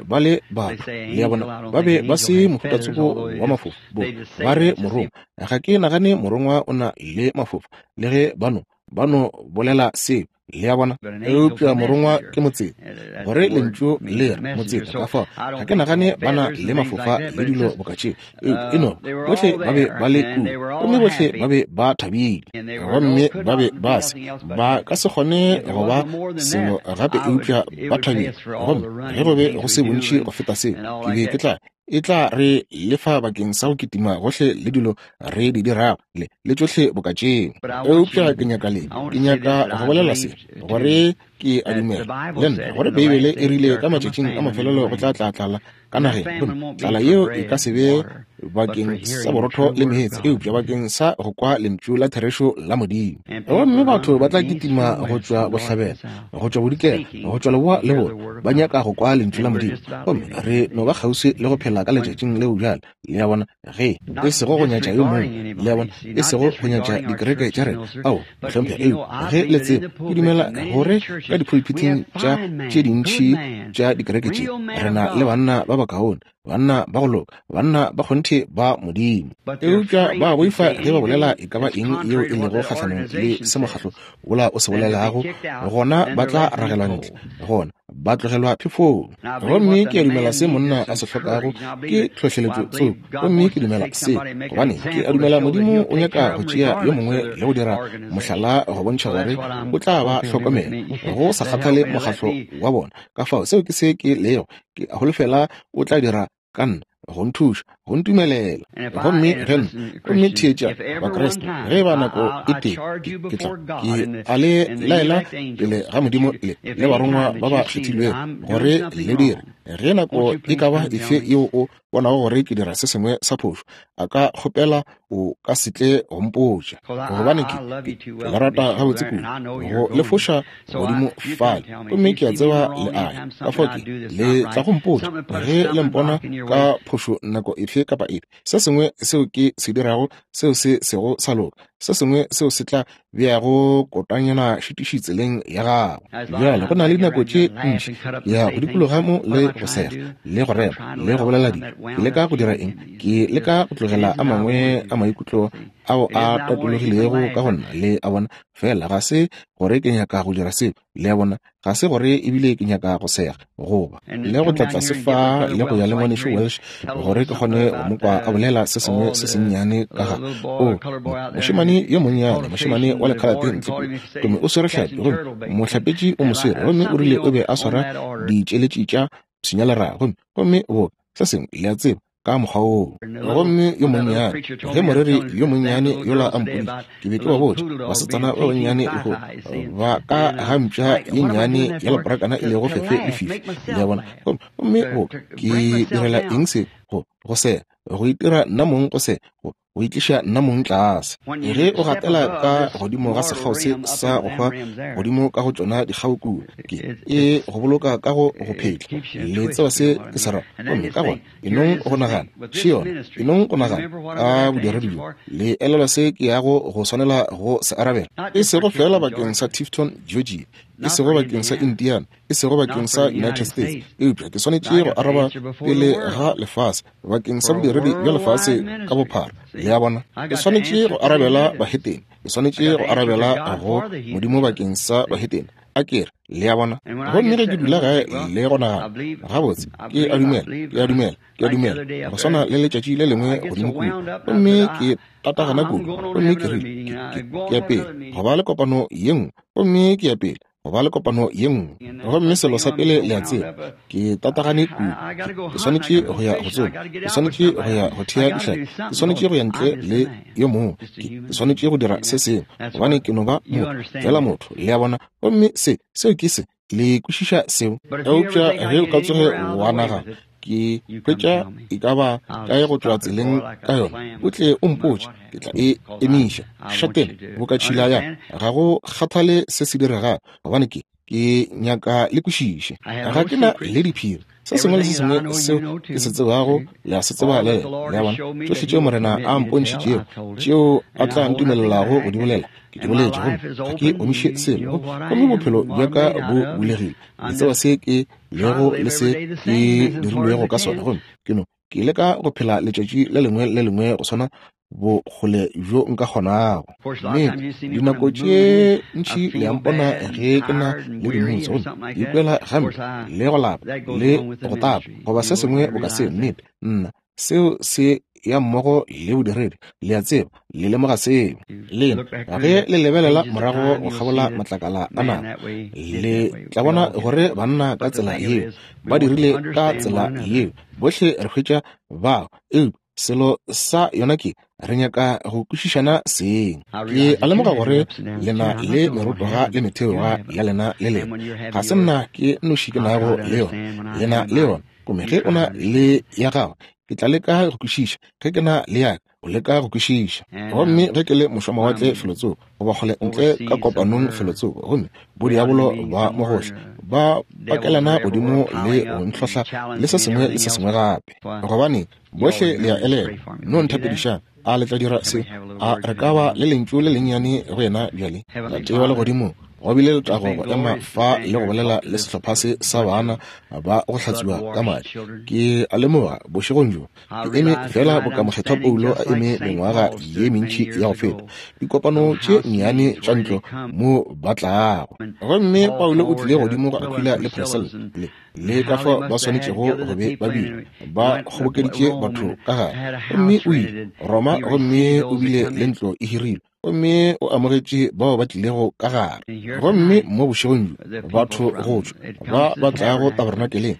ba le batho. Le a bona, ba be ba se mohutatsoko wa mafofa. Ba re morongwa, ga ke nagane morongwa o na le mafofa, le ge ba no bolela seo. Le a bona, eupša morongwa ke motseta, gore lentšu le re motseta. Ka fao ga ke nagane ba na le mafofa le dilo boka tšeo, eupša e no bohle ba be ba le kua, gomme bohle ba be ba thabile, gomme ba be ba se ba ka se kgone go ba selo gape eupša ba thabile. Gomme ge go be go se bontši go feta seo, ke be ke tla e tla re lefa bakeng sa go kitima gohle le dilo re di dirago le tšohle boka tšeo. Eupša ke nyaka ke nyaka go bolela se, gore ke a dumela le nna gore Beibele e rile ka matšatšing a mafelelo go tla tla tlala ka nageng, gomme tlala yeo e ka se be bakeng sa borotho le meetse, eupša bakeng sa go kwa lentšu la therešo la Modimo. Gomme batho ba tla kitima go tšwa bohlabela, go tšwa bodikela, go tšwa leboa le borwa, ba nyaka go kwa lentšu la Modimo. Gomme re no ba kgauswi le go phela ka letšatšing leo bjale. Le a bona, ge e sego go nyatša yo mongwe, le a bona, e sego go nyatša dikereke tša rena, ao mohlomphegi, eupša ge le tseba, ke dumela gore ka dipulpiting tša tše dintši tša dikereke tše re na le banna ba bakaone, banna ba go loka, banna ba kgonthe ba Modimo, eupša ba boifa ge ba bolela e ka ba eng yeo e lego kgahlanong le se mokgatlo wola o se bolelago, gona ba tla ragelwa ntle, gona ba tlogelwa phefong. Gomme ke a dumela se monna a se hlokago ke tlhohleletšo tsoko, gomme ke dumela se gobane ke a dumela Modimo o nyaka go tšea yo mongwe le go dira mohlala go bontšha gore o tla ba hlokomela go sa kgathale mokgatlo wa bona. Ka fao seo ke se ke lego, ke a holofela o tla dira ka nna go nthuša, go ntumelela. Gomme ge nna, gomme theetša Bakriste, ge ba nako e tee ke tla ke a le laela pele ga Modimo le barongwa ba ba kgethilwego gore le dire. Ge nako e ka ba efe yeo o bonago gore ke dira se sengwe sa phošo, a ka kgopela o ka se tle go mpotša, gobane ke le rata gabotse kudu go le foša godimo fale, gomme ke a tseba le a ya. Ka fao ke le tla go mpotša ge le mpona ka phošo nako efe kapa efe, se sengwe seo ke se dirago seo se sego sa loka, se sengwe seo se tla beago kotanyana šitiši tseleng ya gago. Bjale go na le dinako tše ntši ke ya go dikologa mo le go sega le go rema le go bolela dilo. Ke leka go dira eng? Ke leka go tlogela a mangwe a maikutlo ao a tatologilego ka go nna, le a bona. Fela ga se gore ke nyaka go dira seo, le a bona. Ga se gore ebile ke nyaka go sega goba le go tla tlase fa le go ya le ngwanešu Welsh gore ke kgone go mo kwa a bolela se sengwe se sennyane ka ga o mošemane yo monnyane, mošemane wa lekhalate ntle kua, gomme o swere hlapi, gomme mohlapetši o mo swere, gomme o rile o be a swara ditšeletši tša pshinyaleraga, gomme, gomme boka se sengwe, le a tseba, ka mokgwa woo. Gomme yo monnyane, ge moreri yo monnyane yola a mpoditše, ke be ke ba botša, basetsana ba bannyane lehono ba ka ga mpša ye nnyane ya leporakana e lego fefe le fifi, le a bona. Gomme go, ke direla eng se? Go, go se, go itira nna mong go se, go, go itliša nna mong tlase. Ge o gatela ka godimo ga sekgao se sa go hwa godimo ka go tšona dikgao kua, ke e go boloka ka go go phetla. Le tseba se ke se ra. Gomme ka gona e nong go nagana, še yona, e nong go nagana ka bodiredi bjo. Le elelwa se ke yago go swanela go se arabela, e sego feela bakeng sa Tifton, Georgia, e sego bakeng sa Indiana, e sego bakeng sa United States, eupša ke swanetše go araba pele ga lefase bakeng sa bodiredi bja lefase ka bophara. Le a bona? Ke swanetše go arabela bahetene, ke swanetše go arabela go Modimo bakeng sa bahetene. A ke re, le a bona? Gomme ge ke dula gae le go nagana, gabotse, ke a dumela, ke a dumela, ke a dumela, go swana le letšatši le lengwe godimo kua, gomme ke tatagana kudu, gomme ke rile, ke, ke, ke ya pele go ba le kopano ye nngwe, gomme ke ya pele go ba le kopano ye nngwe. Gomme selo sa pele le a tseba, ke tatagane kudu, ke swanetše go ya go tsoma, ke swanetše go ya go thea dihlapi, ke swanetše go ya ntle le yo mongwe, ke swanetše go dira se sengwe, gobane ke no ba motho, feela motho, le a bona. Gomme se, seo ke se, le kwešiša seo. Eupša ge o ka tsoge wa nagana, ke hwetša e ka ba kae go tšwa tseleng ka yona, o tle o mpotše, ke tla e emiša. Šatena boka tšhila ya ga go kgathale se se diregago, gobane ke, ke nyaka le kwešiše. Ga ke na le diphiri. Se sengwe le se sengwe seo ke se tsebago, le a se tseba le lena. Le a bona? Tšohle tšeo Morena a mpontšhitšego, tšeo a tla ntumelelago go di bolela, ke di boletše, gomme ga ke omiše selo. Gomme bophelo bja ka bo bulegile. Le tseba se ke lego le se ke dirilwego ka sona, gomme ke no ke leka go phela letšatši le lengwe le lengwe go swana bokgole bjo nka kgonago. Nnete, dinako tše ntši le a mpona ge ke na le dimutse, gomme ke ikwela gampe le go lapa le go tapa goba se sengwe boka seo. Nnete, nna, seo se ya mmogo le bodiredi, le a tseba, le lemoga seo. Lena, ge le lebelela morago go kgabola matlakala a nako, le tla bona gore banna ka tsela yeo ba dirile ka tsela yeo. Bohle re hwetša bao, eupša selo sa yona ke re nyaka go kwešišana seng. Ke a lemoga gore le na le merotoga le metheoga ya lena le lena. Ga se nna ke nnoši ke nago le yona, le na le yona. Gomme ge o na le ya gago, ke tla leka go kwešiša. Ge ke na le ya ka, o leka go kwešiša. Gomme ge ke le mošwamawatle felotsoko, goba kgole ntle ka kopanong felotsoko, gomme bodiabolo ba mo gohle ba pakelana godimo le go ntlhohla le se sengwe le se sengwe gape, gobane bohle le a elelwa, no nthapedišang. A le tla dira se? A re ka ba le lentšu le lennyane go yena bjale? Tate wa Legodimong, go bile letago go ema fa le go bolela le sehlopha se sa bana ba go hlatswiwa ka madi. Ke a lemoga bošegong bjo ke eme feela boka Mokgethwa Paulo a eme mengwaga ye mentši ya go feta, dikopano tše nnyane tša ntlo mo ba tlago. Gomme Paulo o tlile godimo go Aquila le Priscilla, le le ka fao ba swanetšego go be ba bile ba kgobokeditše batho ka gare. Gomme o ile Roma gomme o bile le ntlo e hirilwe, gomme o amogetše bao ba tlilego ka gare. Gomme mo bošegong bjo batho go tšwa ba ba tlago tabernakeleng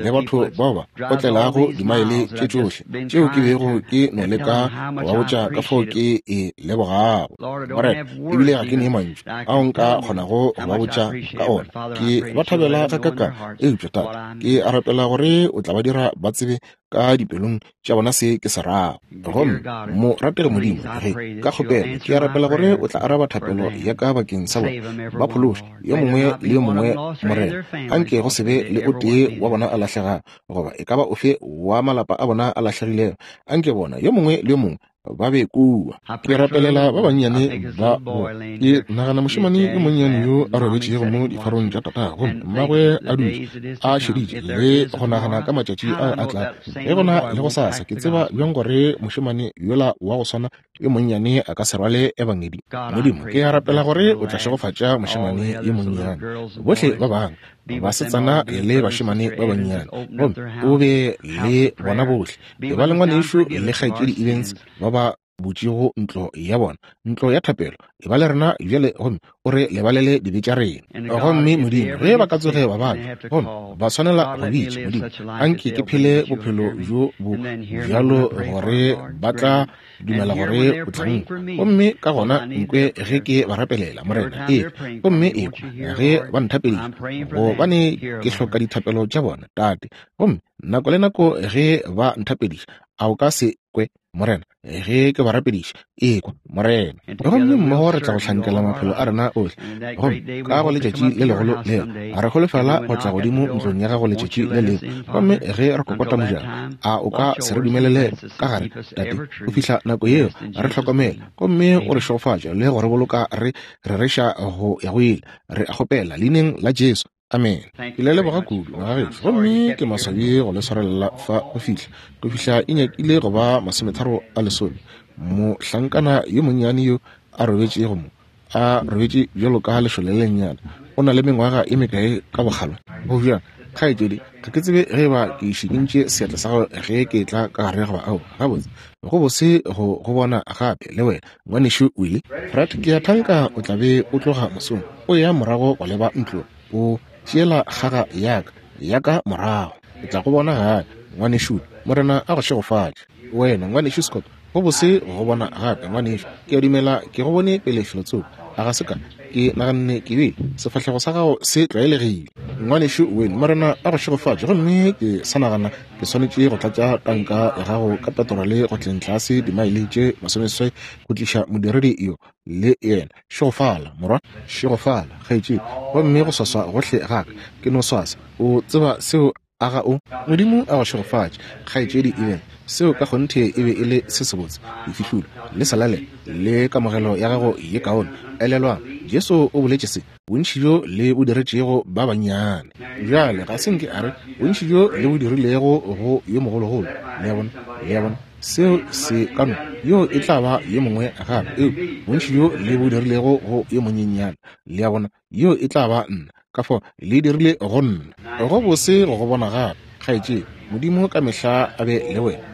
le batho bao ba otlelago dimaele tše tšohle tšeo ke bego ke no leka go ba botša ka fao ke e lebogago. Morena, ebile ga ke ne mantšu ao nka kgonago go ba botša ka ona. Ke ba thabela gakakang, eupša Tate, ke a rapela gore o tla ba dira ba tsebe ka dipelong tša bona se ke se rago. Gomme morategi Modimo, ge ka kgopelo ke a rapela gore o tla araba thapelo ya ka bakeng sa bona, ba phološe yo mongwe le yo mongwe, Morena. Anke go se be le o tee wa bona a lahlegago, goba e ka ba ofe wa malapa a bona a lahlegilego. Anke bona yo mongwe le yo mongwe ba be kua. Ke rapelela ba bannyane ba bo. Ke nagana mošemane yo monnyane yo a robetšego mo difarong tša tatago, gomme mmagwe a dutše a šeditše le go nagana ka matšatši a a tla. Ge gona le go sasa, ke tseba bjang gore mošemane yola wa go swana yo monnyane a ka se rwale ebangedi. Modimo, ke a rapela gore o tla šegofatša mošemane yo monnyane, bohle ba bangwe, basetsana le bašemane ba bannyane, gomme o be le bona bohle. E ba le ngwanešu le kgaetšedi Evans ba ba butšego ntlo ya bona, ntlo ya thapelo. E ba le rena bjale, gomme o re lebalele dibe tša rena. Gomme Modimo, ge ba ka tsoge ba babja, gomme ba swanela go bitša, Modimo, anke ke phele bophelo bjo bo bjalo gore ba tla dumela gore o tla nkwa, gomme ka gona nkwe ge ke ba rapelela, Morena. Ee, gomme ekwa ge ba nthapediša, gobane ke hloka dithapelo tša bona, Tate. Gomme nako le nako ge ba nthapediša, a o ka se kwe, Morena, ge ke ba rapediša? Ekwa, Morena. Gomme mmogo re tla go hlankela maphelo a rena ohle. Gomme ka go letšatši le legolo leo, re holofela go tla godimo ntlong ya gago letšatši le lengwe. Gomme ge re kokota mojako, a o ka se re dumelele ka gare, Tate, go fihla nako yeo? Re hlokomele, gomme o re šegofatše le go re boloka re rereša go ya go ile. Re a kgopela leineng la Jesu. Amen. Ke le leboga kudu, magagešo. Gomme ke maswabi go le swarelela fa go fihla, go fihla e nyakile go ba 9:30. Mohlankana yo monnyane yo a robetšego mo, a robetše bjalo ka lešole le lennyane, o na le mengwaga e mekae ka bokgale? Go bjang, kgaetšedi? Ga ke tsebe ge eba ke šikintše seatla sa gago ge ke etla ka gare goba aowa. Gabotse, go bose go go bona gape le wena, ngwanešu Willie. Fred, ke a thanka o tla be o tloga mosong o eya morago go leba ntlong, o tšeela kgaga ya ka, ya ka morago. Ke tla go bona gae, ngwanešu. Morena a go šegofatše. Wena, ngwanešu Scott, go bose go go bona gape, ngwanešu. Ke a dumela ke go bone pele felotsoko, a ga se ka? Ke naganne ke bile sefahlego sa gago se tlwaelegile. Ngwanešu Wayne, Morena a go šegofatše. Gomme ke sa nagana ke swanetše go tlatša tanka ya gago ka petrole go tleng tlase dimaele tše 60 go tliša modiredi yo le yena. Šegofala, morwa. Šegofala, kgaetšedi. Gomme go swaswa gohle ga ka, ke no swasa. O tseba seo, a ga o? Modimo a go šegofatše, kgaetšedi Even. Seo ka kgonthe e be e le se sebotse. Bofihlolo le salale le kamogelo ya gago ye kaone. Elelwang, Jesu o boletše se, bontši bjo le bo diretšego ba bannyane. Bjale, ga se nke a re bontši bjo le bo dirilego go yo mogologolo. Le a bona? Le a bona? Seo se ka no, yo e tla ba yo mongwe gape, eupša bontši bjo le bo dirilego go yo monyenyane, le a bona, yo e tla ba nna. Ka fao le dirile go nna. Go bose go go bona gape, kgaetšedi. Modimo ka mehla a be le wena.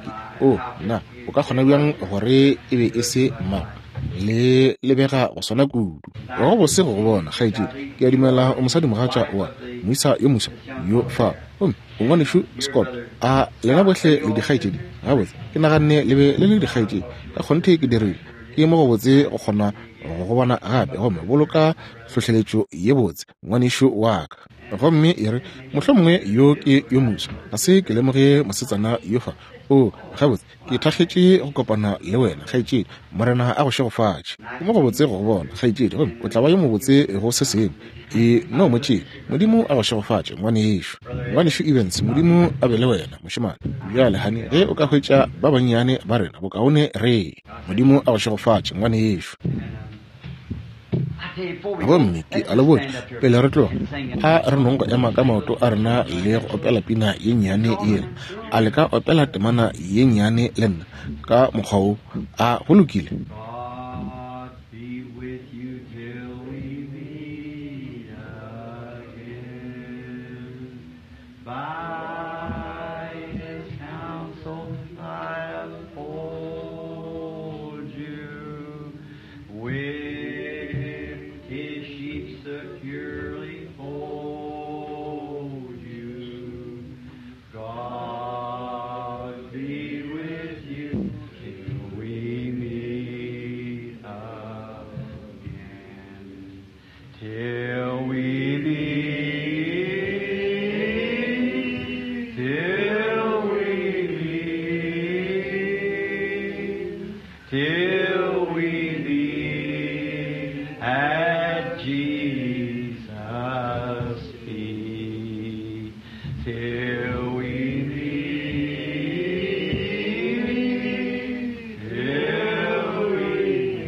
O, nna, o ka kgona bjang gore e be e se mmago? Le lebega go swana kudu. Go bose go go bona, kgaetšedi. Ke a dumela o mosadimogatša wa moisa yo moswa yo fa. Gomme o ngwanešu Scott. A lena bohle le dikgaetšedi? Gabotse, ke naganne le be le le dikgaetšedi. Ka kgonthe ke dirile. Ke mo gobotse go kgona go go bona gape, gomme boloka hlohleletšo ye botse, ngwanešu wa ka. Gomme e re, mohlomongwe yo ke yo moswa. Ga se ke lemoge mosetsana yo fa. O, gabotse, ke thakgetše go kopana le wena, kgaetšedi. Morena a go šegofatše. Ke mo gobotse go go bona, kgaetšedi, gomme o tla ba yo mobotse go se sengwe. E no mo tšee. Modimo a go šegofatše, ngwanešu. Ngwanešu Evans, Modimo a be le wena, mošemane. Bjale, honey, ge o ka hwetša ba bannyane ba rena, bokaone re. Modimo a go šegofatše, ngwanešu. Gomme ke a le botša, pele re tloga, a re nong go ema ka maoto a rena le go opela pina ye nnyane yela. A le ka opela temana ye nnyane le nna ka mokgwa wo? A go lokile? God be with you till we meet again. By his counsel I uphold you. With his sheep securely fold you. God be with you till we meet. till we meet at Jesus' feet. Till we meet, till we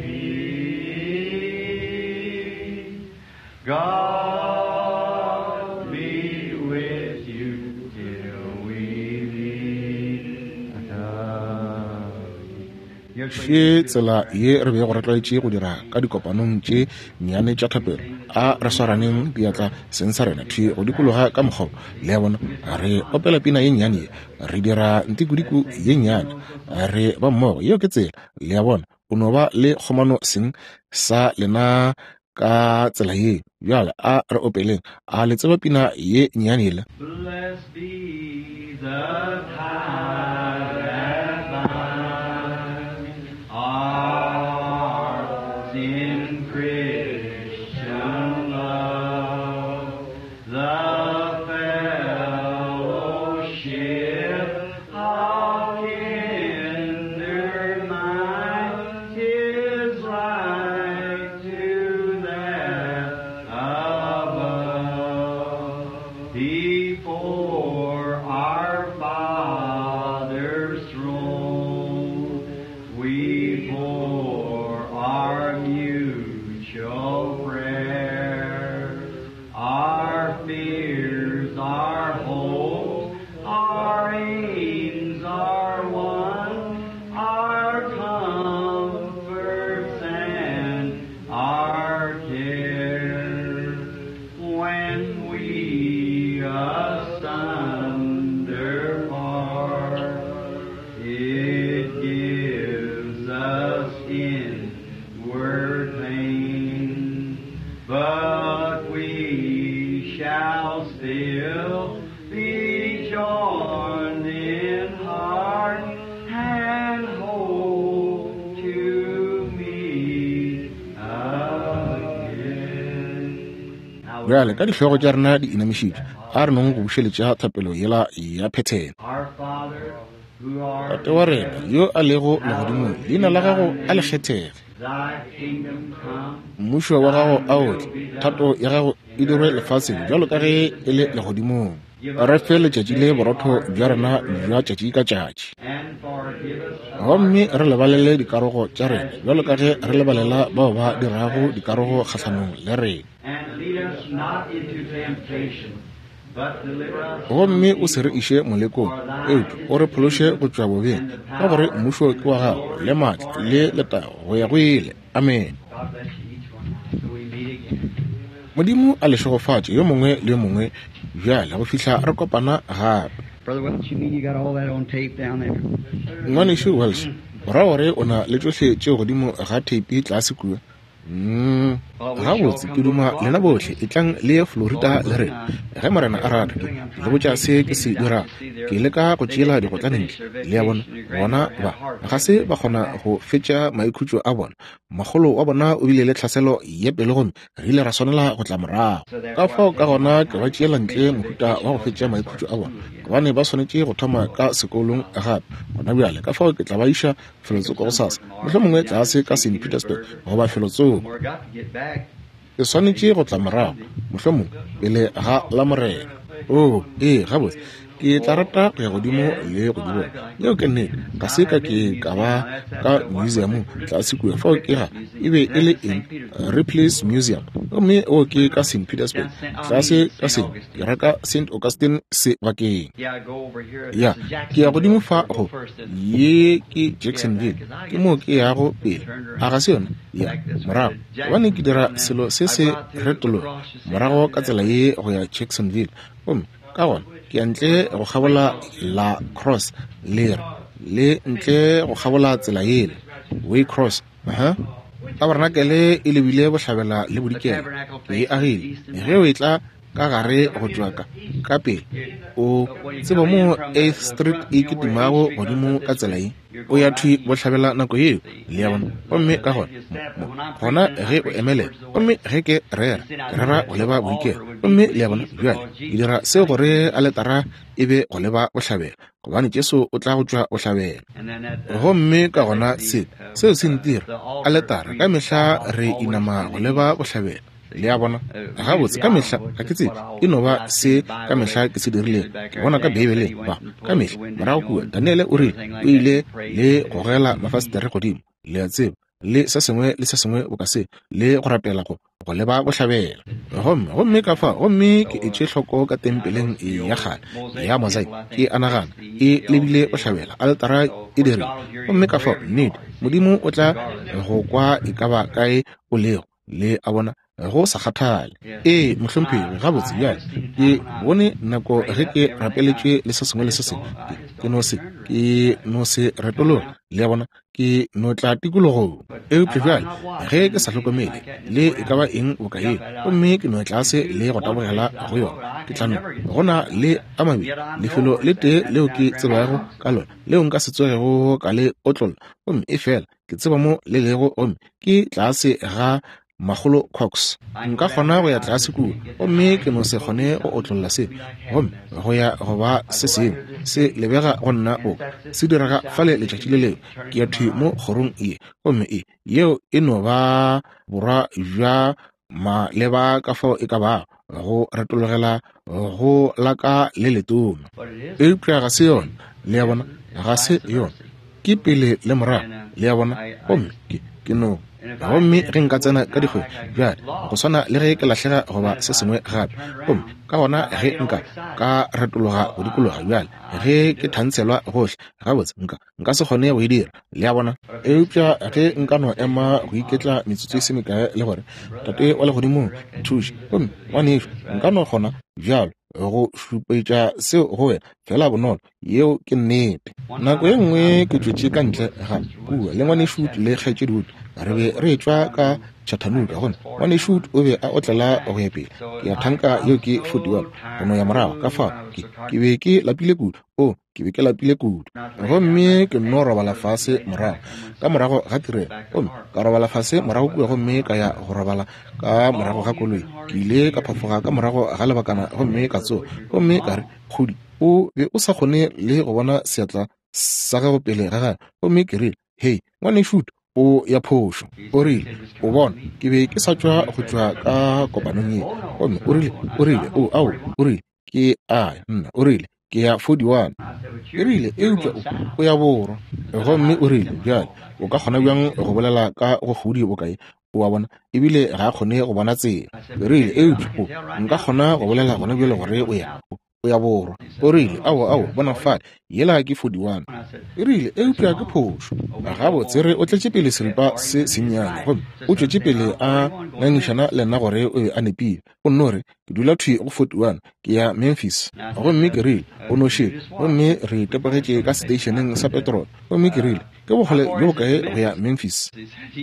meet. God be with you till we meet again. Še tsela ye re bego re tlwaetše go dira ka dikopanong tše nnyane tša thapelo. A re swaraneng diatla seng sa rena thwi go dikologa ka mokgwa wo. Le a bona, re opela pina ye nnyane ye, re dira ntikudiku ye nnyane, re ba mmogo. Yeo ke tsela, le a bona, o no ba le kgomano seng sa lena ka tsela yeo. Bjale a re opeleng. A le tseba pina ye nnyane yela? Blessed be the tie that binds our in Christian love, the fellowship of kindred minds, 'tis like to that above. Before our Father's throne, we pour our mutual prayers, our fears, our hopes, our aims are one, our comforts and our cares. When we asunder part, it gives us inward pain, but we shall still be joined in heart and hope to meet again. Now, Bjale ka dihlogo tša rena di inamišitšwe, a re nong go bušeletša thapelo yela ya phethene. Our Father, who art Tate wa rena yo a lego legodimong, leina la gago a le kgethege. Thy kingdom come, Mmušo wa gago a o tle, thato ya gago e dirwe lefaseng bjalo ka ge e le legodimong. Re fe letšatši le borotho bja rena bja tšatši ka tšatši, and forgive us gomme re lebalele dikarogo tša rena bjalo ka ge re lebalela bao ba dirago dikarogo kgahlanong le rena. and lead us not into temptation, but deliver us Gomme o se re iše molekong, eupša o re phološe go tšwa bobeng, ka gore mmušo ke wa gago le maatla le letago go ya go ile. Amen. God bless you each one till we meet again. Modimo a le šegofatše yo mongwe le yo mongwe bjale go fihla re kopana gape. Brother Welch, you mean you got all that on tape down there? Ngwanešu Welsh, o ra gore o na le tšohle tšeo godimo ga theipi tlase kua? Gabotse, ke duma lena bohle etlang le ye Florida le rena ge Morena a rata. Ke le botša se ke se dirago, ke leka go tšeela digotlane ntle. Le a bona, bona ba ga se ba kgona go fetša maikhutšo a bona. Makgolo wa bona o bile le tlhaselo ya pelo gomme re ile ra swanela go tla morago. Ka fao ka gona ke ba tšeela ntle mohuta wa go fetša maikhutšo a bona, gobane ba swanetše go thoma ka sekolong gape gona bjale. Ka fao ke tla ba iša felotsoko gosasa, mohlomongwe tlase ka St. Petersburg goba felotsoko. We're got to get back. Ke swanetše go tla morago, mohlomongwe pele ga Lamorena. Oo, ee, gabotse, ke tla rata go ya godimo le go di bona. Yeo ke nnete. Ga se ka ke ka ba ka museumong tlase kua. Fao ke ga e be e le eng? Ripley's Museum. Gomme o ke ka St. Petersburg, tlase ka St. Ke reka St. Augustine sebakeng. Yeah, I go over here. Ya, This is ke ya godimo Jacksonville. fa Go go first and ye ke Jacksonville, ke moo ke yago pele. A ga se yona? Ya, morago, gobane ke dira selo se se retologa morago ka tsela ye go ya Jacksonville, gomme ka gona ke ya ntle go kgabola La Crosse lere le ntle go kgabola tsela yela Waycross. Aha. Tabernacle e lebile bohlabela le bodikela, ke e agile ge o etla ka gare go tšwa ka pele. O tseba mo 8th Street e kitimago godimo ka tsela ye, o ya thwi bohlabela nako yeo, le a bona. Gomme ka gona gona ge o emelela, gomme ge ke rera, ke rera go leba boikelo. Gomme le a bona, bjale ke dira seo gore aletara e be go leba bohlabela, gobane Jesu o tla go tšwa bohlabela. Gomme ka gona seo se ntira aletara ka mehla re inama go leba bohlabela. Le a bona? Gabotse, ka mehla ga ke tsebe, e no ba se ka mehla ke se dirilego. Ke bona ka Beibeleng, ba ka mehla morago kua, Daniele o rile o ile le gogela mafastere godimo, le a tseba, le se sengwe le se sengwe boka se, le go rapela go leba bohlabela. Gomme ka fa, gomme ke etše hloko ka tempeleng ya kgale ya mosaic, ke a nagana e lebile bohlabela, aletara e dirile. Gomme ka fa, nnete, Modimo o tla go kwa e ka ba kae o lego, le a bona, go sa kgathale. Ee, mohlomphegi, gabotse bjale ke bone nako ge ke rapeletše le se sengwe le se sengwe, ke no se retologa, le a bona, ke no tla tikologong. Eupša bjale ge ke sa hlokomele le e ka ba eng boka yeo, gomme ke no tlase le go tabogela go yona, ke tla no go na le a mabedi, lefelo le tee leo ke tsebago ka lona leo nka se tsogego ka le otlolla, gomme e fela ke tseba mo le lego, gomme ke tlase ga Makgolo Cox. Nka kgona go ya tlase kua, gomme ke no se kgone go otlolla se, gomme go ya go ba se sengwe se lebega go nna boka se direga fale letšatši le lengwe. Ke ya thwi mo kgorong ye, gomme e yeo e no ba borwa bja maleba ka fao e ka bago go retologela go laka le letona. Eupša ga se yona, le a bona, ga se yona, ke pele le morago, le a bona. Gomme ke no, gomme ge nka tsena ka dikgwedi bjale, go swana le ge ke lahlega goba se sengwe gape, gomme ka gona ge nka ka retologa go dikologa bjale, ge ke thantshelwa gohle, gabotse nka se kgone go e dira, le a bona. Eupša ge nka no ema go iketla metsotso e se mekae le gore, Tate wa legodimong, nthuše, gomme ngwanešu, nka no kgona bjalo go šupetša seo go wena fela bonolo. Yeo ke nnete. Nako ye nngwe ke tšwetše ka ntle ga kua le ngwanešu le kgaetšedi Wood, re be re etšwa ka Chattanooga, gomme ngwanešu o be a otlela go ya pele. Ke a thanka yeo ke 41 go no ya morago. Ka fao ke be ke lapile kudu. O, ke be ke lapile kudu. Gomme ke nno robala fase morago ka morago ga tirelo, gomme ka robala fase morago kua, gomme ka ya go robala ka morago ga koloi. Ke ile ka phafoga ka morago ga lebakana, gomme ka tsoga, gomme ka re, Kgodi, o be o sa kgone le go bona seatla sa gago pele ga gagwe. Gomme ke rile, Hei, ngwanešu, o ya phošo. O rile, o bona, ke be ke sa tšwa go tšwa ka kopanong ye. Gomme o rile, o, ao, o rile, ke a nna, o rile, ke ya 41. Ke rile, eupša o ya borwa. Gomme o rile, bjale o ka kgona bjang go bolela ka go kgodi bokae? O a bona, ebile ga a kgone go bona tsela. Ke rile, eupša nka kgona go bolela gona bjale gore o ya borwa. O rile, ao, bona fale, yela ke 41. E rile, eupša ke phošo. Gabotse re o tletše pele seripa se sennyane, gomme o tšwetše pele a ngangišana le nna gore o be a nepile. O nno re, ke dula thwi go 41, ke ya Memphis. Gomme ke rile, o no šetše. Gomme re tepogetše ka seteišeneng sa petrolo. Gomme ke rile, ke bokgole bjo bokae go ya Memphis?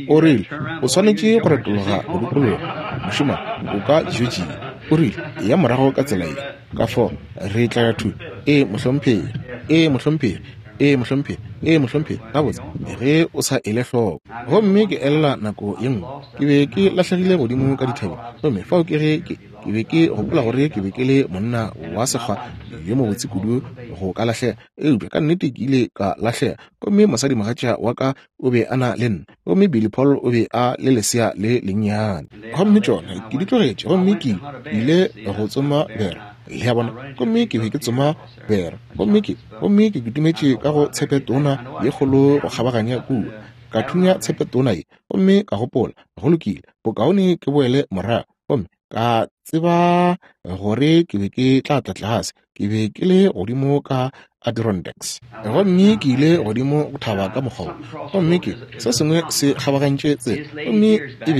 O rile, o swanetše go retologa go dikologa, mošemane, o ka Georgia. O rile, ya morago ka tsela ye. Ka fao re tla ya thwi. Ee, mohlomphegi. Ee, mohlomphegi. Ee, mohlomphegi. Ee, mohlomphegi. Gabotse, ge o sa ele hloko. Gomme ke elela nako ye nngwe ke be ke lahlegile godimo ka dithabeng, gomme fao ke ge ke be ke gopola gore ke be ke le monna wa sekgwa yo mobotse kudu go ka lahlega, eupša ka nnete ke ile ka lahlega. Gomme mosadimogatša wa ka o be a na le nna, gomme Billy Paul o be a le lesea le lennyane. Gomme tšona ke di tlogetše, gomme ke ile go tsoma bera, le a bona. Gomme ke be ke tsoma bera, gomme ke kitimetše ka go tshepetona ye kgolo go kgabaganya kua, ka thunya tshepetona ye, gomme ka gopola, go lokile, bokaone ke boele morago. Gomme ka tseba gore ke be ke tla tla tlase. Ke be ke le godimo ka Adirondacks, gomme ke ile godimo go thaba ka mokgwa wo, gomme ke se sengwe se kgabagantše tsela, gomme e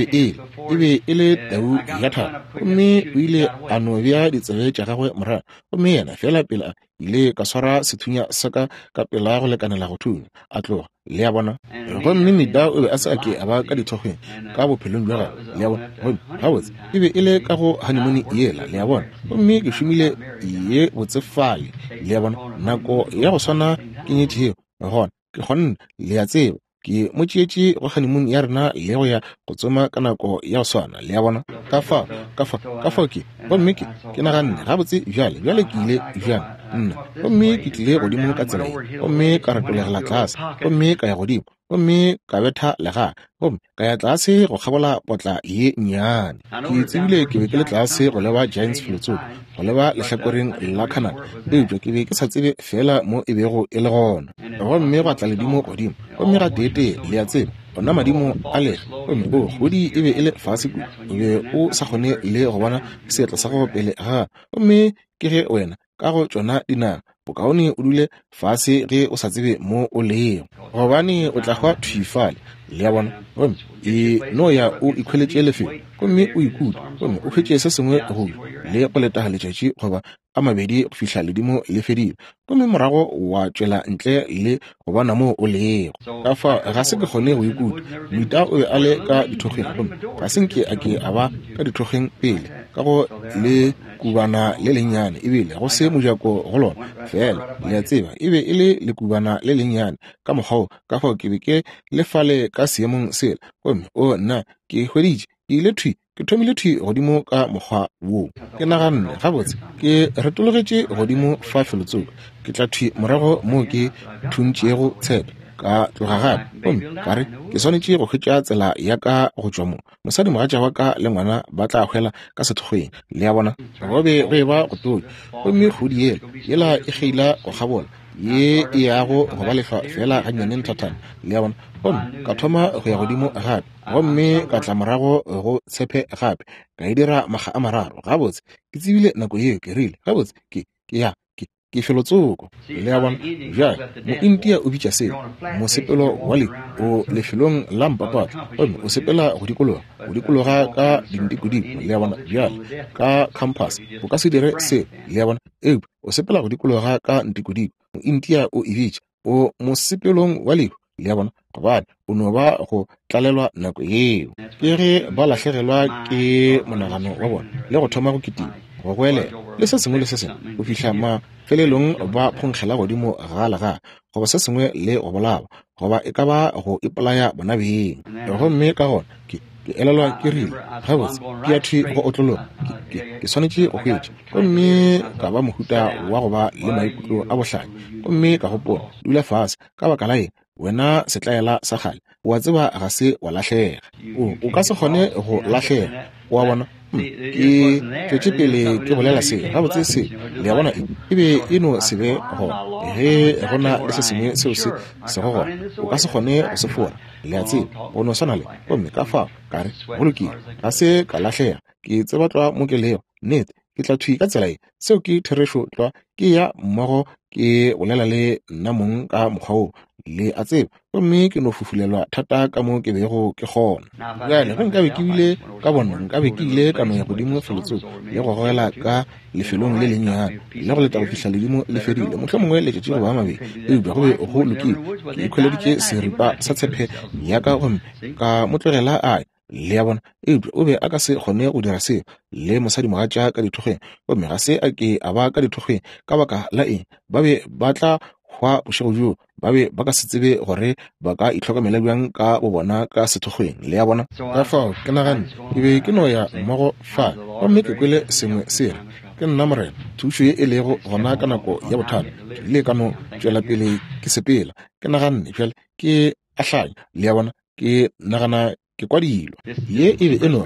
be e le tau ya thaba. Gomme o ile a no bea ditsebe tša gagwe morago, gomme yena fela pele a ile ka swara sethunya sa ka ka pela go lekanela go thunya, a tloga, le a bona. Gomme Meda o be a se a ke a ba ka dithokgweng ka bophelong bja gagwe, le a bona. Gomme gabotse e be e le ka go honeymoon yela, le a bona. Gomme ke šomile ye botse fale, le a bona, nako ya go swana ke nyetšego. Gona, ke kgonne, le a tseba, ke mo tšeetše go honeymoon ya rena le go ya go tsoma ka nako ya go swana, le a bona. Ka fao, ka fao, ka fao ke, gomme ke, ke naganne, gabotse bjale, bjale ke ile bjang, nna. Gomme ke tlile godimo ka tsela ye, gomme ka retolegela tlase, gomme ka ya godimo, gomme ka betha legaa, gomme ka ya tlase go kgabola potla ye nnyane. Ke tsebile ke be ke le tlase go leba Giants felotsoko, go leba lehlakoreng la Canada, eupša ke be ke sa tsebe feela mo e bego e le gona. Gomme gwa tla ledimo godimo, gomme gateetee, le a tseba, ona madimo a lega, gomme o, kgodi e be e le fase kudu, o be o sa kgone le go bona seatla sa gago pele ga. Gomme ke ge wena, ka go tšona dinaga, bokaone o dule fase ge o sa tsebe mo o lego, gobane o tla hwa thwi fale, le a bona. Gomme e no ya o ikhweletše lefelo, gomme o ikute, gomme o hwetše se sengwe go ja, le go leta letšatši goba a mabedi go fihla ledimo le fedile, gomme morago wa tšwela ntle le go bona moo o lego. Ka fao ga se ke kgone go ikuta. Moita o be a le ka dithokgweng, gomme ga se nke a ke a ba ka dithokgweng pele, ka go le lekubana le lennyane, ebile go se mojako go lona, feela, le a tseba, e be e le lekubana le lennyane ka mokgwa wo. Ka fao ke be ke le fale ka seemong sela, gomme o nna, ke hweditše, ke ile thwi, ke thomile thwi godimo ka mokgwa wo. Ke naganne, gabotse, ke retologetše godimo fa felotsoko, ke tla thwi morago moo ke thuntšego tshepe, ka tloga gape, gomme ka re, ke swanetše go hwetša tsela ya ka go tšwa mo. Mosadimogatša wa ka le ngwana ba tla hwela ka sethokgweng, le a bona. Go be go eba go tonya, gomme kgodi yela, yela e kgeila go kgabola, ye e yago go ba lehlwa feela gannyane nthathana, le a bona. Gomme ka thoma go ya godimo gape, gomme ka tla morago go tshepe gape, ka e dira makga a mararo. Gabotse, ke tsebile nako yeo, ke rile, gabotse, ke, ke ya, ke, ke felotsoko. Le a bona? Bjale, Moindia o bitša seo mosepelo wa lehu. O lefelong la mpapatla, gomme o sepela go dikologa, go dikologa ka dintikodiko, le a bona, bjale, ka compass. O ka se dire seo, le a bona, eupša o sepela go dikologa ka ntikodiko. Moindia o e bitša o mosepelong wa lehu, le a bona, gobane o no ba go tlalelwa nako yeo. Ke ge ba lahlegelwa ke monagano wa bona le go thoma go kitima, go goelela, le se sengwe le se sengwe, go fihla mafelelong ba phonkgela godimo ga legaa goba se sengwe le go bolawa, goba e ka ba go ipolaya bona beng. Gomme ka gona ke, ke elelwa ke rile, Gabotse, ke ya thwi go otlologa. Ke, ke, ke swanetše go hwetša. Gomme ka ba mohuta wa go ba le maikutlo a bohlanya. Gomme ka gopola, Dula fase. Ka baka la eng, wena setlaela sa kgale, o a tseba ga se wa lahlega. O, o ka se kgone go lahlega. O a bona? Ke tšwetše pele ke bolela se, gabotse se, le a bona, e be e no se be gona. Ge go na le se sengwe seo se sego gona, o ka se kgone go se fora, le a tseba, go no swana le. Gomme ka fao ka re, Go lokile, ga se ka lahlega. Ke tseba tlwa mo ke lego. Nnete, ke tla thwi ka tsela ye. Seo ke therešo tlwa. Ke ya mmogo ke bolela le nna mong ka mokgwa wo, le a tseba, gomme ke no fufulelwa thata ka mo ke bego ke kgona. Bjale, ge nkabe ke bile ka bona, nkabe ke ile ka no ya godimo felotsoko le go gogela ka lefelong le lennyane le go leta go fihla ledimo le fedile, mohlomongwe letšatši goba a mabedi, eupša go be go lokile. Ke ikhweleditše seripa sa tshepe ya ka gomme ka mo tlogela a ya. Le a bona? Eupša o be a ka se kgone go dira seo le mosadimogatša ka dithokgweng, gomme ga se a ke a ba ka dithokgweng. Ka baka la eng? Ba be ba tla hwa bošego bjoo. Ba be ba ka se tsebe gore ba ka itlhokomela bjang ka bobona ka sethokgweng. Le a bona? Ka fao ke naganne ke be ke no ya mmogo fa, gomme ke kwele sengwe se re, Ke nna Morena, thušo ye e lego gona ka nako ya bothata. Ke ile ka no tšwela pele ke sepela. Ke naganne, Bjale ke a hlanya. Le a bona? Ke nagana ke kwa dilo. Ye e be e no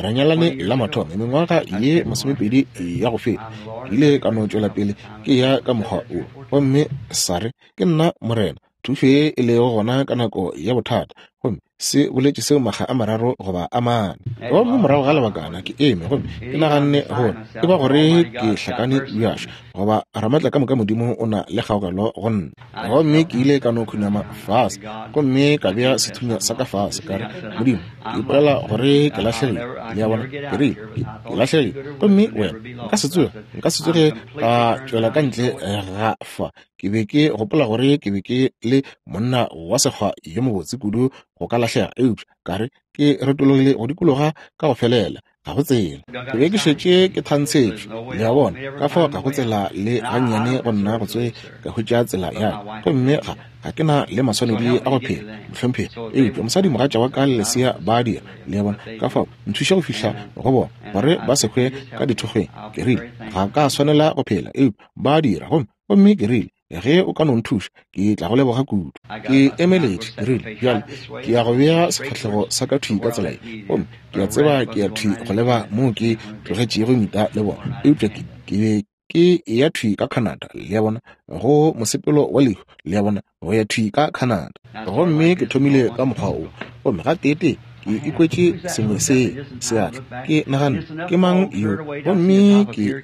re nyalane la mathomo mengwaga ye masomepedi ya go feta. Ke ile ka no tšwela pele ke ya ka mokgwa wo, gomme sa re, Ke nna Morena, thušo ye e lego gona ka nako ya bothata. Gomme se boletše seo makga a mararo goba a mane. Gomme morago ga lebakana ke eme gomme ke naganne gore e ba gore ke hlakane bjašo, goba Ramatla ka moka Modimo o na le kgaogelo go nna. Gomme ke ile ka no khunama fase gomme ka bea sethunya sa ka fase, ka re, Modimo, ke ipolela gore ke lahlegile. Le a bona? Ke rile, Ke, ke lahlegile. Gomme wena, nka se tsoge, nka se tsoge ka tšwela ka ntle ga fa. Ke be ke gopola gore ke be ke le monna wa sekgwa yo mobotse kudu go ka lahlega, eupša ka re ke retologile go dikologa ka go felela. Ga go tsela. Ke be ke šetše ke thantshetšwe, le a bona, ka fao ga go tsela le gannyane go nna go tsoge ka hwetša tsela ya ka. Gomme ga, ga ke na le maswanedi a go phela, mohlomphegi, eupša mosadimogatša wa ka le lesea ba a dira, le a bona. Ka fao nthuše go fihla go bona, gore ba se hwe ka dithokgweng. Ke rile, Ga ka swanela go phela, eupša ba a dira. Gomme, gomme ke rile, Ge o ka no nthuša, ke tla go leboga kudu. Ke emeletše, ke rile, Bjale, ke ya go bea sefahlego sa ka thwi ka tsela ye, gomme ke a tseba ke ya thwi go leba moo ke tlogetšego mita le bona, eupša ke, ke be ke eya thwi ka Canada, le a bona, go mosepelo wa lehu, le a bona, go ya thwi ka Canada. Gomme ke thomile ka mokgwa wo, gomme gateetee ke ikwetše sengwe se seatla. Ke naganne, Ke mang yo? Gomme ke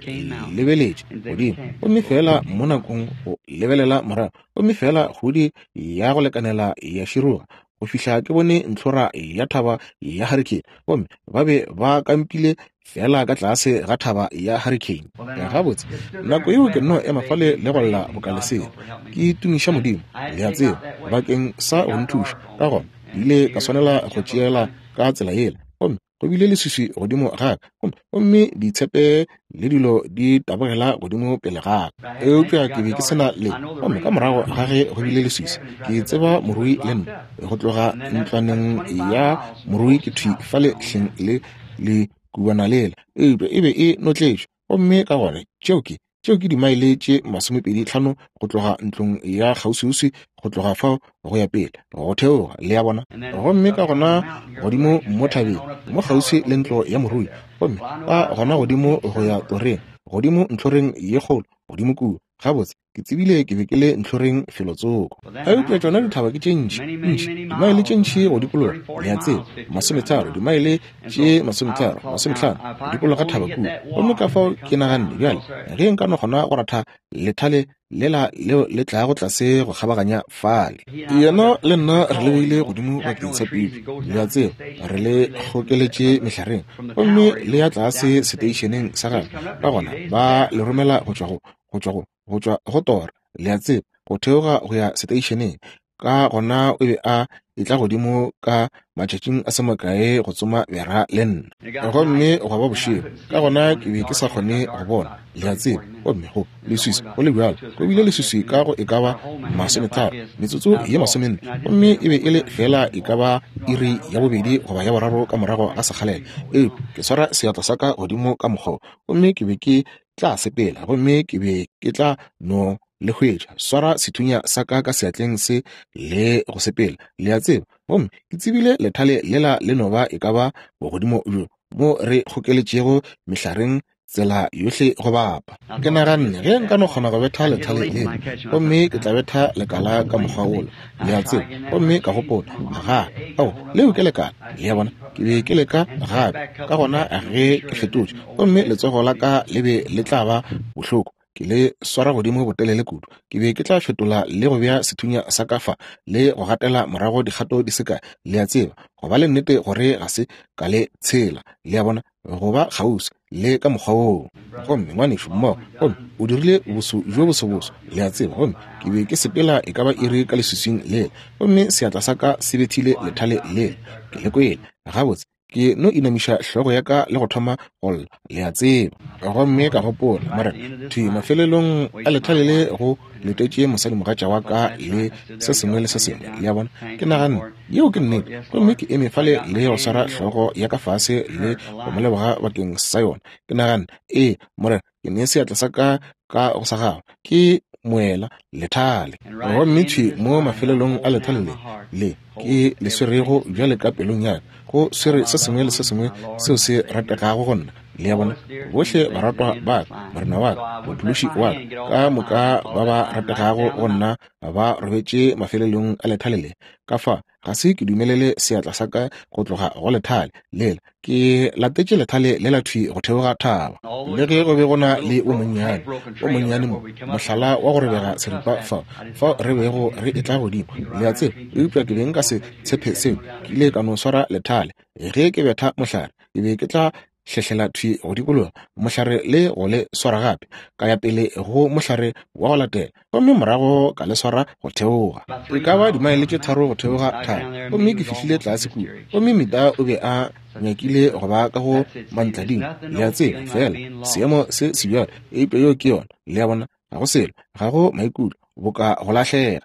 lebeletše godimo, gomme feela mo nakong go lebelela morago, gomme feela kgudi ya go lekanela ya široga go fihla ke bone ntlhora ya thaba ya Hurricane, gomme ba be ba kampile feela ka tlase ga thaba ya Hurricane. Gabotse, nako yeo ke nno ema fale le go lla boka lesea, ke tumiša Modimo, le a tseba, bakeng sa go nthuša. Ka gona ke ile ka swanela go tšeela ka tsela yela, gomme go bile leswiswi godimo ga ka, gomme, gomme ditshepe le dilo di tabogela godimo pele ga ka. Eupša ke be ke se na le, gomme ka morago ga ge go bile leswiswi, ke tseba morui le nna, go tloga ntlwaneng ya morui ke thwi fale hleng le le kubana lela, eupša e be e notletšwe. Gomme ka gona tšeo ke, tšeo ke dimaele tše 25 go tloga ntlong ya kgauswiuswi, go tloga fao go ya pele, go theoga, le a bona. Gomme ka gona godimo mo thabeng, mo kgauswi le ntlo ya morui, gomme ka gona godimo go ya toreng, godimo ntlhoreng ye kgolo, godimo kua. Gabotse, ke tsebile ke be ke le ntlhoreng felotsoko. Eupša tšona dithaba ke tše ntši, ntši, dimaele tše ntši go dikologa, le a tseba, masometharo, dimaele tše masometharo, masometlhano, go dikologa thaba kua. Gomme ka fao ke naganne, bjale, ge nka no kgona go ratha lethale lela leo le tlago tlase go kgabaganya fale. Yena le nna re le beile godimo bakeng sa pipi, le a tseba, re le kgokeletše mehlareng, gomme le ya tlase seteišeneng sa gagwe, ka gona ba le romela go tšwa go, go tšwa go, go tšwa go tora, le a tseba, go theoga go ya seteišeneng. Ka gona o be a etla godimo ka matšatšing a se makae go tsoma bera le nna. Gomme gwa ba bošego, ka gona ke be ke sa kgone go bona, le a tseba. Gomme go leswiswi go le bjalo, go bile leswiswi ka go e ka ba masometharo, metsotso ye masomenne, gomme e be e le feela e ka ba iri ya bobedi goba ya boraro ka morago ga sekgalela. Eupša ke swara seatla sa ka godimo ka mokgwa wo, gomme ke be ke tla sepela gomme ke be ke tla no le hwetša, swara sethunya sa ka ka seatleng se le go sepela, le a tseba. Gomme ke tsebile lethale lela le no ba e ka ba bogodimo bjo mo re kgokeletšego mehlareng tsela yohle go bapa. Ke naganne ge nka no kgona go betha lethale lela, gomme ke tla betha lekala ka mokgwa wola, le a tseba. Gomme ka gopola, Aga, ao, leo ke lekala, le a bona. Ke be ke leka gape, ka gona ge ke fetotše, gomme letsogo la ka le be le tla ba bohloko, ke le swara godimo botelele kudu. Ke be ke tla fetola le go bea sethunya sa ka fa le go gatela morago dikgato di se kae, le a tseba, go ba le nnete gore ga se ka le tshela, le a bona, go ba kgauswi le ka mokgwa woo. Gomme ngwanešu mmogo, gomme o dirile boso bjo bosoboso, le a tseba, gomme ke be ke sepela e ka ba iri ka leswiswing lela, gomme seatla sa ka se bethile lethale lela, ke le kwele. Gabotse, ke no inamiša hlogo ya ka le go thoma go lla, le a tseba. Gomme ka gopola, Morena, thwi mafelelong a lethale le go letetše mosadimogatša wa ka le se sengwe le se sengwe, le a bona. Ke naganne, Yeo ke nnete. Gomme ke eme fale le go swara hlogo ya ka fase le go mo leboga bakeng sa yona. Ke naganne, Ee, Morena, ke ne seatla sa ka ka go sa gago. Ke moela lethale. Gomme thwi mo mafelelong a lethale le, le ke le swerego bjale ka pelong ya ka, go swere se sengwe le se sengwe seo se rategago go nna. Le a bona? Bohle baratwa ba ka, Morena wa ka, Mophološi wa ka, ka moka ba ba rategago go nna ba robetše mafelelong a lethale le. Ka fa, ga se ke dumelele seatla sa ka go tloga go lethale lela. Ke latetše lethale lela thwi go theoga thaba. Le ge go be go na le o monnyane, o monnyane mo, mohlala wa go robega seripa fa, fao re bego re etla godimo, le a tseba, eupša ke be nka se tshepe seo. Ke ile ka no swara lethale. Ge ke betha mohlare, ke be ke tla. hlehlela thwi go dikologa mohlare le go le swara gape, ka ya pele go mohlare wa go latela, gomme morago ka le swara go theoga. E ka ba dimaele tše tharo go theoga thaba, gomme ke fihlile tlase kua, gomme Meda o be a nyakile go ba ka go mantlading, le a tseba, feela seemo se sebjalo, eupša yeo ke yona, le a bona, ga go selo, ga go maikutlo, boka go lahlega.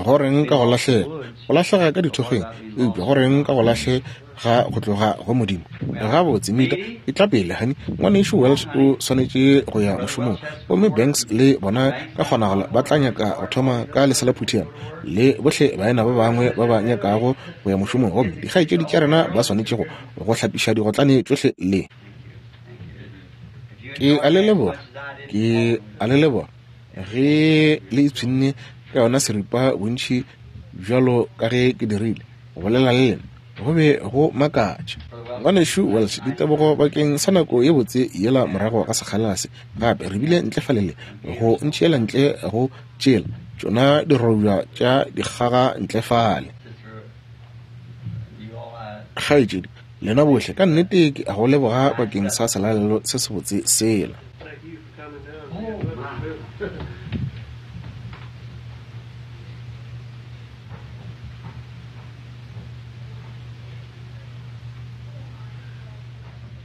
Go reng ka go lahlega? Go lahlega ka dithokgweng, eupša go reng ka go lahlega go tloga go Modimo? Gabotse, Mita, e tla pele, hani. Ngwanešu Welch o swanetše go ya mošomong, gomme Banks le bona ka kgonagalo ba tla nyaka go thoma ka leselaphuthana, le bohle baena ba bangwe ba ba nyakago go ya mošomong, gomme dikgaetšedi tša rena ba swanetše go go hlapiša digotlane tšohle le. Ke a le leboga, ke a le leboga ge le ipshinne ka yona seripa bontši bjalo ka ge ke dirile go bolela le lena. Go be go makatša. Ngwanešu Welch, ditebogo bakeng sa nako ye botse yela morago ga sekgalela se. Gape re bile ntle fale le go ntšeela ntle go tšela tšona dirobja tša dikgaga ntle fale. Kgaetšedi, lena bohle, ka nnete ke a go leboga bakeng sa selalelo se sebotse sela.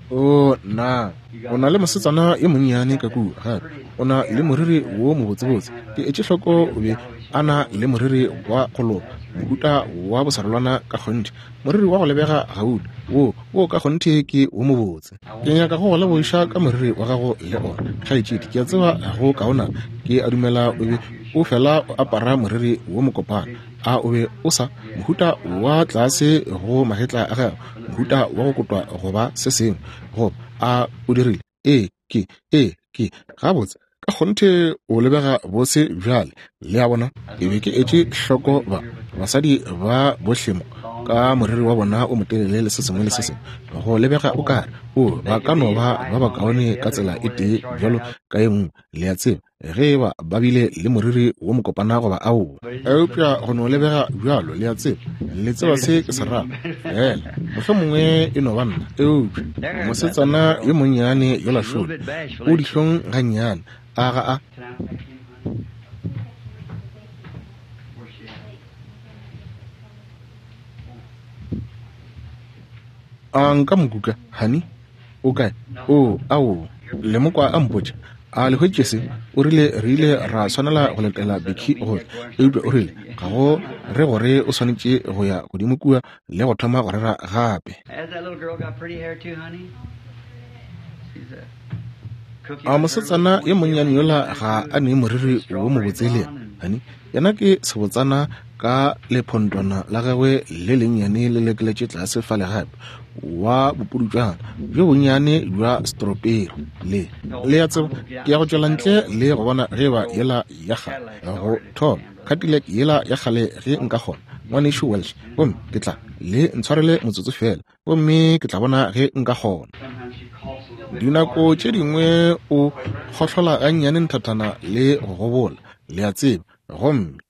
O na o na le mosetsana yo monnyane ka kua gape o na le moriri wo mobotsebotse. Ke etše hloko o be a na le moriri wa go loka, mohuta wa bosarolwana ka kgonthe, moriri wa go lebega gauta, wo wo ka kgonthe ke wo mobotse. Ke nyaka go go lebogiša ka moriri wa gago le ona, kgaetšedi. Ke a tseba go kaonana. Ke a dumela o be o fela o apara moriri wo mokopana. A o be o sa? Mohuta wa tlase go magetla a gago, mohuta wa go kotwa goba se sengwe. Goba a o dirile? Ee, ke, ee, ke. Gabotse, ka kgonthe o lebega bose bjale. Le a bona? Ke be ke etše hloko ba basadi ba bohle mo ka moriri wa bona o motelele le se sengwe le se sengwe, go lebega o kare o ba ka no ba ba bakaone ka tsela e tee bjalo ka e nngwe, le a tseba, ge e ba ba bile le moriri wo mokopana goba aowa. Eupša go no lebega bjalo, le a tseba, le tseba se ke se rago. Fela mohlomongwe e no ba nna, eupša mosetsana yo monnyane yola šole o dihlong gannyane, a ga a? A nka mo kuka, honey? O kae? Oo, aowa. Le mo kwa a mpotša. A le hwetše se? O rile re ile ra swanela go letela Becky go tla. Eupša o rile ga go re gore o swanetše go ya godimo kua le go thoma go rera gape. A mosetsana yo monnyane yola ga a ne moriri wo mobotse le yena, honey? Yena ke sebotsana ka lephontwana la gagwe le lennyane le lekeletše tlase fale gape, wa bopudutšwana bjo bonnyane bja stroperi. Le, le a tseba, ke ya go tšwela ntle le go bona ge eba yela ya kgale go thoma, Cadillac yela ya kgale ge nka kgona, Ngwanešu Welch. Gomme ke tla, le ntshwarele motsotso feela, gomme ke tla bona ge nka kgona. Dinako tše dingwe o kgohlola gannyane nthathana le go gobola, le a tseba, gomme.